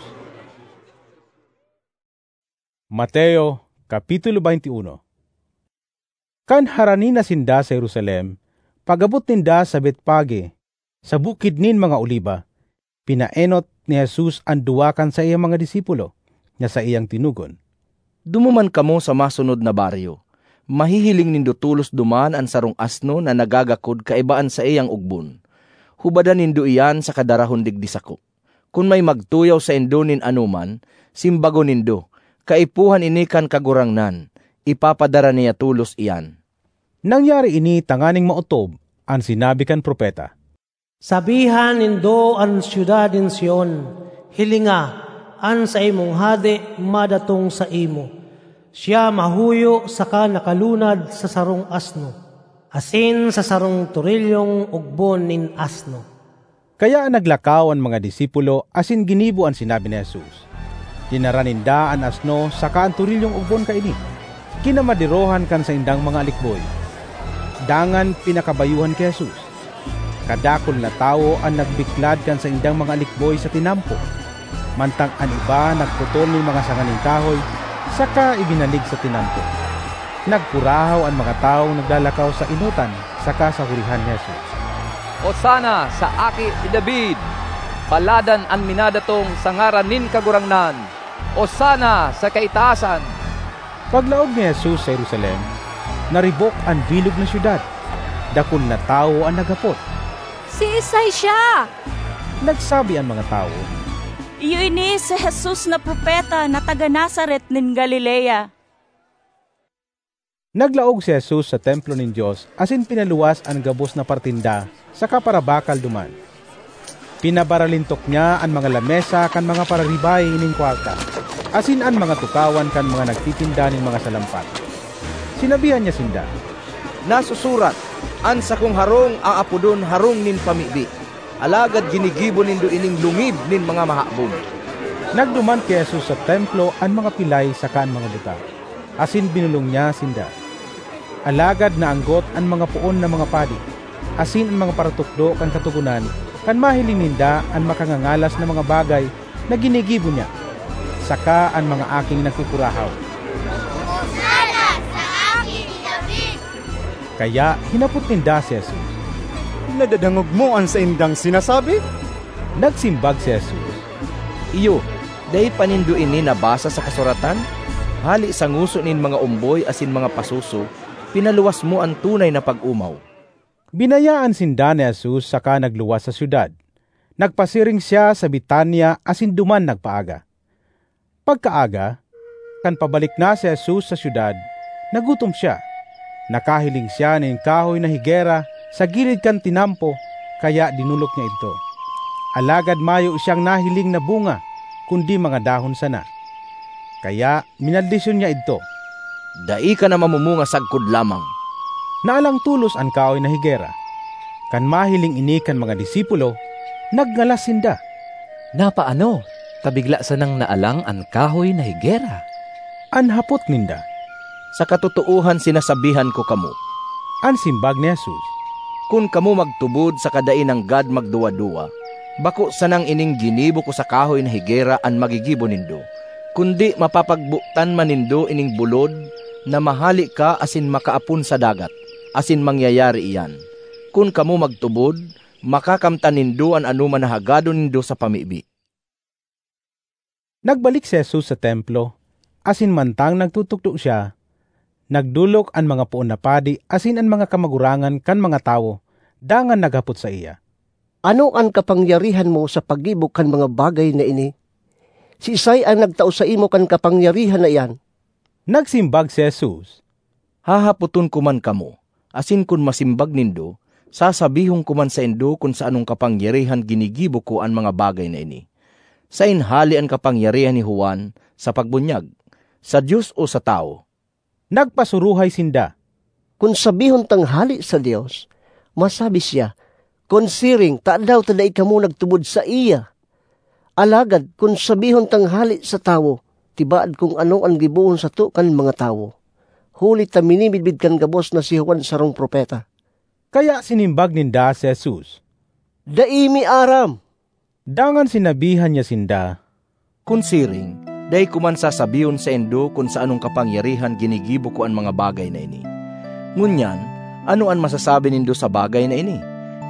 Mateo, Kapitulo twenty-one. Kan harani na sinda sa Jerusalem, pag-abot ninda sa Betfage, sa Bukid nin mga Oliba, pinaenot ni Jesus an duwa kan saiyang mga disipulo, na saiyang tinugon, "Dumuman kamo sa masunod na baryo. Mahihiling nindo tolos duman an sarong asno na nagagakod kaiba an saiyang ogbon. Hubadan nindo iyan saka darahon digdi sako. Kun may magtuyaw saindo nin anoman, simbagon nindo, 'Kaipuhan ini kan Kagurangnan, ipapadara niya tolos iyan.'" Nangyari ini tanganing maotob an sinabi kan propeta, "Sabihan nindo an syudad nin Sion, 'Hilinga, an saimong hade madatong saimo. Siya mahuyo saka nakalunad sa sarong asno, asin sa sarong torilyong ogbon nin asno.'" Kaya naglakaw an mga disipulo asin ginibo an sinabi ni Jesus. Dinara ninda an asno saka an torilyong ogbon kaini. Kinamaderohan kan saindang mga alikboy. Dangan pinakabayuhan ki Jesus. Kadakul na tawo an nagbiklad kan saindang mga alikboy sa tinampo, mantang an iba nagputol nin mga sanga nin kahoy saka ibinalig sa tinampo. Nagkurahaw an mga tawong naglalakaw sa enotan saka sa hurihan ni Jesus. "Hosanna sa Aki ni David! Paladan an minadatong sa ngaran nin Kagurangnan! Hosanna sa kaitaasan!" Paglaog ni Jesus sa Jerusalem, naribok an bilog na syudad. Dakul na tawo an naghapot. "Siisay siya?" nagsabi an mga tawo. "Iyo ini si Jesus na propeta na taga Nazaret nin Galilea." Naglaog si Jesus sa templo nin Dios asin pinaluwas an gabos na partinda saka parabakal duman. Pinabaralintok niya an mga lamesa kan mga pararibay nin kwarta, asin an mga tukawan kan mga nagtitinda nin mga salampak. Sinabihan niya sinda, "Nasusurat, 'An sakong harong aapodon harong nin pamibi.' Alagad ginigibo nindo ining lungib nin mga mahabon." Nagduman ki Jesus sa templo an mga pilay saka an mga buta, asin binolong niya sinda. Alagad naanggot an mga poon na mga padi asin an mga paratukdo kan Katogonan kan mahiling ninda an makangangalas na mga bagay na ginigibo niya, saka an mga aking nagkukurahaw, "Hosanna sa Aki ni David!" Kaya hinapot ninda si Jesus, "Nadadangog mo an saindang sinasabi?" Nagsimbag si Jesus, "Iyo, dai pa nindo ini nabasa sa kasuratan? 'Hale sa ngoso nin mga omboy asin mga pasoso, pinaluwas mo an tunay na pag-omaw.'" Binayaan sinda ni Jesus saka nagluwas sa syudad. Nagpasiring siya sa Betania asin duman nagpaaga. Pagkaaga, kan pabalik na si Jesus sa syudad, nagutom siya. Nakahiling siya nin kahoy na higera sa gilid kan tinampo, kaya dinolok niya idto. Alagad mayo siyang nahiling na bunga, kundi mga dahon sana. Kaya minaldisyon niya idto, "Dai ka na mamumunga sagkod lamang." Naalang tolos an kahoy na higera. Kan mahiling ini kan mga disipulo, nagngalas sinda. "Napaano ta bigla sanang naalang an kahoy na higera?" an hapot ninda. "Sa katotoohan sinasabihan ko kamo," an simbag ni Jesus, "kun kamo magtubod saka dai nanggad magduwa-duwa, bako sanang ining ginibo ko sa kahoy na higera an magigibo nindo, kundi mapapagbotan man nindo ining bulod na mahale ka asin makaapon sa dagat, asin mangyayari iyan. Kun kamo magtubod, makakamtan nindo an anoman na hagadon nindo sa pamibi." Nagbalik si Jesus sa templo, asin mantang nagtutukdo siya, nagdolok an mga poon na padi asin an mga kamagurangan kan mga tawo, dangan naghapot saiya, "Ano an kapangyarihan mo sa paggibo kan mga bagay na ini? Siisay an nagtao saimo kan kapangyarihan na iyan?" Nagsimbag si Jesus, "Hahapoton ko man kamo, asin kun masimbag nindo, sasabihon ko man saindo kun sa anong kapangyarihan ginigibo ko an mga bagay na ini. Saen hale an kapangyarihan ni Juan sa pagbunyag? Sa Dios o sa tawo?" Nagpasuruhay sinda, "Kun sabihon tang hale sa Dios, masabi siya, 'Kun siring, tadaw ta dai kamo nagtubod saiya?' Alagad kun sabihon tang hale sa tawo, tibaad kung ano an gibohon sato kan mga tawo, huli ta minimidbid kan gabos na si Juan sarong propeta." Kaya sinimbag ninda si Jesus, "Dai mi aram." Dangan sinabihan niya sinda, "Kun siring, dai ko man sasabihon saindo kun sa anong kapangyarihan ginigibo ko an mga bagay na ini. Ngunyan, ano an masasabi nindo sa bagay na ini?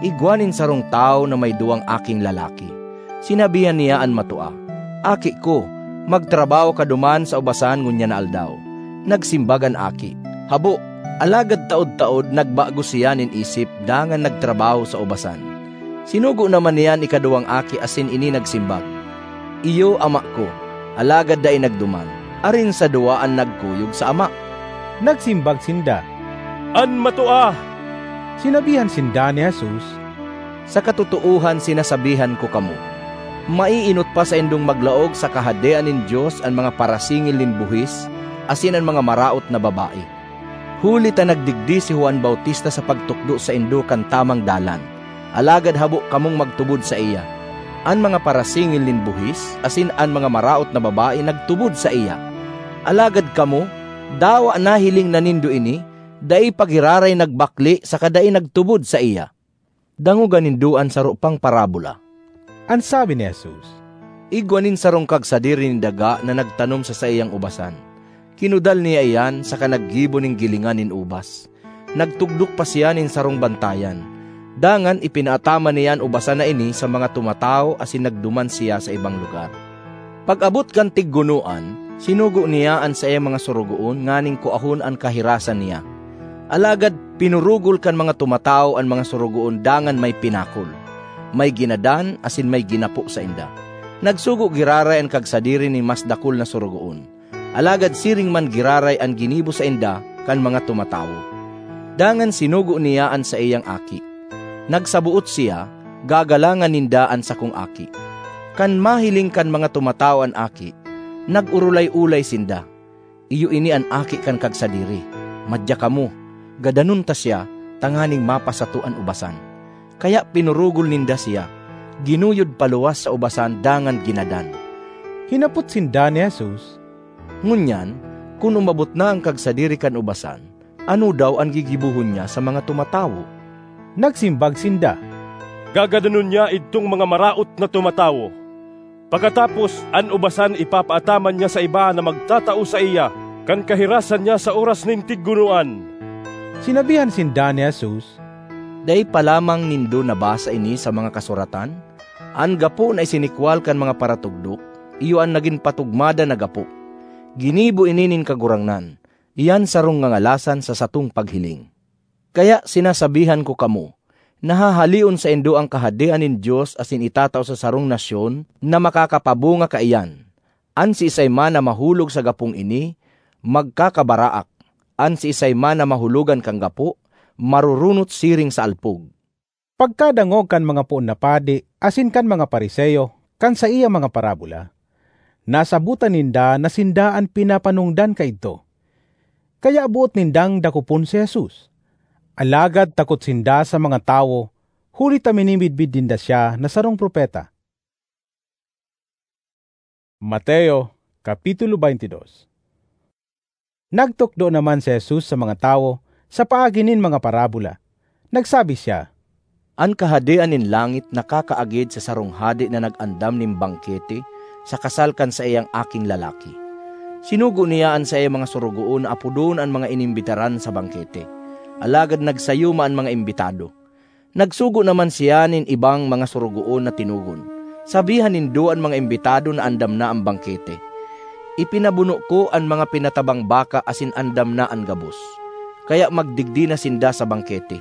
Igwa nin sarong tawo na may duwang aking lalaki. Sinabihan niya an matua, 'Aki ko, magtrabaho ka duman sa ubasan ngunyan na aldaw.' Nagsimbag an aki, 'Habo.' Alagad taod-taod nagbago siya nin isip dangan nagtrabaho sa ubasan. Sinugo naman niya an ikaduwang aki asin ini nagsimbag, 'Iyo, ama ko,' alagad dai nagduman. Arin sa duwa an nagkuyog sa ama?" Nagsimbag sinda, "An matua." Sinabihan sinda ni Jesus, "Sa katotoohan sinasabihan ko kamo, maienot pa saindong maglaog sa Kahadean nin Dios an mga parasingil nin buhis asin an mga maraot na babae. Huli ta nagdigdi si Juan Bautista sa pagtukdo saindo kan tamang dalan, alagad habo kamong magtubod saiya. An mga parasingil nin buhis asin an mga maraot na babae nagtubod saiya. Alagad kamo, dawa nahiling na nindo ini, dai pa giraray nagbakle saka dai nagtubod saiya. Dangoga nindo an saro pang parabola." An sabi ni Jesus, "Igwa nin sarong kagsadiri nin daga na nagtanom sa saiyang ubasan. Kinudal niya iyan saka naggibo nin gilingan nin ubas. Nagtugdok pa siya nin sarong bantayan. Dangan ipinaataman niya an ubasan na ini sa mga tumatawo asin nagduman siya sa ibang lugar. Pag-abot kan tiggunoan, sinugo niya an saiyang mga sorogoon nganing kuahon an kahirasan niya. Alagad pinurugol kan mga tumatawo an mga sorogoon dangan may pinakol, may ginadan asin may ginapo sainda. Nagsugo giraray an kagsadiri nin mas dakul na sorogoon. Alagad siring man giraray an ginibo sainda kan mga tumatawo. Dangan sinugo niya an saiyang aki. Nagsaboot siya, "Gagalangan ninda an sakong aki." Kan mahiling kan mga tumatawo an aki, nag-orolay-olay sinda, "Iyo ini an aki kan kagsadiri. Madya kamo, gadanon ta siya tanganing mapasato an ubasan." Kaya pinurugol ninda siya, ginuyod paluwas sa ubasan dangan ginadan. Hinapot sinda ni Jesus, "Ngunyan, kun umabot na an kagsadiri kan ubasan, ano daw an gigibohon niya sa mga tumatawo?" Nagsimbag sinda, "Gagadanon niya idtong mga maraot na tumatawo. Pakatapos, an ubasan ipapaataman niya sa iba na magtatao saiya kan kahirasan niya sa oras nin tiggunoan." Sinabihan sinda ni Jesus, "Dai pa lamang nindo nabasa ini sa mga kasuratan? An gapo na isinikwal kan mga paratugdok, iyo an nagin patugmada na gapo. Ginibo ini nin Kagurangnan, iyan sarong ngangalasan sa satong paghiling. Kaya sinasabihan ko kamo, nahahaleon saindo an Kahadean nin Dios asin itatao sa sarong nasyon na makakapabunga kaiyan. An siisay man na mahulog sa gapong ini, magkakabaraak. An siisay man na mahulogan kan gapo, marurunot siring sa alpog." Pagkadangog kan mga poon na padi asin kan mga Fariseo kan saiyang mga parabola, nasabotan ninda na sinda an pinapanongdan kaidto. Kaya boot nindang dakopon si Jesus. Alagad takot sinda sa mga tawo, huli ta minimidbid ninda siya na sarong propeta. Mateo, Kapitulo twenty-two. Nagtukdo naman si Jesus sa mga tawo sa paagi nin mga parabola. Nagsabi siya, "An Kahadean nin langit nakakaagid sa sarong hade na nag-andam nin bangkete sa kasal kan saiyang aking lalaki. Sinugo niya an saiyang mga sorogoon na apodon an mga inimbitaran sa bangkete, alagad nagsayuma an mga imbitado. Nagsugo naman siya nin ibang mga sorogoon na tinugon. Sabihan nindo an mga imbitado na andam na an bangkete. Ipinabuno ko an mga pinatabang baka asin andam na an gabos. Kaya magdigdi na sinda sa bangkete.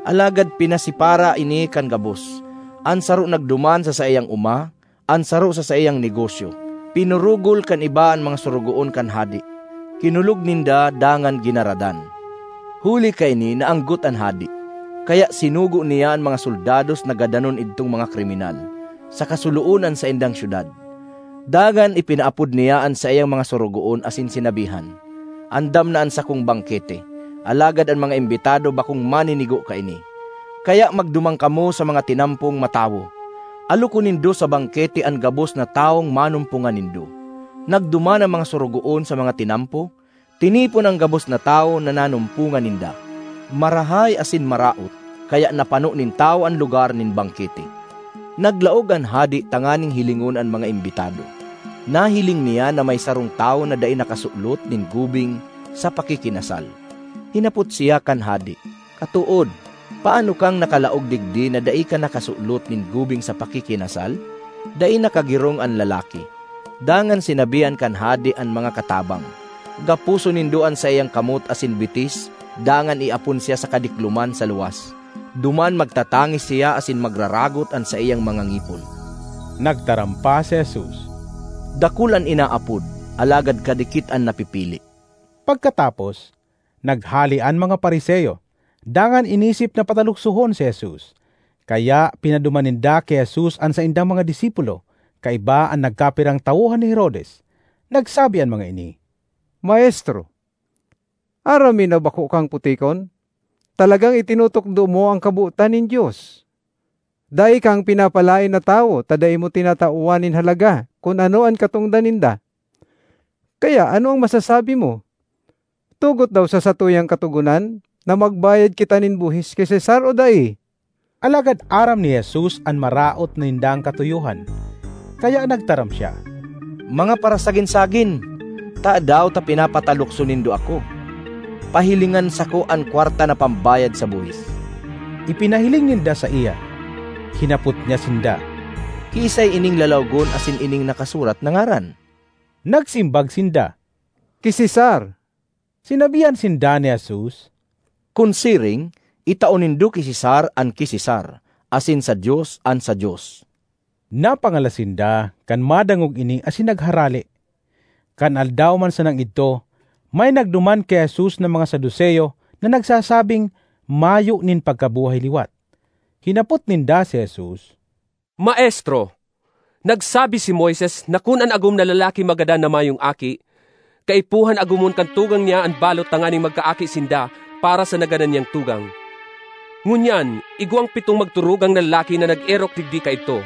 Alagad pinasipara ini kan gabos. An saro nagduman sa saiyang oma, an saro sa saiyang negosyo. Pinurugol kan iba an mga sorogoon kan hade. Kinulog ninda dangan ginaradan. Huli kaini, naanggot an hade. Kaya sinugo niya an mga soldados na gadanon idtong mga kriminal, saka suloon an saindang syudad. Dangan ipinaapod niya an saiyang mga sorogoon asin sinabihan, 'Andam na an sakong bangkete, alagad an mga imbitado bakong maninigo kaini. Kaya magduman kamo sa mga tinampong matawo. Alokon nindo sa bangkete an gabos na tawong manumpongan nindo.' Nagduman an mga sorogoon sa mga tinampo, tinipon an gabos na tawo na nanumpongan ninda. Marahay asin maraot, kaya napano nin tawo an lugar nin bangkete. Naglaog an hade tanganing hilingon an mga imbitado. Nahiling niya na may sarong tawo na dai nakasulot nin gubing sa pakikinasal. Hinapot siya kan hade, 'Katood, paano kang nakalaog digdi na dai ka nakasulot nin gubing sa pakikinasal?' Dai nakagirong an lalaki. Dangan sinabihan kan hade an mga katabang, 'Gaposon nindo an saiyang kamot asin bitis, dangan iapon siya sa kadikloman sa luwas. Duman magtatangis siya asin magraragot an saiyang mga ngipon.' Nagtaram pa si Jesus, 'Dakul an inaapod, alagad kadikit an napipili.'" Pagkatapos, naghale an mga Fariseo, dangan inisip na pataluksohon si Jesus. Kaya pinaduman ninda ki Jesus an saindang mga disipulo, kaiba an nagkapirang tawohan ni Herodes. Nagsabi an mga ini, "Maestro, aram mi na bako kang putikon. Talagang itinutukdo mo an kabotan nin Dios. Dai kang pinapalaen na tawo ta dai mo tinatawan nin halaga kun ano an katongdan ninda. Kaya ano an masasabi mo? Tugot daw sa satuyang katogonan na magbayad kita nin buhis ki Cesar o dai?" Alagad aram ni Jesus an maraot nindang katuyohan, kaya nagtaram siya, "Mga parasagin-sagin! Tadaw ta pinapatalukso nindo ako? Pahilingan sako an kwarta na pambayad sa buhis." Ipinahiling ninda saiya. Hinapot niya sinda, "Kiisay ining lalawgon asin ining nakasurat na ngaran?" Nagsimbag sinda, "Ki Cesar." Sinabihan sinda ni Jesus, "Kun siring, itao nindo ki Cesar an ki Cesar, asin sa Dios an sa Dios." Napangalas sinda kan madangog ini asin nagharale. Kan aldaw man sanang idto, may nagduman ki Jesus na mga Saduceo na nagsasabing mayo nin pagkabuhay liwat. Hinapot ninda si Jesus, "Maestro, nagsabi si Moises na kun an agom na lalaki magadan na mayong aki, kaipuhan agomon kan tugang niya an balot tanganing magkaaki sinda para sa nagadan niyang tugang. Ngunyan, igwang pitong magturugang na lalaki na nag-erok digdi kaidto.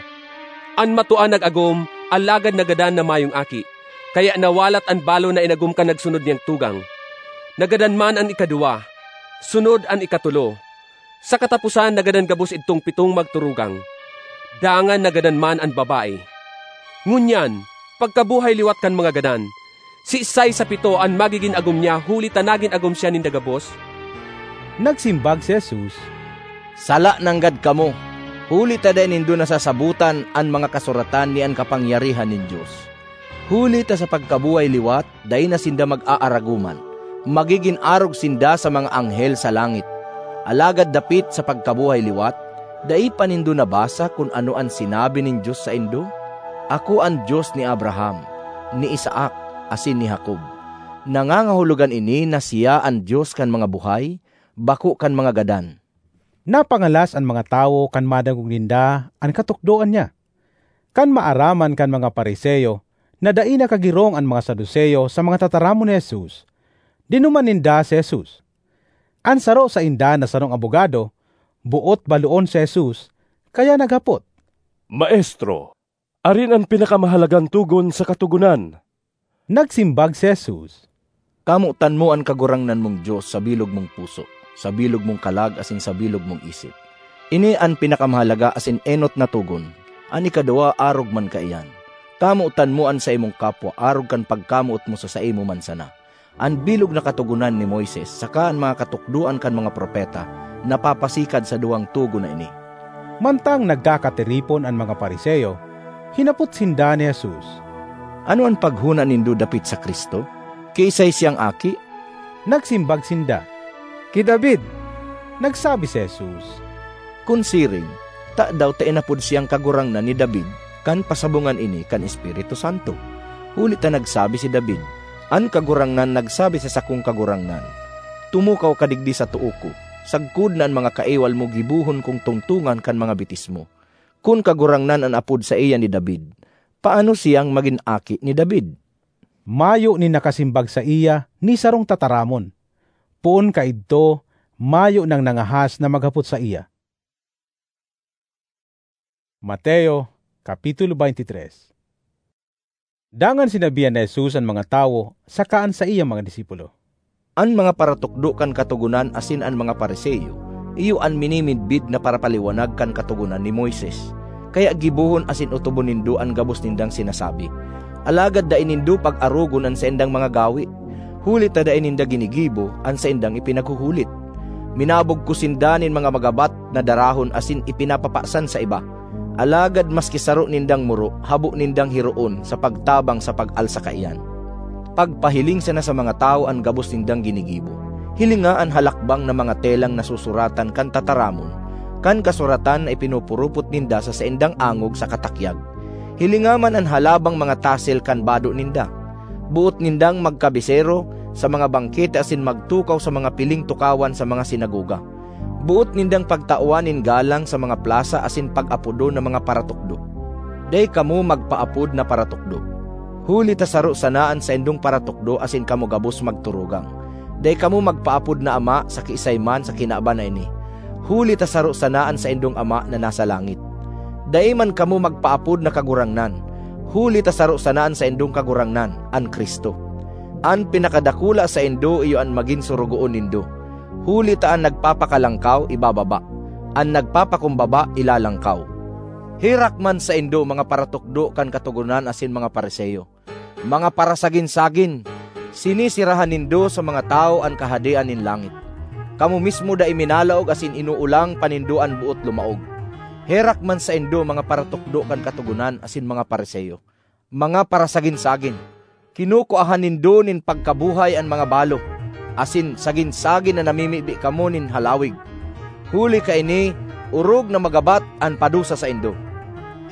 An matua nag-agom, alagad nagadan na mayong aki, kaya nawalat an balon na inagom kan nagsunod niyang tugang. Nagadan man an ikaduwa, sunod an ikatulo. Sa kataposan, nagadan gabos idtong pitong magturugang. Dangan nagadan man an babae. Ngunyan, pagkabuhay liwat kan mga gadan, siisay sa pito an magigin agom niya huli ta nagin agom siya ninda gabos?" Nagsimbag si Jesus, "Sala nanggad kamo, huli ta dai nindo nasasabotan an mga kasuratan ni an kapangyarihan nin Dios. Huli ta sa pagkabuhay liwat, dai na sinda mag-aaragoman. Magigin arog sinda sa mga anghel sa langit. Alagad dapit sa pagkabuhay liwat, dai pa nindo nabasa kun ano an sinabi nin Dios saindo? 'Ako an Dios ni Abraham, ni Isaac, asin ni Jacob.' Nangangahulogan ini na siya an Dios kan mga buhay, bako kan mga gadan." Napangalas an mga tawo kan madangog ninda an katukdoan niya. Kan maaraman kan mga Fariseo na dai nakagirong an mga Saduceo sa mga tataramon ni Jesus, dinuman ninda si Jesus. An saro sainda na sarong abogado, boot baloon si Jesus, kaya naghapot, "Maestro, arin an pinakamahalagang togon sa Katogonan?" Nagsimbag si Jesus, "Kamotan mo an Kagurangnan mong Dios sa bilog mong puso, sa bilog mong kalag asin sa bilog mong isip. Ini an pinakamahalaga asin enot na togon. An ikaduwa arog man kaiyan, 'Kamotan mo an saimong kapwa arog kan pagkamoot mo sa saimo man sana.' An bilog na Katogonan ni Moises saka an mga katukdoan kan mga propeta napapasikad sa duwang togon na ini." Mantang nagkakatiripon an mga Fariseo, hinapot sinda ni Jesus, "Ano an paghona nindo dapit sa Cristo? Kiisay siyang aki?" Nagsimbag sinda, "Ki David." Nagsabi si Jesus, "Kun siring, tadaw ta inapod siyang Kagurangnan ni David kan pasabongan ini kan Espiritu Santo? Huli ta nagsabi si David, 'An Kagurangnan nagsabi sa sakong Kagurangnan, "Tumukaw ka digdi sa too ko, sagkod na an mga kaiwal mo gibohon kong tungtongan kan mga bitis mo.' Kun Kagurangnan an apod saiya ni David, paano siyang magin aki ni David?" Mayo nin nakasimbag saiya ni sarong tataramon. Poon kaidto, mayo nang nangahas na maghapot saiya. Mateo, Kapitulo twenty-three. Dangan sinabihan ni Jesus an mga tawo saka an saiyang mga disipulo, "An mga paratukdo kan Katogonan asin an mga Fariseo iyo an minimidbid na parapaliwanag kan Katogonan ni Moises, kaya gibohon asin otobon nindo an gabos nindang sinasabi. Alagad dai nindo pag-arogon an saindang mga gawe, huli ta dai ninda ginigibo an saindang ipinaghuhulit. Minabog ko sinda nin mga magabat na darahon asin ipinapapasan sa iba. Alagad maski saro nindang muro, habo nindang hiroon sa pagtabang sa pag-alsa kaiyan. Pagpahiling sana sa mga tawo an gabos nindang ginigibo. Hilinga an halakbang na mga telang nasusuratan kan tataramon, kan kasuratan na ipinupurupot ninda sa saindang angog saka takyag. Hilinga man an halabang mga tasel kan bado ninda. Boot nindang magkabisero sa mga bangkete asin magtukaw sa mga piling tukawan sa mga sinagoga. Boot nindang pagtawan nin galang sa mga plasa asin pag-apodon na mga paratukdo. Dai kamo magpaapod na paratukdo, huli ta saro sana an saindong paratukdo asin kamo gabos magturugang. Dai kamo magpaapod na ama sa kiisay man sa kinaban na ini, huli ta saro sana an saindong Ama na nasa langit. Dai man kamo magpaapod na kagurangnan, huli ta saro sana an saindong Kagurangnan, an Cristo. An pinakadakula saindo iyo an magin sorogoon nindo, huli ta an nagpapakalangkaw ibababa, an nagpapakumbaba ilalangkaw. Herak man saindo, mga paratukdo kan Katogonan asin mga Fariseo, mga parasagin-sagin! Sinisirahan nindo sa mga tawo an kahadean nin langit. Kamo mismo dai minalaog asin inuulang pa nindo an boot lumaog. Herak man saindo, mga paratukdo kan Katogonan asin mga Fariseo, mga parasagin-sagin! Kinukuahan nindo nin pagkabuhay an mga balo, asin sagin-sagin na namimibi kamo nin halawig. Huli kaini, orog na magabat an padusa saindo.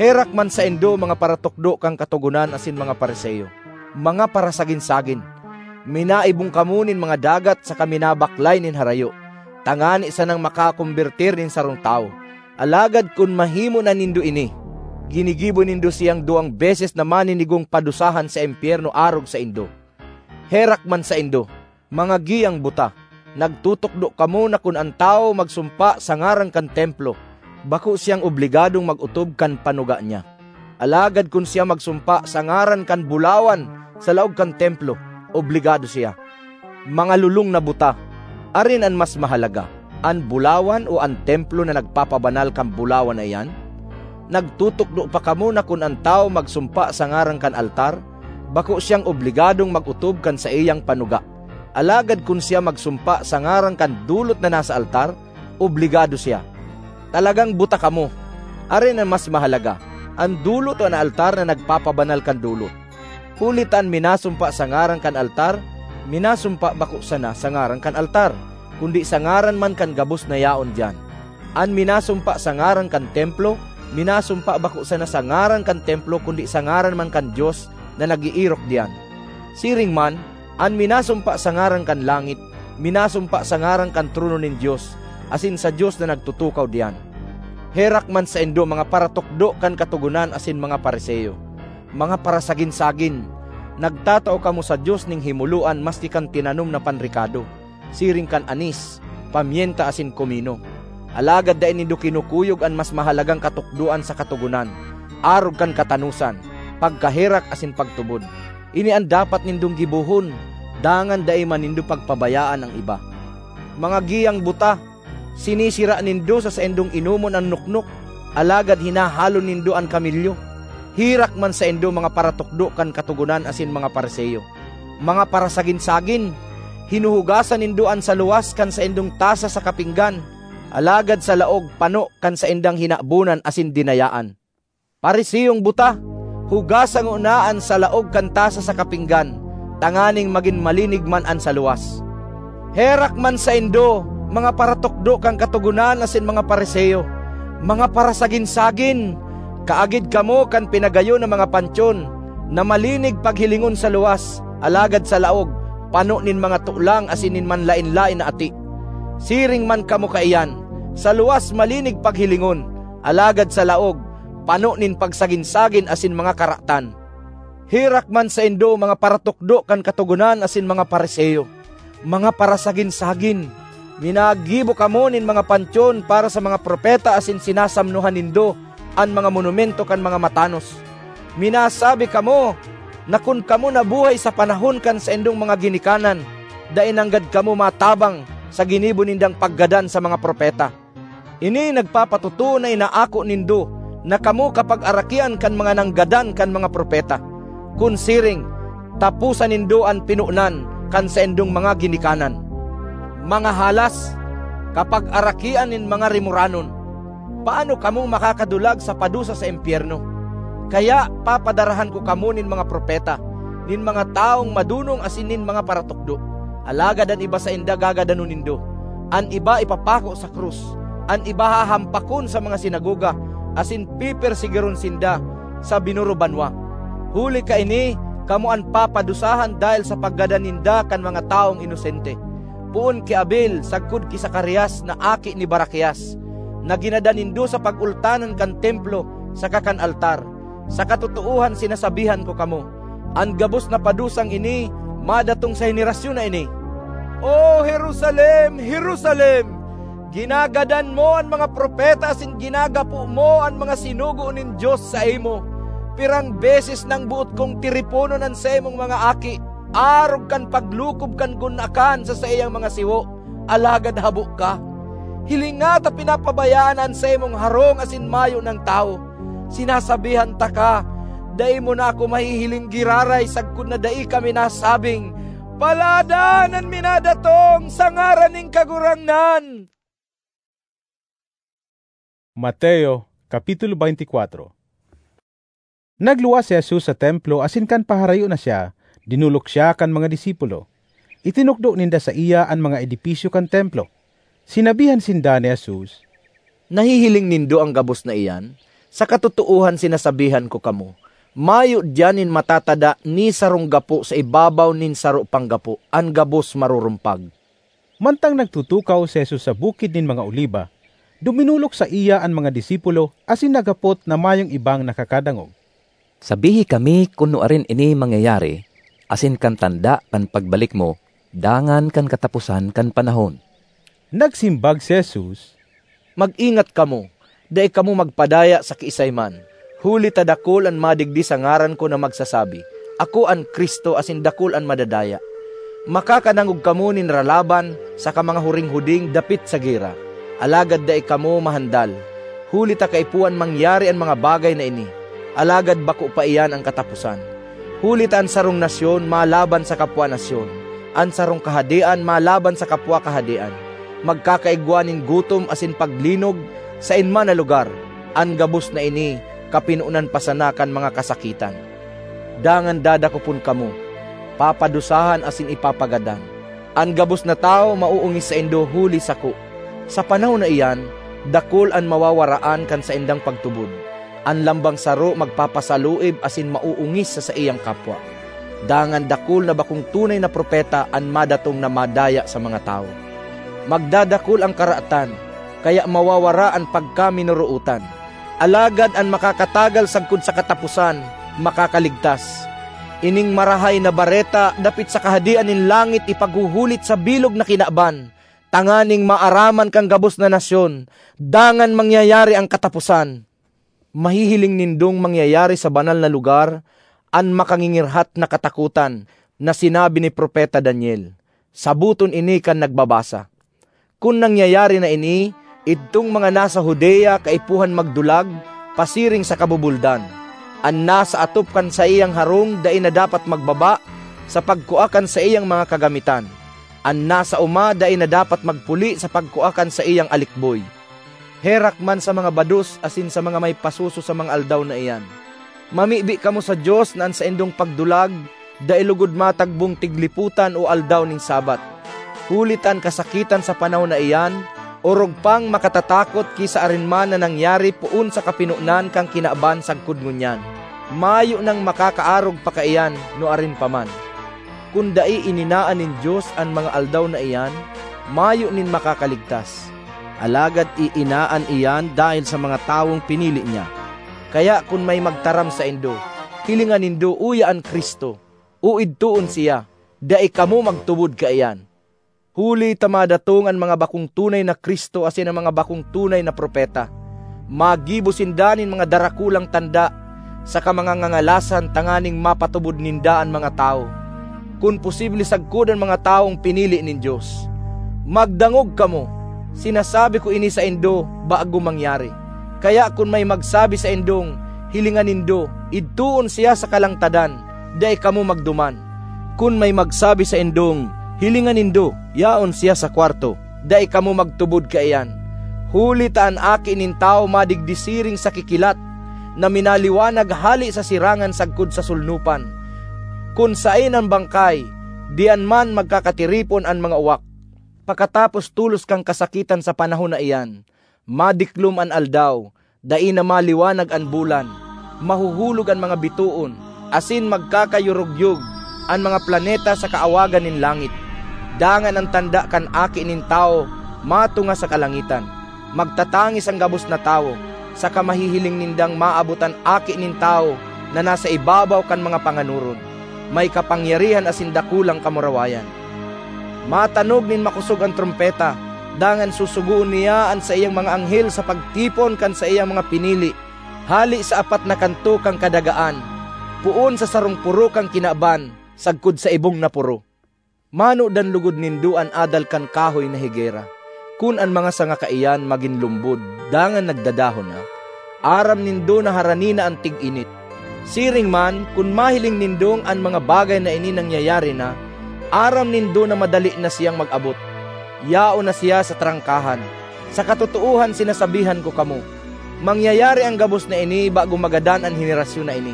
Herak man saindo, mga paratukdo kan Katogonan asin mga Fariseo, mga parasagin-sagin! Minaibong kamo nin mga dagat saka minabaklay nin harayo, tangani sanang makakombertir nin sarong tawo. Alagad kun mahimo na nindo ini, ginigibo nindo siyang duwang beses na maninigong padusahan sa impyerno arog saindo. Herak man saindo, mga giyang buta! Nagtutukdo kamo na kun an tawo magsumpa sa ngaran kan Templo, bako siyang obligadong mag-otob kan panuga niya. Alagad kun siya magsumpa sa ngaran kan bulawan sa laog kan Templo, obligado siya. Mga lolong na buta! Arin an mas mahalaga, an bulawan o an Templo na nagpapabanal kan bulawan na iyan? Nagtutukdo pa kamo na kun an tawo magsumpa sa ngaran kan altar, bako siyang obligadong mag-otob kan saiyang panuga. Alagad kun siya magsumpa sa ngaran kan dolot na nasa altar, obligado siya. Talagang buta kamo! Arin an mas mahalaga, an dolot o an altar na nagpapabanal kan dolot? Huli ta an minasumpa sa ngaran kan altar, minasumpa bako sana sa ngaran kan altar, kundi sa ngaran man kan gabos na yaon diyan. An minasumpa sa ngaran kan Templo, minasumpa bako sana sa ngaran kan Templo kundi sa ngaran man kan Dios na nag-eerok diyan. Siring man, an minasumpa sa ngaran kan langit, minasumpa sa ngaran kan trono nin Dios asin sa Dios na nagtutukaw diyan. Herak man saindo, mga paratukdo kan Katogonan asin mga Fariseo, mga parasagin-sagin! Nagtatao kamo sa Dios nin himoloan maski kan tinanom na panrekado, siring kan anis, pamyenta asin komino. Alagad dai nindo kinukuyog an mas mahalagang katukdoan sa Katogonan, arog kan katanosan, pagkaherak asin pagtubod. Ini an dapat nindong gibohon, dangan dai man nindo pagpabayaan an iba. Mga giyang buta! Sinisira nindo sa saindong inomon an noknok, alagad hinahalon nindo an kamelyo. Herak man saindo, mga paratukdo kan Katogonan asin mga Fariseo, mga parasagin-sagin! Hinuhugasan nindo an saluwas kan saindong tasa saka pinggan, alagad sa laog pano kan saindang hinabonan asin dinayaan. Pariseyong buta! Hugasa ngona an salaog kan tasa saka pinggan, tanganing magin malinig man an saluwas. Herak man saindo, mga paratukdo kan Katogonan asin mga Fariseo, mga parasagin-sagin! Kaagid kamo kan pinagayo na mga pantyon, na malinig paghilingon sa luwas, alagad sa laog, pano nin mga tolang asin nin manlaen-laen na ati. Siring man kamo kaiyan: sa luwas malinig paghilingon, alagad sa laog, pano nin pagsagin-sagin asin mga karatan. Herak man saindo, mga paratukdo kan Katogonan asin mga Fariseo, mga parasagin-sagin! Minagibo kamo nin mga pantyon para sa mga propeta asin sinasamnohan nindo an mga monumento kan mga matanos. Minasabi kamo na kun kamo nabuhay sa panahon kan saindong mga ginikanan, dai nanggad kamo matabang sa ginibo nindang paggadan sa mga propeta. Ini nagpapatotoo na inaako nindo na kamo kapagarakian kan mga nanggadan kan mga propeta. Kun siring, taposa nindo an pinonan kan saindong mga ginikanan. Mga halas, kapagarakian nin mga rimoranon! Paano kamo makakadulag sa padusa sa impyerno? Kaya papadarahan ko kamo nin mga propeta, nin mga tawong madonong asin nin mga paratukdo. Alagad an iba sainda gagadanon nindo, an iba ipapako sa krus, an iba hahampakon sa mga sinagoga, asin pepersegiron sinda sa binuro banwa. Huli kaini, kamo an papadusahan dahel sa paggadan ninda kan mga tawong inosente. Poon ki Abel sagkod ki Zacarias na aki ni Baraquias, na ginadan nindo sa pag-ultanan kan Templo saka kan altar. Sa katotoohan sinasabihan ko kamo, an gabos na padusang ini madatong sa henerasyon na ini. O Jerusalem, Jerusalem! Ginagadan mo an mga propeta asin ginagapo mo an mga sinugo nin Dios saimo! Pirang beses nang boot kong tiriponon an saimong mga aki arog kan paglukob kan gunakan sa saiyang mga siwo, alagad habo ka. Hilinga ta pinapabayaan an saimong harong asin mayo nang tawo. Sinasabihan taka, dai mo na ako mahihiling giraray sagkod na dai ka minasabing, Paladan an minadatong sa ngaran nin Kagurangnan! Mateo, Kapitulo twenty-four. Nagluwas si Jesus sa Templo asin kan paharayo na siya, dinolok siya kan mga disipulo. Itinukdo ninda saiya an mga edipisyo kan Templo. Sinabihan sinda ni Jesus, "Nahihiling nindo an gabos na iyan? Sa katotoohan sinasabihan ko kamo, mayo diyan nin matatada ni sarong gapo sa ibabaw nin saro pang gapo; an gabos marurumpag." Mantang nagtutukaw si Jesus sa Bukid nin mga Oliba, duminolok saiya an mga disipulo asin naghapot na mayong ibang nakakadangog, "Sabihi kami kun nuarin ini mangyayari, asin kan tanda kan pagbalik mo, dangan kan kataposan kan panahon." Nagsimbag si Jesus, "Mag-ingat kamo, dai kamo magpadaya sa kiisay man, huli ta dakul an madigdi sa ngaran ko na magsasabi, 'Ako an Cristo,' asin dakul an madadaya. Makakadangog kamo nin ralaban saka mga huring-huding dapit sa gera, alagad dai kamo mahandal, huli ta kaipuhan mangyari an mga bagay na ini, alagad bako pa iyan an kataposan. Huli ta an sarong nasyon malaban sa kapwa nasyon, an sarong kahadean malaban sa kapwa kahadean. Magkakaigwa nin gutom asin paglinog saen man na lugar. An gabos na ini kapinonan pa sana kan mga kasakitan. Dangan dadakopon kamo, papadusahan asin ipapagadan. An gabos na tawo maoongis saindo huli sako. Sa panahon na iyan, dakul an mawawaraan kan saindang pagtubod. An lambang saro magpapasaluib asin maoongis sa saiyang kapwa. Dangan dakul na bakong tunay na propeta an madatong na madaya sa mga tawo. Magdadakul an karatan, kaya mawawara an pagkaminorootan. Alagad an makakatagal sagkod sa kataposan, makakaligtas. Ining Marahay na Bareta dapit sa Kahadean nin langit ipaghuhulit sa bilog na kinaban, tanganing maaraman kan gabos na nasyon, dangan mangyayari an kataposan. Mahihiling nindong mangyayari sa banal na lugar an makangingirhat na katakotan na sinabi ni Propeta Daniel. Saboton ini kan nagbabasa. Kun nangyayari na ini, idtong mga nasa Judea kaipuhan magdulag pasiring sa kabubuldan. An nasa atop kan saiyang harong dai na dapat magbaba sa pagkua kan saiyang mga kagamitan. An nasa oma dai na dapat magpuli sa pagkua kan saiyang alikboy. Herak man sa mga bados asin sa mga may pasuso sa mga aldaw na iyan! Mamibi kamo sa Dios na an saindong pagdulag dai logod matagbong tiglipotan o aldaw nin Sabbath. Huli ta an kasakitan sa panahon na iyan orog pang makatatakot ki sa arin man na nangyari poon sa kapinonan kan kinaban sagkod ngunyan. Mayo nang makakaarog pa kaiyan nuarin pa man. Kun dai ininaan nin Dios an mga aldaw na iyan, mayo nin makakaligtas. Alagad iinaan iyan dahel sa mga tawong pinili niya. Kaya kun may magtaram saindo, 'Hilinga nindo, uya an Cristo,' o 'Idtoon siya,' dai kamo magtubod kaiyan. Huli ta madatong an mga bakong tunay na Cristo asin an mga bakong tunay na propeta. Magibo sinda nin mga darakulang tanda saka mga ngangalasan tanganing mapatubod ninda an mga tawo, kun posible sagkod an mga tawong pinili nin Dios. Magdangog kamo! Sinasabi ko ini saindo bago mangyari. Kaya kun may magsabi saindong, 'Hilinga nindo, idtoon siya sa kalangtadan,' dai kamo magduman. Kun may magsabi saindong, 'Hilinga nindo, yaon siya sa kwarto,' dai kamo magtubod kaiyan. Huli ta an Aki nin Tawo madigdi siring sa kikilat na minaliwanag hale sa sirangan sagkod sa solnopan. Kun saen an bangkay, diyan man magkakatiripon an mga uwak. Pakatapos tolos kan kasakitan sa panahon na iyan, madiklom an aldaw, dai na maliwanag an bulan, mahuhulog an mga bitoon, asin magkakayurugyog an mga planeta sa kaawagan nin langit. Dangan an tanda kan Aki nin Tawo matunga sa kalangitan. Magtatangis an gabos na tawo, saka mahihiling nindang maabot an Aki nin Tawo na nasa ibabaw kan mga panganoron, may kapangyarihan asin dakulang kamurawayan. Matanog nin makosog an trompeta, dangan susugoon niya an saiyang mga anghel sa pagtipon kan saiyang mga pinili hale sa apat na kanto kan kadagaan, poon sa sarong poro kan kinaban sagkod sa ibong na poro. Manodan logod nindo an adal kan kahoy na higera. Kun an mga sanga kaiyan magin lumbod dangan nagdadahon na, aram nindo na harani na an tig-init. Siring man, kun mahiling nindong an mga bagay na ini nangyayari na, Aram nindo na madali na siyang mag-abot. Yaon na siya sa trangkahan. Sa katotoohan, sinasabihan ko kamo, mangyayari an gabos na ini bago magadan an henerasyon na ini.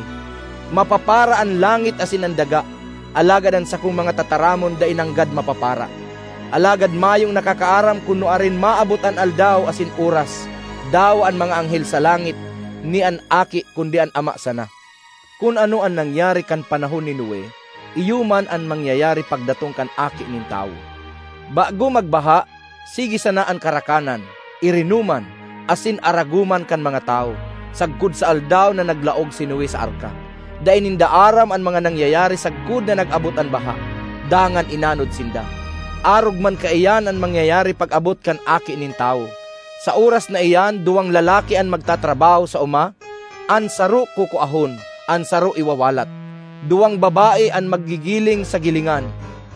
Mapapara an langit asin an daga, alagad an sakong mga tataramon dai nanggad mapapara. Alagad mayong nakakaaram kun nuarin maabot an aldaw asin oras. Dawa an mga anghel sa langit, ni an Aki, kundi an Ama sana. Kun ano an nangyari kan panahon ni Noe, iyo man an mangyayari pagdatong kan Aki nin Tawo. Bago magbaha, sige sana an karakanan, irinoman, asin aragoman kan mga tawo, sagkod sa aldaw na naglaog si Noe sa arka. Dai ninda aram an mga nangyayari sagkod na nag-abot an baha, dangan inanod sinda. Arog man kaiyan an mangyayari pag-abot kan Aki nin Tawo. Sa oras na iyan, duwang lalaki an magtatrabaho sa oma, an saro kukuahon, an saro iwawalat. Duwang babae an maggigiling sa gilingan,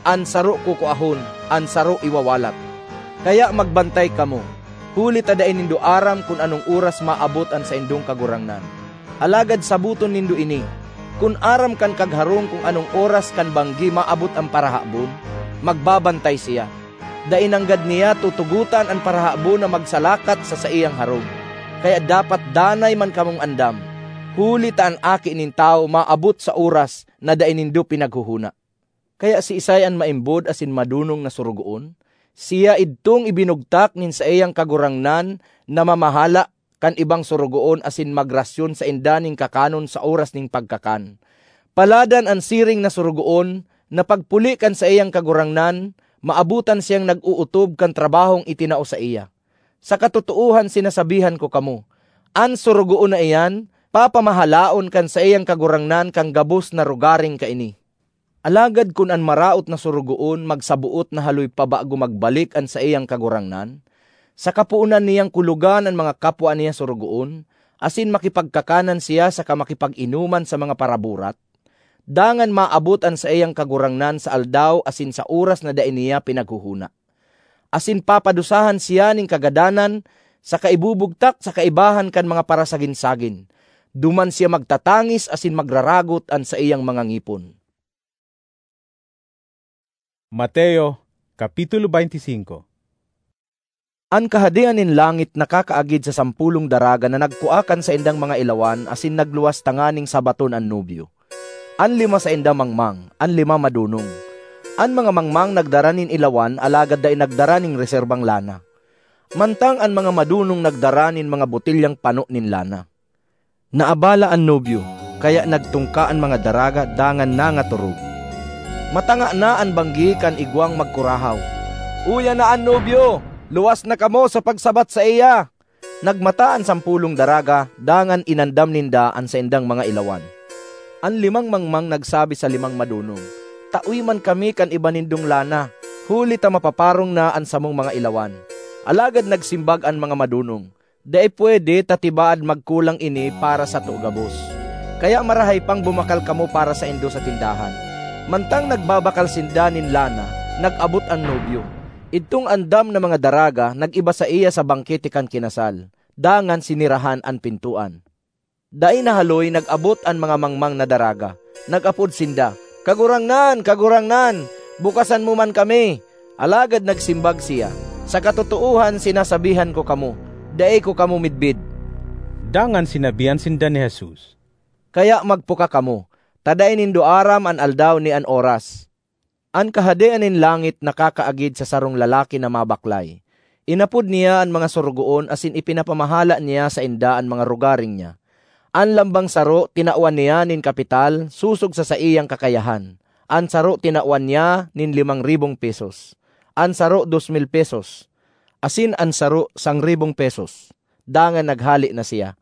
an saro kukuahon, an saro iwawalat. Kaya magbantay kamo, huli ta dai nindo aram kun anong oras maabot an saindong Kagurangnan. Alagad saboton nindo ini, kun aram kan kagharong kun anong oras kan banggi maabot an parahabon, magbabantay siya. Dai nanggad niya tutugotan an parahabon na magsalakat sa saiyang harong. Kaya dapat danay man kamong andam, huli ta an Aki nin Tawo maabot sa oras na dai nindo pinaghona. Kaya siisay an maimbod asin madonong na sorogoon? Siya idtong ibinugtak nin saiyang kagurangnan na mamahala kan ibang sorogoon asin magrasyon sainda nin kakanon sa oras nin pagkakan. Paladan an siring na sorogoon na pagpuli kan saiyang kagurangnan, maabotan siyang nag-ootob kan trabahong itinao saiya. Sa katotoohan, sinasabihan ko kamo, an sorogoon na iyan papamahalaon kan saiyang kagurangnan kan gabos na rogaring kaini. Alagad kun an maraot na sorogoon magsaboot na haloy pa bago magbalik an saiyang kagurangnan, saka poonan niyang kulogan an mga kapwa niya sorogoon, asin makipagkakanan siya saka makipag-inoman sa mga paraburat, dangan maabot an saiyang kagurangnan sa aldaw asin sa oras na dai niya pinaghona. Asin papadusahan siya nin kagadanan saka ibubugtak sa kaibahan kan mga parasagin-sagin. Duman siya magtatangis asin magraragot an saiyang mga ngipon. Mateo, Kapitulo twenty-five. An Kahadean nin langit nakakaagid sa sampolong daraga na nagkua kan saindang mga ilawan asin nagluwas tanganing sabaton an nobyo. An lima sainda mangmang, an lima madonong. An mga mangmang nagdara nin ilawan, alagad dai nagdara nin reserbang lana. Mantang an mga madonong nagdara nin mga botilyang pano nin lana. Naabala an nobyo, kaya nagtungka an mga daraga dangan nangatorog. Matanga na an banggi kan igwang magkurahaw, "Uya na an nobyo! Luwas na kamo sa pagsabat saiya!" Nagmata an sampolong daraga, dangan inandam ninda an saindang mga ilawan. An limang mangmang nagsabi sa limang madonong, "Tawi man kami kan iba nindong lana, huli ta mapaparong na an samong mga ilawan." Alagad nagsimbag an mga madonong, "Dai pwede ta tibaad magkulang ini para sato gabos. Kaya marahay pang bumakal kamo para saindo sa tindahan." Mantang nagbabakal sinda nin lana, nag-abot an nobyo. Idtong andam na mga daraga nag-iba saiya sa bangkete kan kinasal, dangan sinirahan an pintoan. Dai na haloy nag-abot an mga mangmang na daraga. Nag-apod sinda, "Kagurangnan, Kagurangnan, bukasan mo man kami!" Alagad nagsimbag siya, "Sa katotoohan, sinasabihan ko kamo, dai ko kamo midbid." Dangan sinabihan sinda ni Jesus, "Kaya magpuka kamo, ta dai nindo aram an aldaw ni an oras." An Kahadean nin langit nakakaagid sa sarong lalaki na mabaklay. Inapod niya an mga sorogoon asin ipinapamahala niya sainda an mga rogaring niya. An lambang saro tinawan niya nin kapital sosog sa saiyang kakayahan. An saro tinawan niya nin limang ribong pesos, an saro dos mil pesos, asin an saro sangribong pesos. Dangan naghale na siya.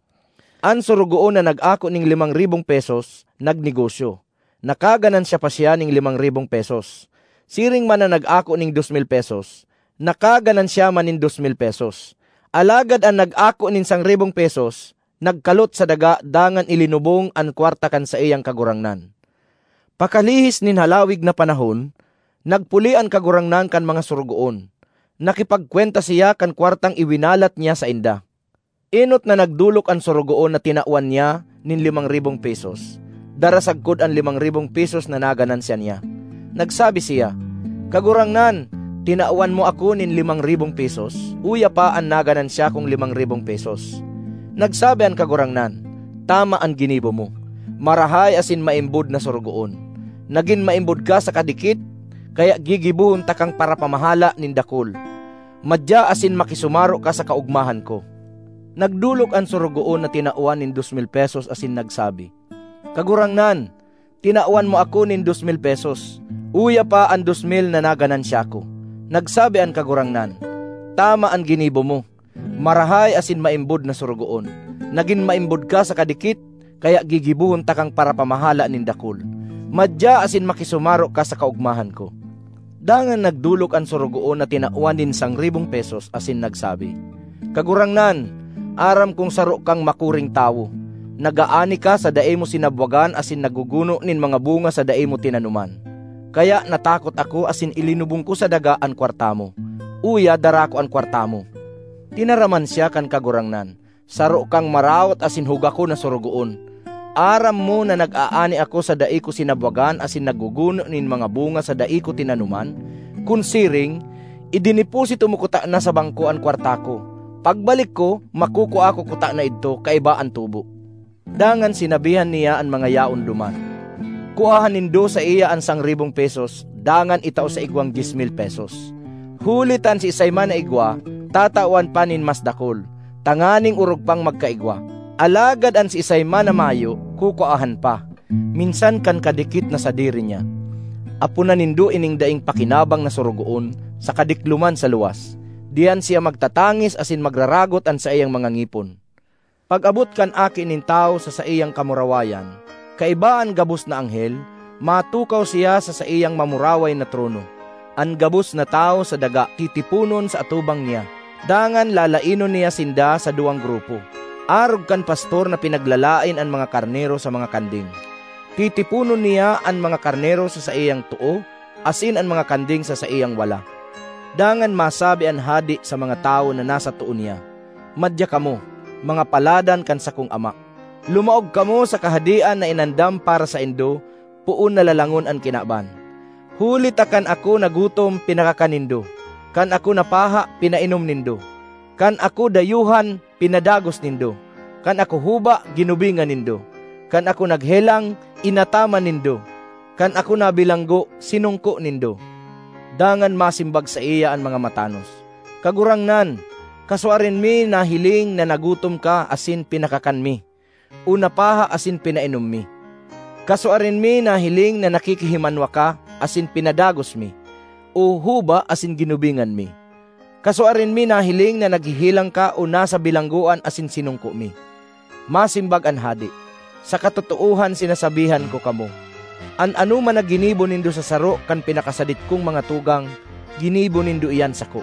An sorogoon na nag-ako nin limang ribong pesos, nagnegosyo. Nakaganansya pa siya nin limang ribong pesos. Siring man an nag-ako nin dos mil pesos, nakaganansya man nin dos mil pesos. Alagad an nag-ako nin sangribong pesos, nagkalot sa daga dangan ilinubong an kwarta kan saiyang kagurangnan. Pakalihis nin halawig na panahon, nagpuli an kagurangnan kan mga sorogoon. Nakipagkwenta siya kan kwartang iwinalat niya sainda. Enot na nagdolok an sorogoon na tinawan niya nin limang ribong pesos, dara sagkod an limang ribong pesos na naganansya niya. Nagsabi siya, 'Kagurangnan, tinawan mo ako nin limang ribong pesos, uya pa an naganansya kong limang ribong pesos.' Nagsabi an Kagurangnan, 'Tama an ginibo mo. Marahay asin maimbod na sorogoon! Nagin maimbod ka sa kadikit, kaya gigibohon takang parapamahala nin dakul. Madya asin makisumaro ka sa kaogmahan ko.' Nagdolok an sorogoon na tinawan nin dos mil pesos asin nagsabi, 'Kagurangnan, tinawan mo ako nin dos mil pesos, uya pa an dos mil na naganansya ko.' Nagsabi an Kagurangnan, 'Tama an ginibo mo. Marahay asin maimbod na sorogoon! Nagin maimbod ka sa kadikit, kaya gigibohon takang parapamahala nin dakul. Madya asin makisumaro ka sa kaogmahan ko.' Dangan nagdolok an sorogoon na tinawan nin sangribong pesos asin nagsabi, 'Kagurangnan, aram kong saro kang makuring tawo. Nag-aani ka sa dai mo sinabwagan asin nagguguno nin mga bunga sa dai mo tinanoman. Kaya natakot ako asin ilinubong ko sa daga an kwarta mo. Uya, dara ko an kwarta mo.' Tinaraman siya kan Kagurangnan, 'Saro kang maraot asin hugakon na sorogoon. Aram mo na nag-aani ako sa dai ko sinabwagan asin nagguguno nin mga bunga sa dai ko tinanoman. Kun siring, ideneposito mo kutana sa bangko an kwarta ko. Pagbalik ko, makukua ko kutana idto kaiba an tubo.' Dangan sinabihan niya an mga yaon duman, 'Kuaha nindo saiya an sangribong pesos, dangan itao sa igwang dyes mil pesos. Huli ta an siisay man na igwa, tatawan pa nin mas dakul, tanganing orog pang magkaigwa. Alagad an siisay man na mayo, kukuahan pa, minsan kan kadikit na sadiri niya. Aponan nindo ining daing pakinabang na sorogoon sa kadikloman sa luwas. Diyan siya magtatangis asin magraragot an saiyang mga ngipon.' Pag-abot kan Aki nin Tawo sa saiyang kamurawayan, kaiba an gabos na anghel, matukaw siya sa saiyang mamuraway na trono. An gabos na tawo sa daga titiponon sa atubang niya, dangan lalainon niya sinda sa duwang grupo, arog kan pastor na pinaglalaen an mga karnero sa mga kanding. Titiponon niya an mga karnero sa saiyang too asin an mga kanding sa saiyang wala. Dangan masabi an hade sa mga tawo na nasa too niya, 'Madya kamo, mga paladan kan sakong Ama! Lumaog kamo sa Kahadean na inandam para saindo poon na lalangon an kinaban. Huli ta kan ako nagutom, pinakakan nindo; kan ako napaha, pinainom nindo; kan ako dayuhan, pinadagos nindo; kan ako huba, ginubingan nindo; kan ako naghelang, inataman nindo; kan ako nabilanggo, sinungko nindo.' Dangan masimbag saiya an mga matanos, 'Kagurangnan, kasuarin mi nahiling na nagutom ka asin pinakakan mi, o napaha asin pinainom mi? Kasuarin mi nahiling na nakikihimanwa ka asin pinadagos mi, o huba asin ginubingan mi? Kasuarin mi nahiling na naghehelang ka o nasa bilanggoan asin sinungko mi?' Masimbag an hade, 'Sa katotoohan sinasabihan ko kamo, an anoman na ginibo nindo sa saro kan pinakasadit kong mga tugang, ginibo nindo iyan sako.'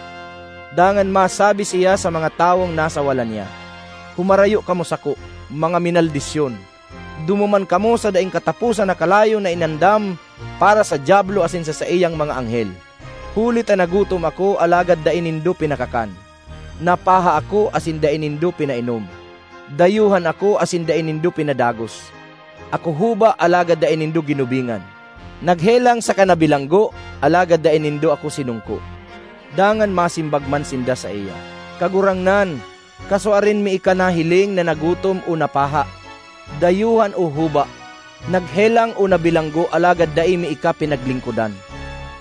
Dangan masabi siya sa mga tawong nasa wala niya, 'Humarayo kamo sako, mga minaldisyon! Dumuman kamo sa daing kataposan na kalayo na inandam para sa Diablo asin sa saiyang mga anghel. Huli ta nagutom ako, alagad dai nindo pinakakan; napaha ako, asin dai nindo pinainom; dayuhan ako, asin dai nindo pinadagos; ako huba, alagad dai nindo ginubingan; naghelang saka nabilanggo, alagad dai nindo ako sinungko.' Dangan masimbag man sinda saiya, 'Kagurangnan, kasuarin mi ika nahiling na nagutom o napaha, dayuhan o huba, naghelang o nabilanggo, alagad dai mi ika pinaglingkodan.'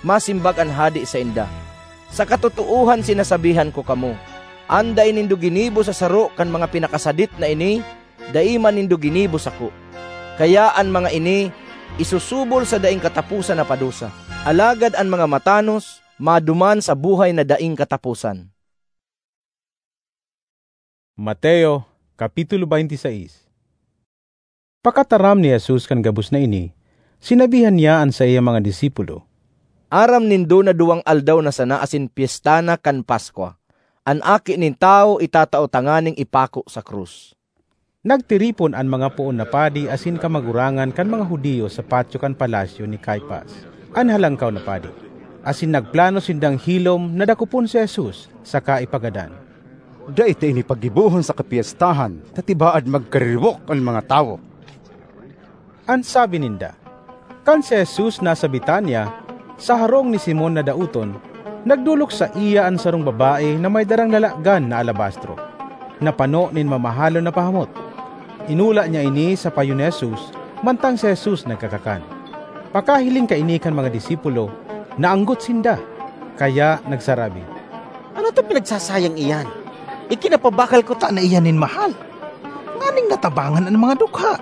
Masimbag an hade sainda, 'Sa katotoohan sinasabihan ko kamo, an dai nindo ginibo sa saro kan mga pinakasadit na ini, dai man nindo ginibo sako. Kaya an mga ini isusubol sa daing kataposan na padusa, alagad an mga matanos maduman sa buhay na daing kataposan.'" Mateo, Kapitulo twenty-six. Pakataram ni Jesus kan gabos na ini, sinabihan niya an saiyang mga disipulo, "Aram nindo na duwang aldaw na sana asin pyesta na kan Paskwa. An Aki nin Tawo itatao tanganing ipako sa krus." Nagtiripon an mga poon na padi asin kamagurangan kan mga Judio sa patyo kan palasyo ni Caifas, an Halangkaw na Padi, asin nagplano sindang hilom na dakopon si Jesus saka ipagadan. "Dai ta ini paggibohon sa kapyestahan ta tibaad magkariribok an mga tawo," an sabi ninda. Kan si Jesus nasa Betania, Sa harong ni Simon na daoton, nagdolok saiya an sarong babae na may darang lalagan na alabastro, na pano nin mamahalon na pahamot. Inula niya ini sa payo ni Jesus, mantang si Jesus nagkakakan. Pakahiling kaini kan mga disipulo, naanggot sinda, kaya nagsarabi, "Ano ta pinagsasayang iyan? Ikinapabakal ko ta na iyan nin mahal, nganing natabangan an mga dukha."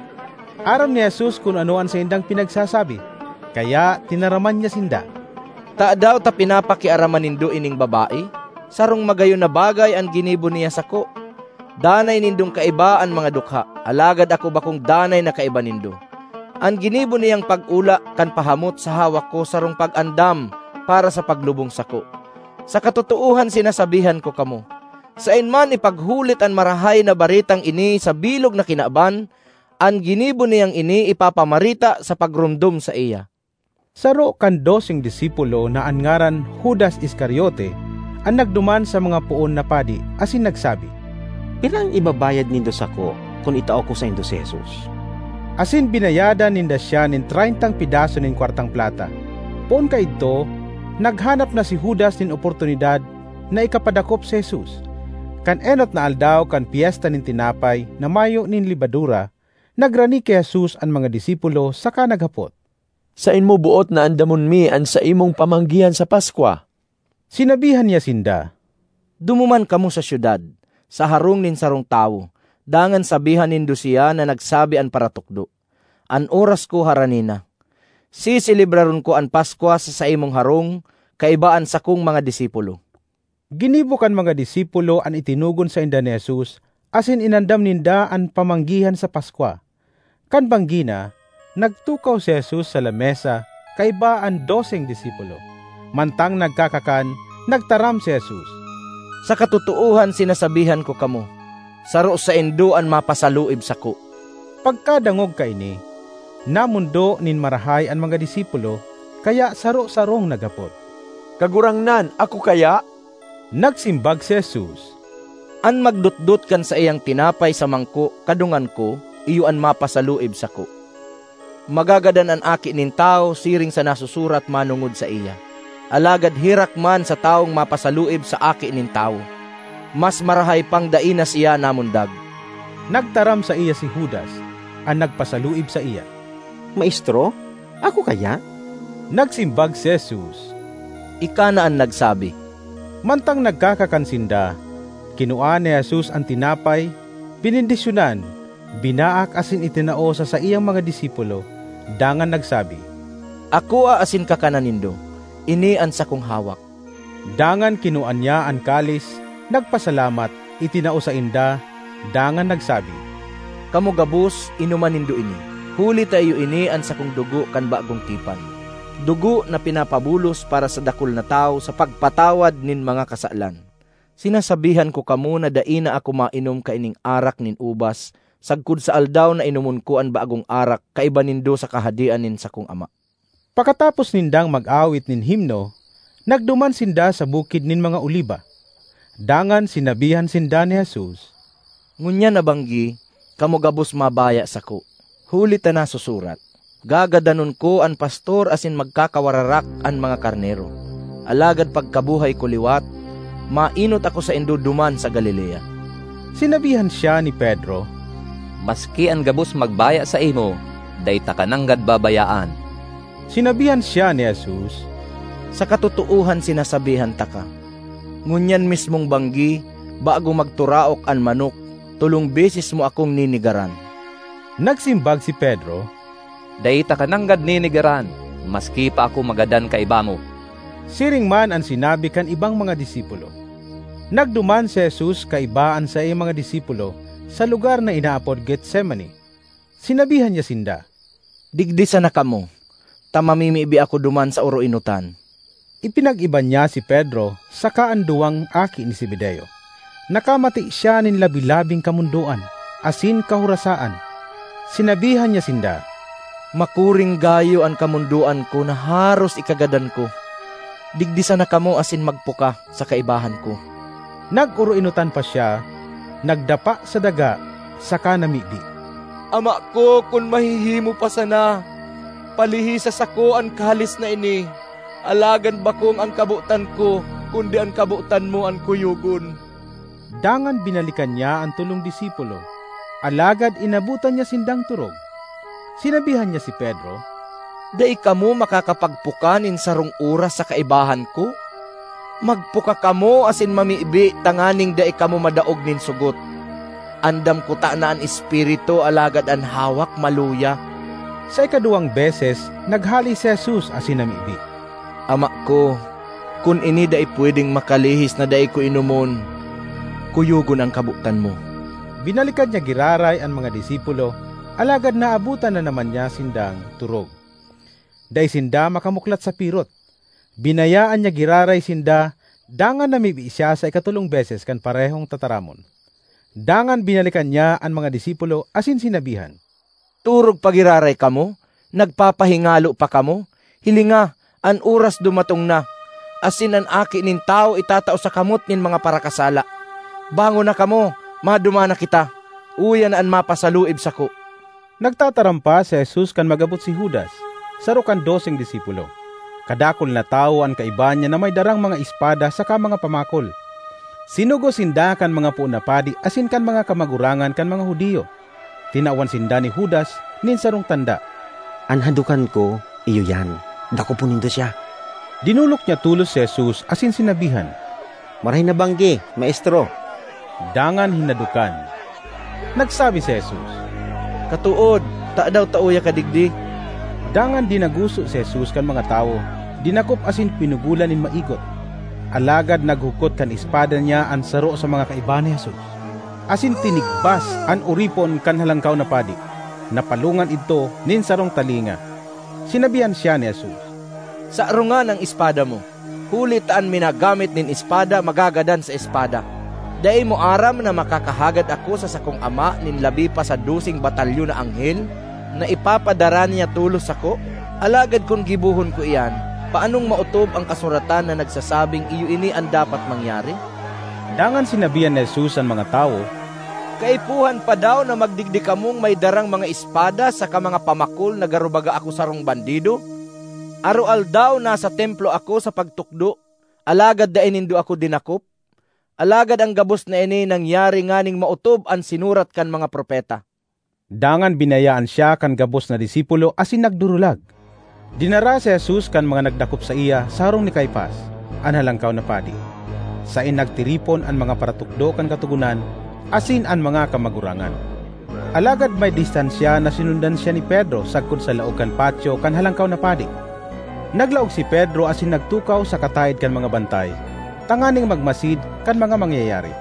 Aram ni Jesus kun ano an saindang pinagsasabi, kaya tinaraman niya sinda, "Tadaw ta pinapakiaraman nindo ining babae? Sarong magayon na bagay an ginibo niya sako. Danay nindong kaiba an mga dukha, alagad ako bakong danay na kaiba nindo. An ginibo niyang pag-ula kan pahamot sa hawak ko sarong pag-andam para sa paglubong sako. Sa katotoohan sinasabihan ko kamo, saen man ipaghulit an Marahay na Baretang ini sa bilog na kinaban, an ginibo niyang ini ipapamareta sa pagromdom saiya." Saro kan doseng disipulo na an ngaran Judas Iscariote an nagduman sa mga poon na padi asin nagsabi, "Pirang ibabayad nindo sako kun itao ko saindo si Jesus?" Asin binayadan ninda siya nin treyntang pedaso nin kwartang plata. Poon kaidto, naghanap na si Judas nin oportunidad na ikapadakop si Jesus. Kan enot na aldaw kan Pyesta nin Tinapay na Mayo nin Lebadura, nagrani ki Jesus an mga disipulo saka naghapot, "Saen mo boot na andamon mi an saimong pamanggihan sa Paskwa?" Sinabihan niya sinda, "Dumuman kamo sa syudad, sa harong nin sarong tawo, dangan sabihan nindo siya na nagsabi an paratukdo, 'An oras ko harani na. Seselebraron ko an Paskwa sa saimong harong kaiba an sakong mga disipulo.'" Ginibo kan mga disipulo an itinugon sainda ni Jesus asin inandam ninda an pamanggihan sa Paskwa. Kan banggi na, nagtukaw si Jesus sa lamesa kaiba an doseng disipulo. Mantang nagkakakan, nagtaram si Jesus, "Sa katotoohan sinasabihan ko kamo, saro saindo an mapasaluib sako." Pagkadangog kaini, namondo nin marahay an mga disipulo, kaya saro-sarong naghapot, "Kagurangnan, ako kaya?" Nagsimbag si Jesus, "An magdotdot kan saiyang tinapay sa mangko kadungan ko, iyo an mapasaluib sako. Magagadan an Aki nin Tawo siring sa nasusurat manongod saiya. Alagad herak man sa tawong mapasaluib sa Aki nin Tawo! Mas marahay pang dai na siya namundag." Nagtaram saiya si Judas, an nagpasaluib saiya, "Maestro, ako kaya?" Nagsimbag si Jesus, "Ika na an nagsabi." Mantang nagkakakan sinda, kinua ni Jesus an tinapay, binendisyonan, binaak asin itinao sa saiyang mga disipulo, dangan nagsabi, "Akoa asin kakanan nindo; ini an sakong hawak." Dangan kinua niya an kalis, nagpasalamat, itinao sainda, dangan nagsabi, "Kamo gabos, inoma nindo ini, huli ta iyo ini an sakong dugo kan bagong tipan, dugo na pinapabulos para sa dakul na tawo sa pagpatawad nin mga kasalan. Sinasabihan ko kamo na dai na ako mainom kaining arak nin ubas sagkod sa aldaw na inomon ko an bagong arak kaiba nindo sa Kahadean nin sakong Ama." Pakatapos nindang mag-awit nin himno, nagduman sinda sa Bukid nin mga Oliba. Dangan sinabihan sinda ni Jesus, "Ngunyan na banggi, kamo gabos mabaya sako, huli ta nasusurat, 'Gagadanon ko an pastor asin magkakawararak an mga karnero.' Alagad pagkabuhay ko liwat, mainot ako saindo duman sa Galilea." Sinabihan siya ni Pedro, "Maski an gabos magbaya saimo, dai taka nanggad babayaan." Sinabihan siya ni Jesus, "Sa katotoohan sinasabihan taka, ngunyan mismong banggi, bago magturaok an manok, tolong beses mo akong ninigaran." Nagsimbag si Pedro, "Dai taka nanggad ninigaran, maski pa ako magadan kaiba mo." Siring man an sinabi kan ibang mga disipulo. Nagduman si Jesus kaiba an saiyang mga disipulo sa lugar na inaapod Getsemani. Sinabihan niya sinda, "Digdi sana kamo, ta mamimibi ako duman sa oroenotan." Ipinag-iba niya si Pedro saka an duwang aki ni Zebedeo. Nakamati siya nin labi-labing kamondoan asin kahorasaan. Sinabihan niya sinda, "Makuring gayo an kamondoan ko na haros ikagadan ko. Digdi sana kamo asin magpuka sa kaibahan ko." Nag-oroenotan pa siya, nagdapa sa daga, saka namibi, "Ama ko, kun mahihimo pa sana, palihi sa sako an kalis na ini. Alagad bakong an kabotan ko, kundi an kabotan mo an kuyogon." Dangan binalikan niya an tolong disipulo, alagad inabotan niya sindang turog. Sinabihan niya si Pedro, "Dai kamo makakapagpuka nin sarong oras sa kaibahan ko? Magpuka kamo asin mamibi tanganing dai kamo madaog nin sugot. Andam kutana an espiritu, alagad an hawak maluya." Sa ikaduwang beses, naghale si Jesus asin namibi, "Ama ko, kun ini dai pwedeng makalihis na dai ko inomon, kuyogon an kabotan mo." Binalikan niya giraray an mga disipulo, alagad naabotan na naman niya sindang turog. Dai sinda makamuklat sa pirot. Binayaan niya giraray sinda, dangan namibi siya sa ikatolong beses kan parehong tataramon. Dangan binalikan niya an mga disipulo asin sinabihan, "Torog pa giraray kamo? Nagpapahingalo pa kamo? Hilinga, an oras dumatong na, asin an Aki nin Tawo itatao sa kamot nin mga parakasala. Bangon na kamo, maduman na kita. Uya na an mapasaluib sako." Nagtataram pa si Jesus kan mag-abot si Judas, saro kan doseng disipulo. Kadakul na tawo an kaiba niya na may darang mga espada saka mga pamakol. Sinugo sinda kan mga poon na padi asin kan mga kamagurangan kan mga Judio. Tinawan sinda ni Judas nin sarong tanda. "An hadokan ko, iyo yan. Dakopon nindo siya." Dinolok niya tolos si Jesus asin sinabihan, "Marahay na banggi, Maestro." Dangan hinadokan. Nagsabi si Jesus, "Katood, tadaw ta uya ka digdi?" Dangan dinaguso si Jesus kan mga tawo, dinakop asin pinugolan nin maigot. Alagad naghukot kan espada niya an saro sa mga kaiba ni Jesus, asin tinigbas an oripon kan Halangkaw na Padi. Napalongan idto nin sarong talinga. Sinabihan siya ni Jesus, "Sarongan an espada mo, huli ta an minagamit nin espada magagadan sa espada. Dai mo aram na makakahagad ako sa sakong Ama nin labi pa sa doseng batalyon na anghel, na ipapadara niya tolos sako? Alagad kun gibohon ko iyan, paanong maotob an kasuratan na nagsasabing iyo ini an dapat mangyari?" Dangan sinabihan ni Jesus an mga tawo, "Kaipuhan pa daw na magdigdi kamong may darang mga espada saka mga pamakol na garo baga ako sarong bandido? Aroaldaw nasa templo ako sa pagtukdo, alagad dai nindo ako dinakop. Alagad an gabos na ini nangyari nganing maotob an sinurat kan mga propeta." Dangan binayaan siya kan gabos na disipulo asin nagdurulag. Dinara si Jesus kan mga nagdakop saiya sa harong ni Caifas, an Halangkaw na Padi. Saen nagtiripon an mga paratukdo kan Katogonan asin an mga kamagurangan. Alagad may distansya na sinundan siya ni Pedro sagkod sa laog kan patyo kan Halangkaw na Padi. Naglaog si Pedro asin nagtukaw sa kataed kan mga bantay, tanganing magmasid kan mga mangyayari.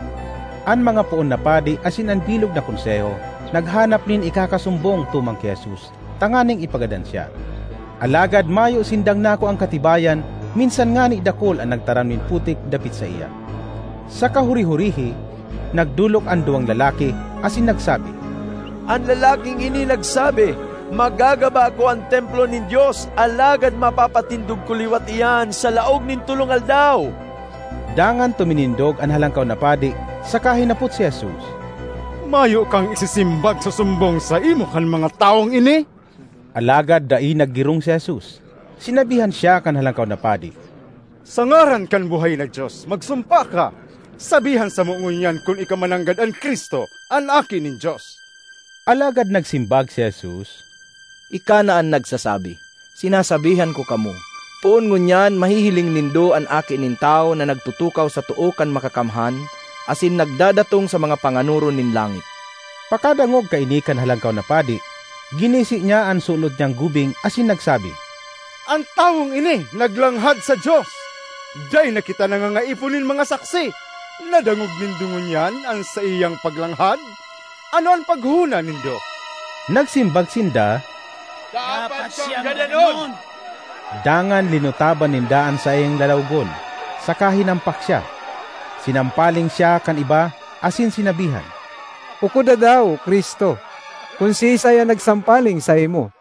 An mga poon na padi asin an bilog na konseho naghanap nin ikakasumbong tumang ki Jesus, tanganing ipagadan siya. Alagad mayo sindang nakuang katibayan, minsan ngani dakul an nagtaram nin putik dapit saiya. Sa kahuri-hurihi, nagdolok an duwang lalaki asin nagsabi, "An lalaking ini nagsabi, 'Magagaba ako an templo nin Dios, alagad mapapatindog ko liwat iyan sa laog nin tolong aldaw.'" Dangan tuminindog an Halangkaw na Padi saka hinapot si Jesus, "Mayo kang isisimbag sa sumbong saimo kan mga tawong ini?" Alagad dai naggirong si Jesus. Sinabihan siya kan Halangkaw na Padi, "Sa ngaran kan buhay na Dios, magsumpa ka! Sabihan samo ngunyan kun ika mananggad an Cristo, an Aki nin Dios." Alagad nagsimbag si Jesus, "Ika na an nagsasabi. Sinasabihan ko kamo, poon ngunyan mahihiling nindo an Aki nin Tawo na nagtutukaw sa too kan Makakamhan asin nagdadatong sa mga panganoron nin langit." Pakadangog kaini kan Halangkaw na Padi, ginisi niya an sulod niyang gubing asin nagsabi, "An tawong ini naglanghad sa Dios! Dai na kita nangangaipo nin mga saksi! Nadangog nindo ngunyan an saiyang paglanghad? Ano an paghona nindo?" Nagsimbag sinda, "Dapat siyang gadanon!" Dangan linutaban ninda an saiyang lalawgon, saka hinampak siya. Sinampaling siya kan iba asin sinabihan, "Ukoda daw, Cristo, kun siisay an nagsampaling saimo."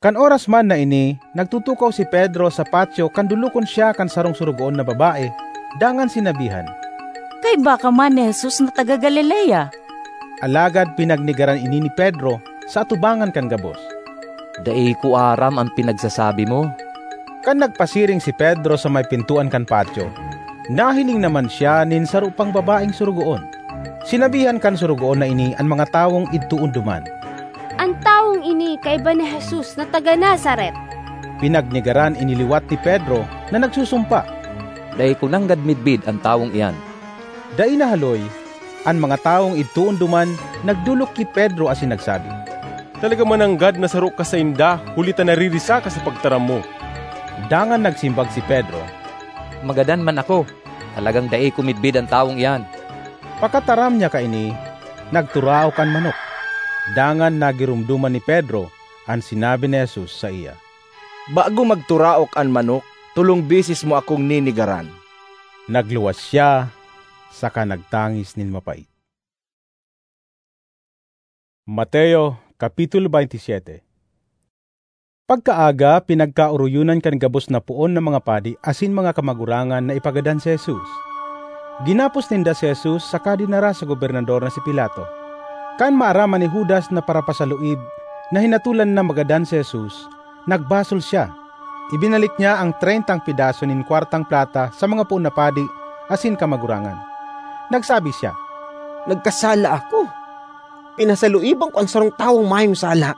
Kan oras man na ini, nagtutukaw si Pedro sa patyo kan dolokon siya kan sarong sorogoon na babae, dangan sinabihan, "Kaiba ka man ni Jesus na taga Galilea." Alagad pinagnegaran ini ni Pedro sa atubangan kan gabos. "Dai ko aram an pinagsasabi mo." Kan nagpasiring si Pedro sa may pintoan kan patyo, nahiling naman siya nin saro pang babaeng sorogoon. Sinabihan kan sorogoon na ini an mga tawong idtoon duman, "An tawong ini kaiba ni Jesus na taga Nazaret." Pinagnegaran ini liwat ni Pedro na nagsusumpa, "Dai ko nanggad midbid an tawong iyan." Dai nahaloy, an mga tawong idtoon duman nagdolok ki Pedro asin nagsabi, "Talaga mananggad na saro ka sainda, huli ta naririsa ka sa pagtaram mo." Dangan nagsimbag si Pedro, "Magadan man ako, talagang dai ko midbid an tawong iyan." Pakataram niya kaini, nagturaok an manok. Dangan nagiromdoman ni Pedro an sinabi ni Jesus saiya, "Bago magturaok an manok, tolong beses mo akong ninegaran." Nagluwas siya saka nagtangis nin mapait. Mateo, Kapitulo twenty-seven. Pagkaaga, pinagkaoroyonan kan gabos na poon na mga padi asin mga kamagurangan na ipagadan si Jesus. Ginapos ninda si Jesus saka dinara sa gobernador na si Pilato. Kan maaraman ni Judas na parapasaluib na hinatolan na magadan si Jesus, nagbasol siya. Ibinalik niya ang treyntang pedaso nin kwartang plata sa mga poon na padi asin kamagurangan. Nagsabi siya, "Nagkasala ako. Pinasaluiban ko an sarong tawong mayong sala."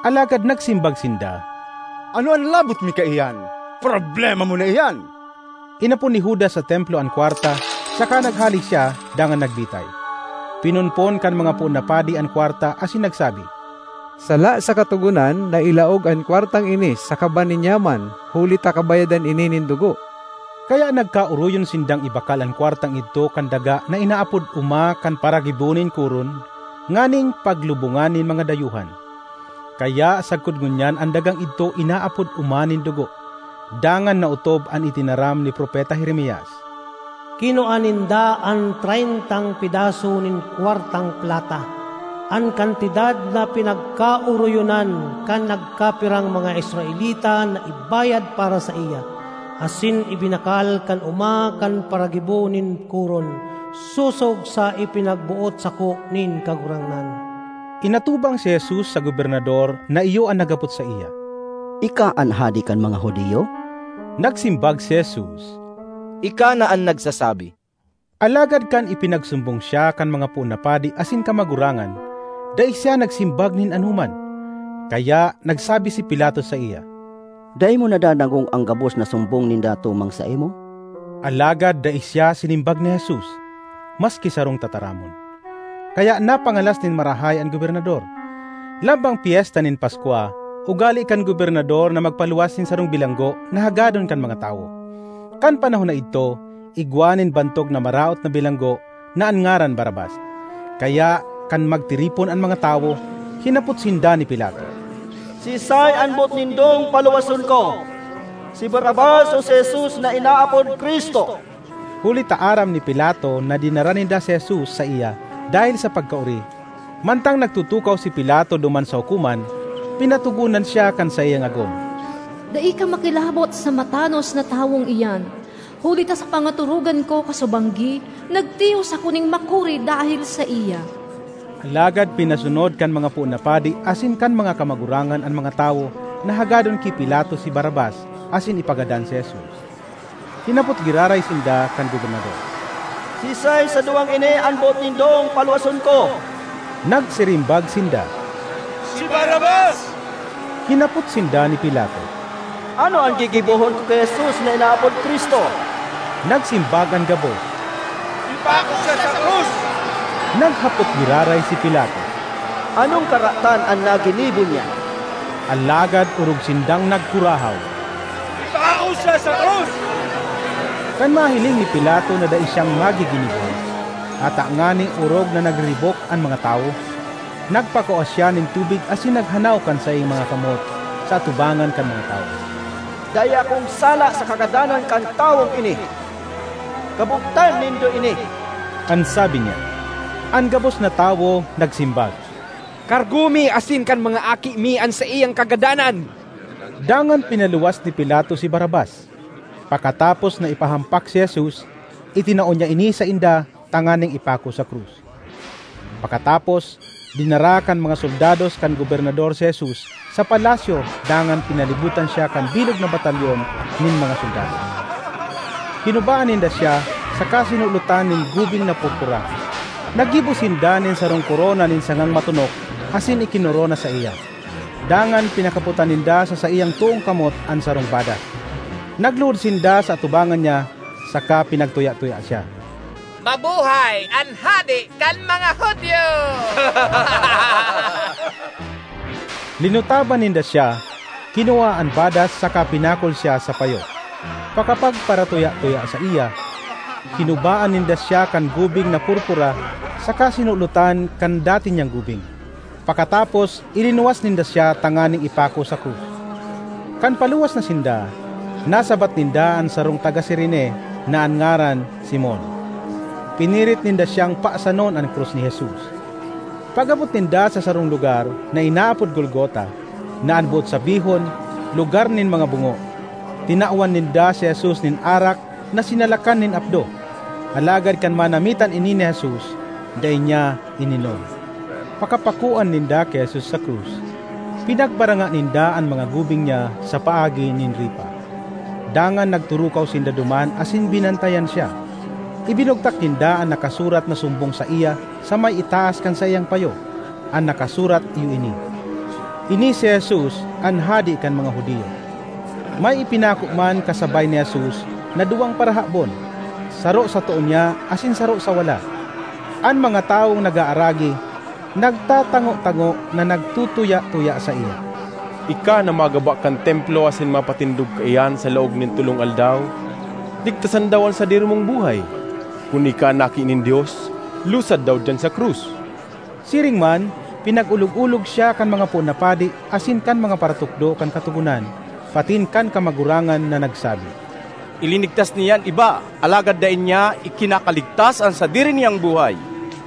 Alagad nagsimbag sinda, "Ano an labot mi kaiyan? Problema mo na iyan!" Inapon ni Judas sa templo an kwarta, saka naghale siya dangan nagbitay. Pinonpon kan mga poon na padi an kwarta asin nagsabi, "Sala sa Katogonan na ilaog an kwartang ini sa kaban nin yaman, huli ta kabayadan ini nin dugo." Kaya nagkaoroyon sindang ibakal an kwartang idto kan daga na inaapod Oma kan Paragibo nin Koron, nganing paglubongan nin mga dayuhan. Kaya sagkod ngunyan an dagang idto inaapod Oma nin Dugo, dangan naotob an itinaram ni Propeta Jeremias, "Kinua ninda an treyntang pedaso nin kwartang plata, an kantidad na pinagkaoroyonan kan nagkapirang mga Israelita na ibayad para saiya, asin ibinakal kan Oma kan Paragibo nin Koron, sosog sa ipinagboot sako nin Kagurangnan." Inatubang si Jesus sa gobernador na iyo an naghapot saiya, "Ika an hade kan mga Judio?" Nagsimbag si Jesus, "Ika na an nagsasabi." Alagad kan ipinagsumbong siya kan mga poon na padi asin kamagurangan, dai siya nagsimbag nin anoman. Kaya nagsabi si Pilato saiya, "Dai mo nadadangog an gabos na sumbong ninda tumang saimo?" Alagad dai siya sinimbag ni Jesus, maski sarong tataramon. Kaya napangalas nin marahay an gobernador. Lambang pyesta nin Paskwa, ugali kan gobernador na magpaluwas nin sarong bilanggo na hagadon kan mga tawo. Kan panahon na idto, igwa nin bantog na maraot na bilanggo na an ngaran Barrabas. Kaya, kan magtiripon an mga tawo, hinapot sinda ni Pilato, "Siisay an boot nindong paluwason ko? Si Barrabas o si Jesus na inaapod Cristo?" Huli ta aram ni Pilato na dinara ninda si Jesus saiya dahel sa pagkaori. Mantang nagtutukaw si Pilato duman sa hukoman, pinatogonan siya kan saiyang agom, "Dai ka makilabot sa matanos na tawong iyan, huli ta sa pangaturogan ko kasubanggi, nagtios ako nin makuri dahel saiya." Alagad pinasunod kan mga poon na padi asin kan mga kamagurangan an mga tawo na hagadon ki Pilato si Barrabas asin ipagadan si Jesus. Hinapot giraray sinda kan gobernador, "Siisay sa duwang ini an boot nindong paluwason ko?" Nagsirimbag sinda, "Si Barrabas!" Hinapot sinda ni Pilato, "Ano an gigibohon ko ki Jesus na inaapod Cristo?" Nagsimbag an gabos, "Ipako siya sa krus!" Naghapot giraray si Pilato, "Anong karatan an naginibo niya?" Alagad orog sindang nagkurahaw, "Ipako siya sa krus!" Kan mahiling ni Pilato na dai siyang magiginibo, ata ngani orog na nagriribok an mga tawo, nagpakua siya nin tubig asin naghanaw kan saiyang mga kamot sa atubangan kan mga tawo, "Dai akong sala sa kagadanan kan tawong ini. Kabugtan nindo ini!" an sabi niya. An gabos na tawo nagsimbag, "Kargo mi asin kan mga aki mi an saiyang kagadanan!" Dangan pinaluwas ni Pilato si Barrabas. Pakatapos na ipahampak si Jesus, itinao niya ini sainda tanganing ipako sa krus. Pakatapos, dinara kan mga soldados kan gobernador si Jesus sa palasyo dangan pinalibutan siya kan bilog na batalyon nin mga soldado. Kinubaan ninda siya saka sinulotan nin gubing na purpura. Naggibo sinda nin sarong korona nin sangang matonok asin ikinorona saiya. Dangan pinakapotan ninda sa saiyang toong kamot an sarong badas. Nagluhod sinda sa atubangan niya saka pinagtuya-tuya siya. "Mabuhay an Hade kan mga Judio!" Linutaban ninda siya, kinua an badas saka pinakol siya sa payo. Pakapagparatuya-tuya saiya, kinubaan ninda siya kan gubing na purpura saka sinulotan kan dati niyang gubing. Pakatapos, ilinuwas ninda siya tanganing ipako sa krus. Kan paluwas na sinda, nasabat ninda an sarong taga Cirene na an ngaran Simon. Pinirit ninda siyang pasanon an krus ni Jesus. Pag-abot ninda sa sarong lugar na inaapod Golgota, na an boot sabihon, "Lugar nin mga bungo," tinawan ninda si Jesus nin arak na sinalakan nin apdo. Alagad kan manamitan ini ni Jesus, dai niya ininom. Pakapakoan ninda ki Jesus sa krus, pinagbaranga ninda an mga gubing niya sa paagi nin ripa. Dangan nagturukaw sinda duman asin binantayan siya. Ibinugtak ninda an nakasurat na sumbong saiya sa may itaas kan saiyang payo. An nakasurat iyo ini, "Ini si Jesus, an Hade kan mga Judio." May ipinako man kasabay ni Jesus na duwang parahabon, saro sa too niya asin saro sa wala. An mga tawong nag-aaragi nagtatango-tango na nagtutuya-tuya saiya. "Ika na magaba kan Templo asin mapatindog kaiyan sa laog nin tolong aldaw, ligtasan daw an sadiri mong buhay. Kun ika an Aki nin Dios, lusad daw diyan sa krus." Siring man, pinag-olog-olog siya kan mga poon na padi asin kan mga paratukdo kan Katogonan, patin kan kamagurangan na nagsabi, "Ilinigtas niya an iba, alagad dai niya ikinakaligtas an sadiri niyang buhay.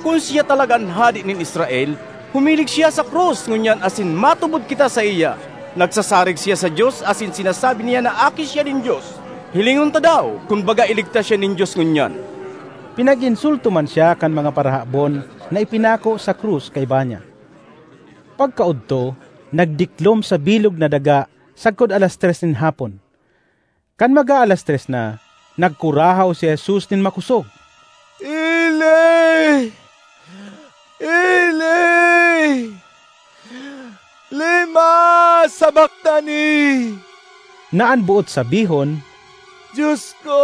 Kun siya talaga an Hade nin Israel, humilig siya sa krus ngunyan asin matubod kita saiya. Nagsasarig siya sa Dios asin sinasabi niya na aki siya nin Dios. Hilingon ta daw kun baga iligtas siya nin Dios ngunyan." Pinag-insulto man siya kan mga parahabon na ipinako sa krus kaiba niya. Pagkaodto, nagdiklom sa bilog na daga sagkod alas tres nin hapon. Kan mag-aalas tres na, nagkurahaw si Jesus nin makosog, "Eli! Eli! Lema sabachthani?" Na an boot sabihon, "Dios ko!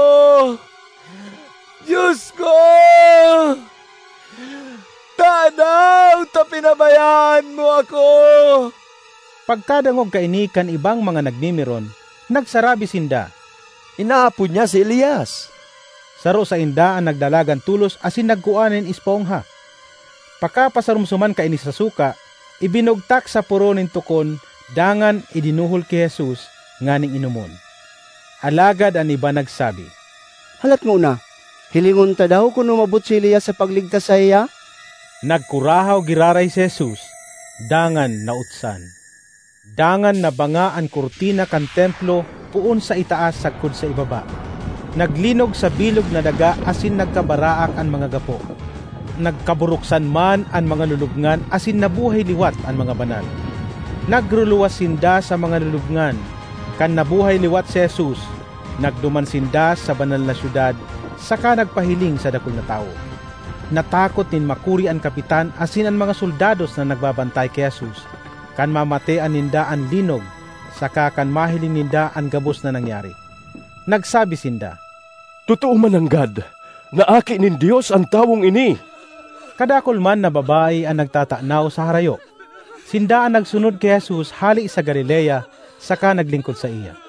Dios ko! Tadaw ta pinabayaan mo ako?" Pagkadangog kaini kan ibang mga nagmimiron, nagsarabi sinda, "Inaapod niya si Elias." Saro sainda an nagdalagan tolos asin nagkua nin espongha. Pakapasaromsoman kaini sa suka, ibinugtak sa poro nin tokon dangan idinuhol ki Jesus nganing inomon. Alagad an iba nagsabi, "Halat ngona, hilingon ta daw kun umabot si Elias sa pagligtas saiya?" Nagkurahaw giraray si Jesus, dangan nautsan. Dangan nabanga an kurtina kan Templo poon sa itaas sagkod sa ibaba. Naglinog sa bilog na daga asin nagkabaraak an mga gapo. Nagkaburuksan man an mga lulubngan asin nabuhay liwat an mga banal. Nagruluwas sinda sa mga lulubngan. Kan nabuhay liwat si Jesus, nagduman sinda sa banal na syudad saka nagpahiling sa dakul na tawo. Natakot nin makuri an kapitan asin an mga soldados na nagbabantay ki Jesus, kan mamatean ninda an linog saka kan mahiling ninda an gabos na nangyari. Nagsabi sinda, "Totoo man nanggad na Aki nin Dios an tawong ini!" Kadakul man na babayi an nagtatanaw sa harayo. Sinda an nagsunod ki Jesus hale sa Galilea saka naglingkod saiya.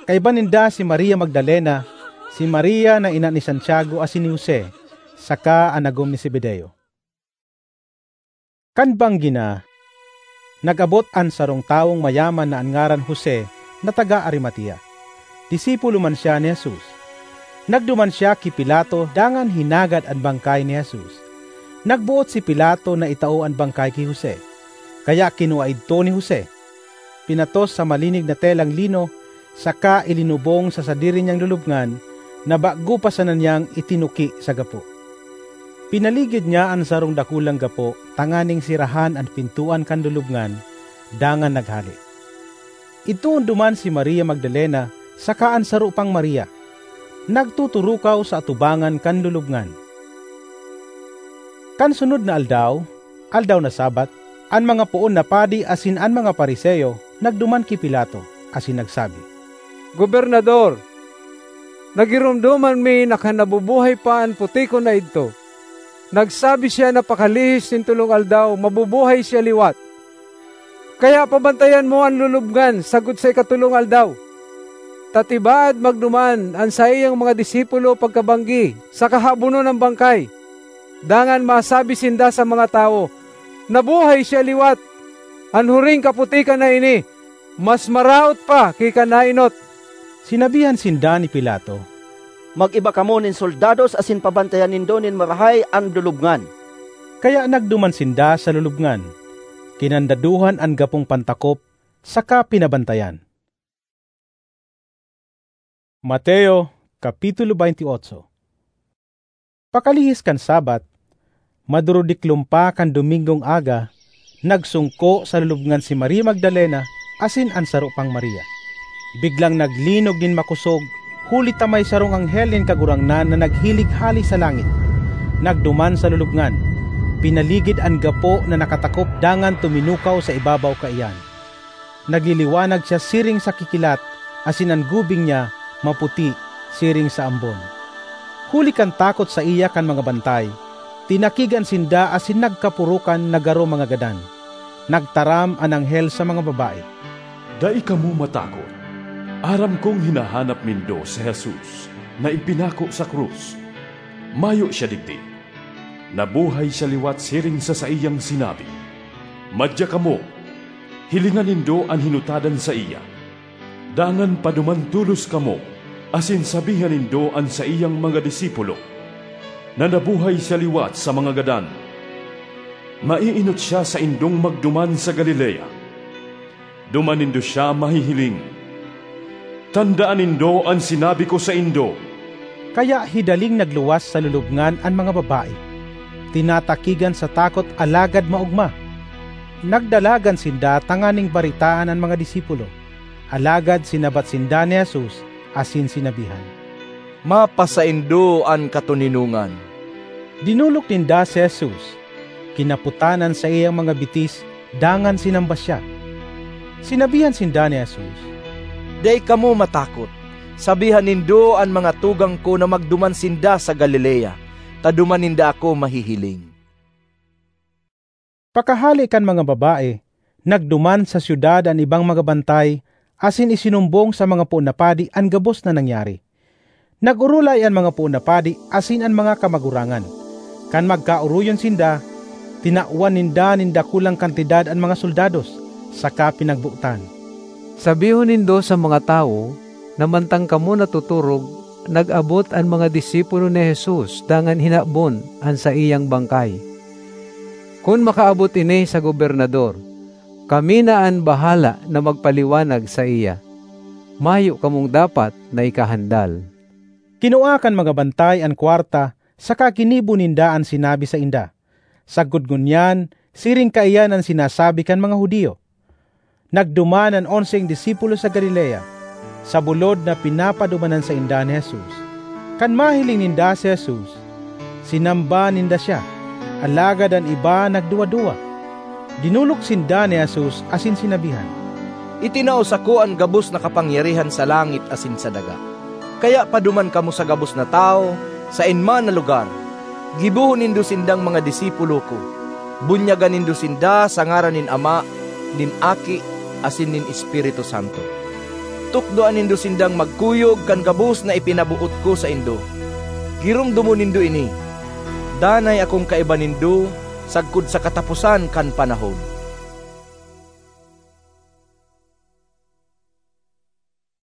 Kaiba ninda si Maria Magdalena, si Maria na ina ni Santiago asin ni Jose, saka an agom ni Zebedeo. Kan banggi na, nag-abot an sarong tawong mayaman na an ngaran Jose na taga Arimatea. Disipulo man siya ni Jesus. Nagduman siya ki Pilato dangan hinagad an bangkay ni Jesus. Nagboot si Pilato na itao an bangkay ki Jose, kaya kinua idto ni Jose. Pinatos sa malinig na telang lino saka ilinubong sa sadiri niyang lulubngan na bago pa sana niyang itinuki sa gapo. Pinaligid niya an sarong dakulang gapo tanganing serahan an pintoan kan lulubngan, dangan naghale. Idtoon duman si Maria Magdalena saka an saro pang Maria, nagtuturukaw sa atubangan kan lulubngan. Kan sunod na aldaw, aldaw na Sabbath, an mga poon na padi asin an mga Fariseo nagduman ki Pilato asin nagsabi, "Gobernador, nagiromdoman mi na kan nabubuhay pa an putikon na idto. Nagsabi siya na pakalihis nin tolong aldaw, mabubuhay siya liwat. Kaya pabantayan mo an lulubngan sagkod sa ikatolong aldaw, ta tibaad magduman an saiyang mga disipulo pagkabanggi saka habonon an bangkay. Dangan masabi sinda sa mga tawo, 'Nabuhay siya liwat!' An huring kaputikan na ini mas maraot pa ki kan naenot." Sinabihan sinda ni Pilato, "Mag-iba kamo nin soldados asin pabantayan nindo nin marahay an lulubngan." Kaya nagduman sinda sa lulubngan. Kinandaduhan an gapong pantakop saka pinabantayan. Mateo, Kapitulo twenty-eight. Pakalihis kan Sabbath, madurodiklom pa kan Domingong aga, nagsungko sa lulubngan si Maria Magdalena asin an saro pang Maria. Biglang naglinog nin makosog, huli ta may sarong anghel nin Kagurangnan na naghilig hale sa langit. Nagduman sa lulubngan, pinaligid an gapo na nakatakop dangan tuminukaw sa ibabaw kaiyan. Nagliliwanag siya siring sa kikilat, asin an gubing niya maputi siring sa ambon. Huli kan takot saiya kan mga bantay, tinakigan sinda asin nagkapurukan na garo mga gadan. Nagtaram an anghel sa mga babae, "Dai kamo matakot. Aram kong hinahanap nindo si Jesus na ipinako sa krus. Mayo siya digdi. Nabuhay siya liwat siring sa saiyang sinabi. Madya kamo, hilinga nindo an hinutadan saiya. Dangan paduman tolos kamo asin sabihan nindo an saiyang mga disipulo na nabuhay siya liwat sa mga gadan. Maiinot siya saindong magduman sa Galilea. Duman nindo siya mahihiling. Tandaan nindo an sinabi ko saindo." Kaya hidaling nagluwas sa lulubngan an mga babae, tinatakigan sa takot alagad maogma. Nagdalagan sinda tanganing baretaan an mga disipulo, alagad sinabat sinda ni Jesus asin sinabihan, "Mapasaindo an katoninongan." Dinolok ninda si Jesus, kinapotan an saiyang mga bitis, dangan sinamba siya. Sinabihan sinda ni Jesus, "Dai kamo matakot. Sabihan nindo an mga tugang ko na magduman sinda sa Galilea, ta duman ninda ako mahihiling." Pakahale kan mga babae, nagduman sa syudad an ibang mga bantay asin isinumbong sa mga poon na padi an gabos na nangyari. Nag-orolay an mga poon na padi asin an mga kamagurangan. Kan magkaoroyon sinda, tinawan ninda nin dakulang kantidad an mga soldados, saka pinagbotan, "Sabihon nindo sa mga tawo na mantang kamo natuturog, nag-abot an mga disipulo ni Jesus dangan hinabon an saiyang bangkay. Kun makaabot ini sa gobernador, kami na an bahala na magpaliwanag saiya. Mayo kamong dapat na ikahandal." Kinua kan mga bantay an kwarta saka ginibo ninda an sinabi sainda. Sagkod ngunyan, siring kaiyan an sinasabi kan mga Judio. Nagduman an onseng disipulo sa Galilea, sa bulod na pinapadumanan sainda ni Jesus. Kan mahiling ninda si Jesus, sinamba ninda siya, alagad an iba nagduwa-duwa. Dinolok sinda ni Jesus asin sinabihan, "Itinao sako an gabos na kapangyarihan sa langit asin sa daga. Kaya paduman kamo sa gabos na tawo, saen man na lugar, gibohon nindo sindang mga disipulo ko. Bunyagan nindo sinda sa ngaran nin Ama, nin Aki, asin nin Espiritu Santo. Tukdoan nindo sindang magkuyog kan gabos na ipinaboot ko saindo. Giromdomon nindo ini, danay akong kaiba nindo sagkod sa kataposan kan panahon."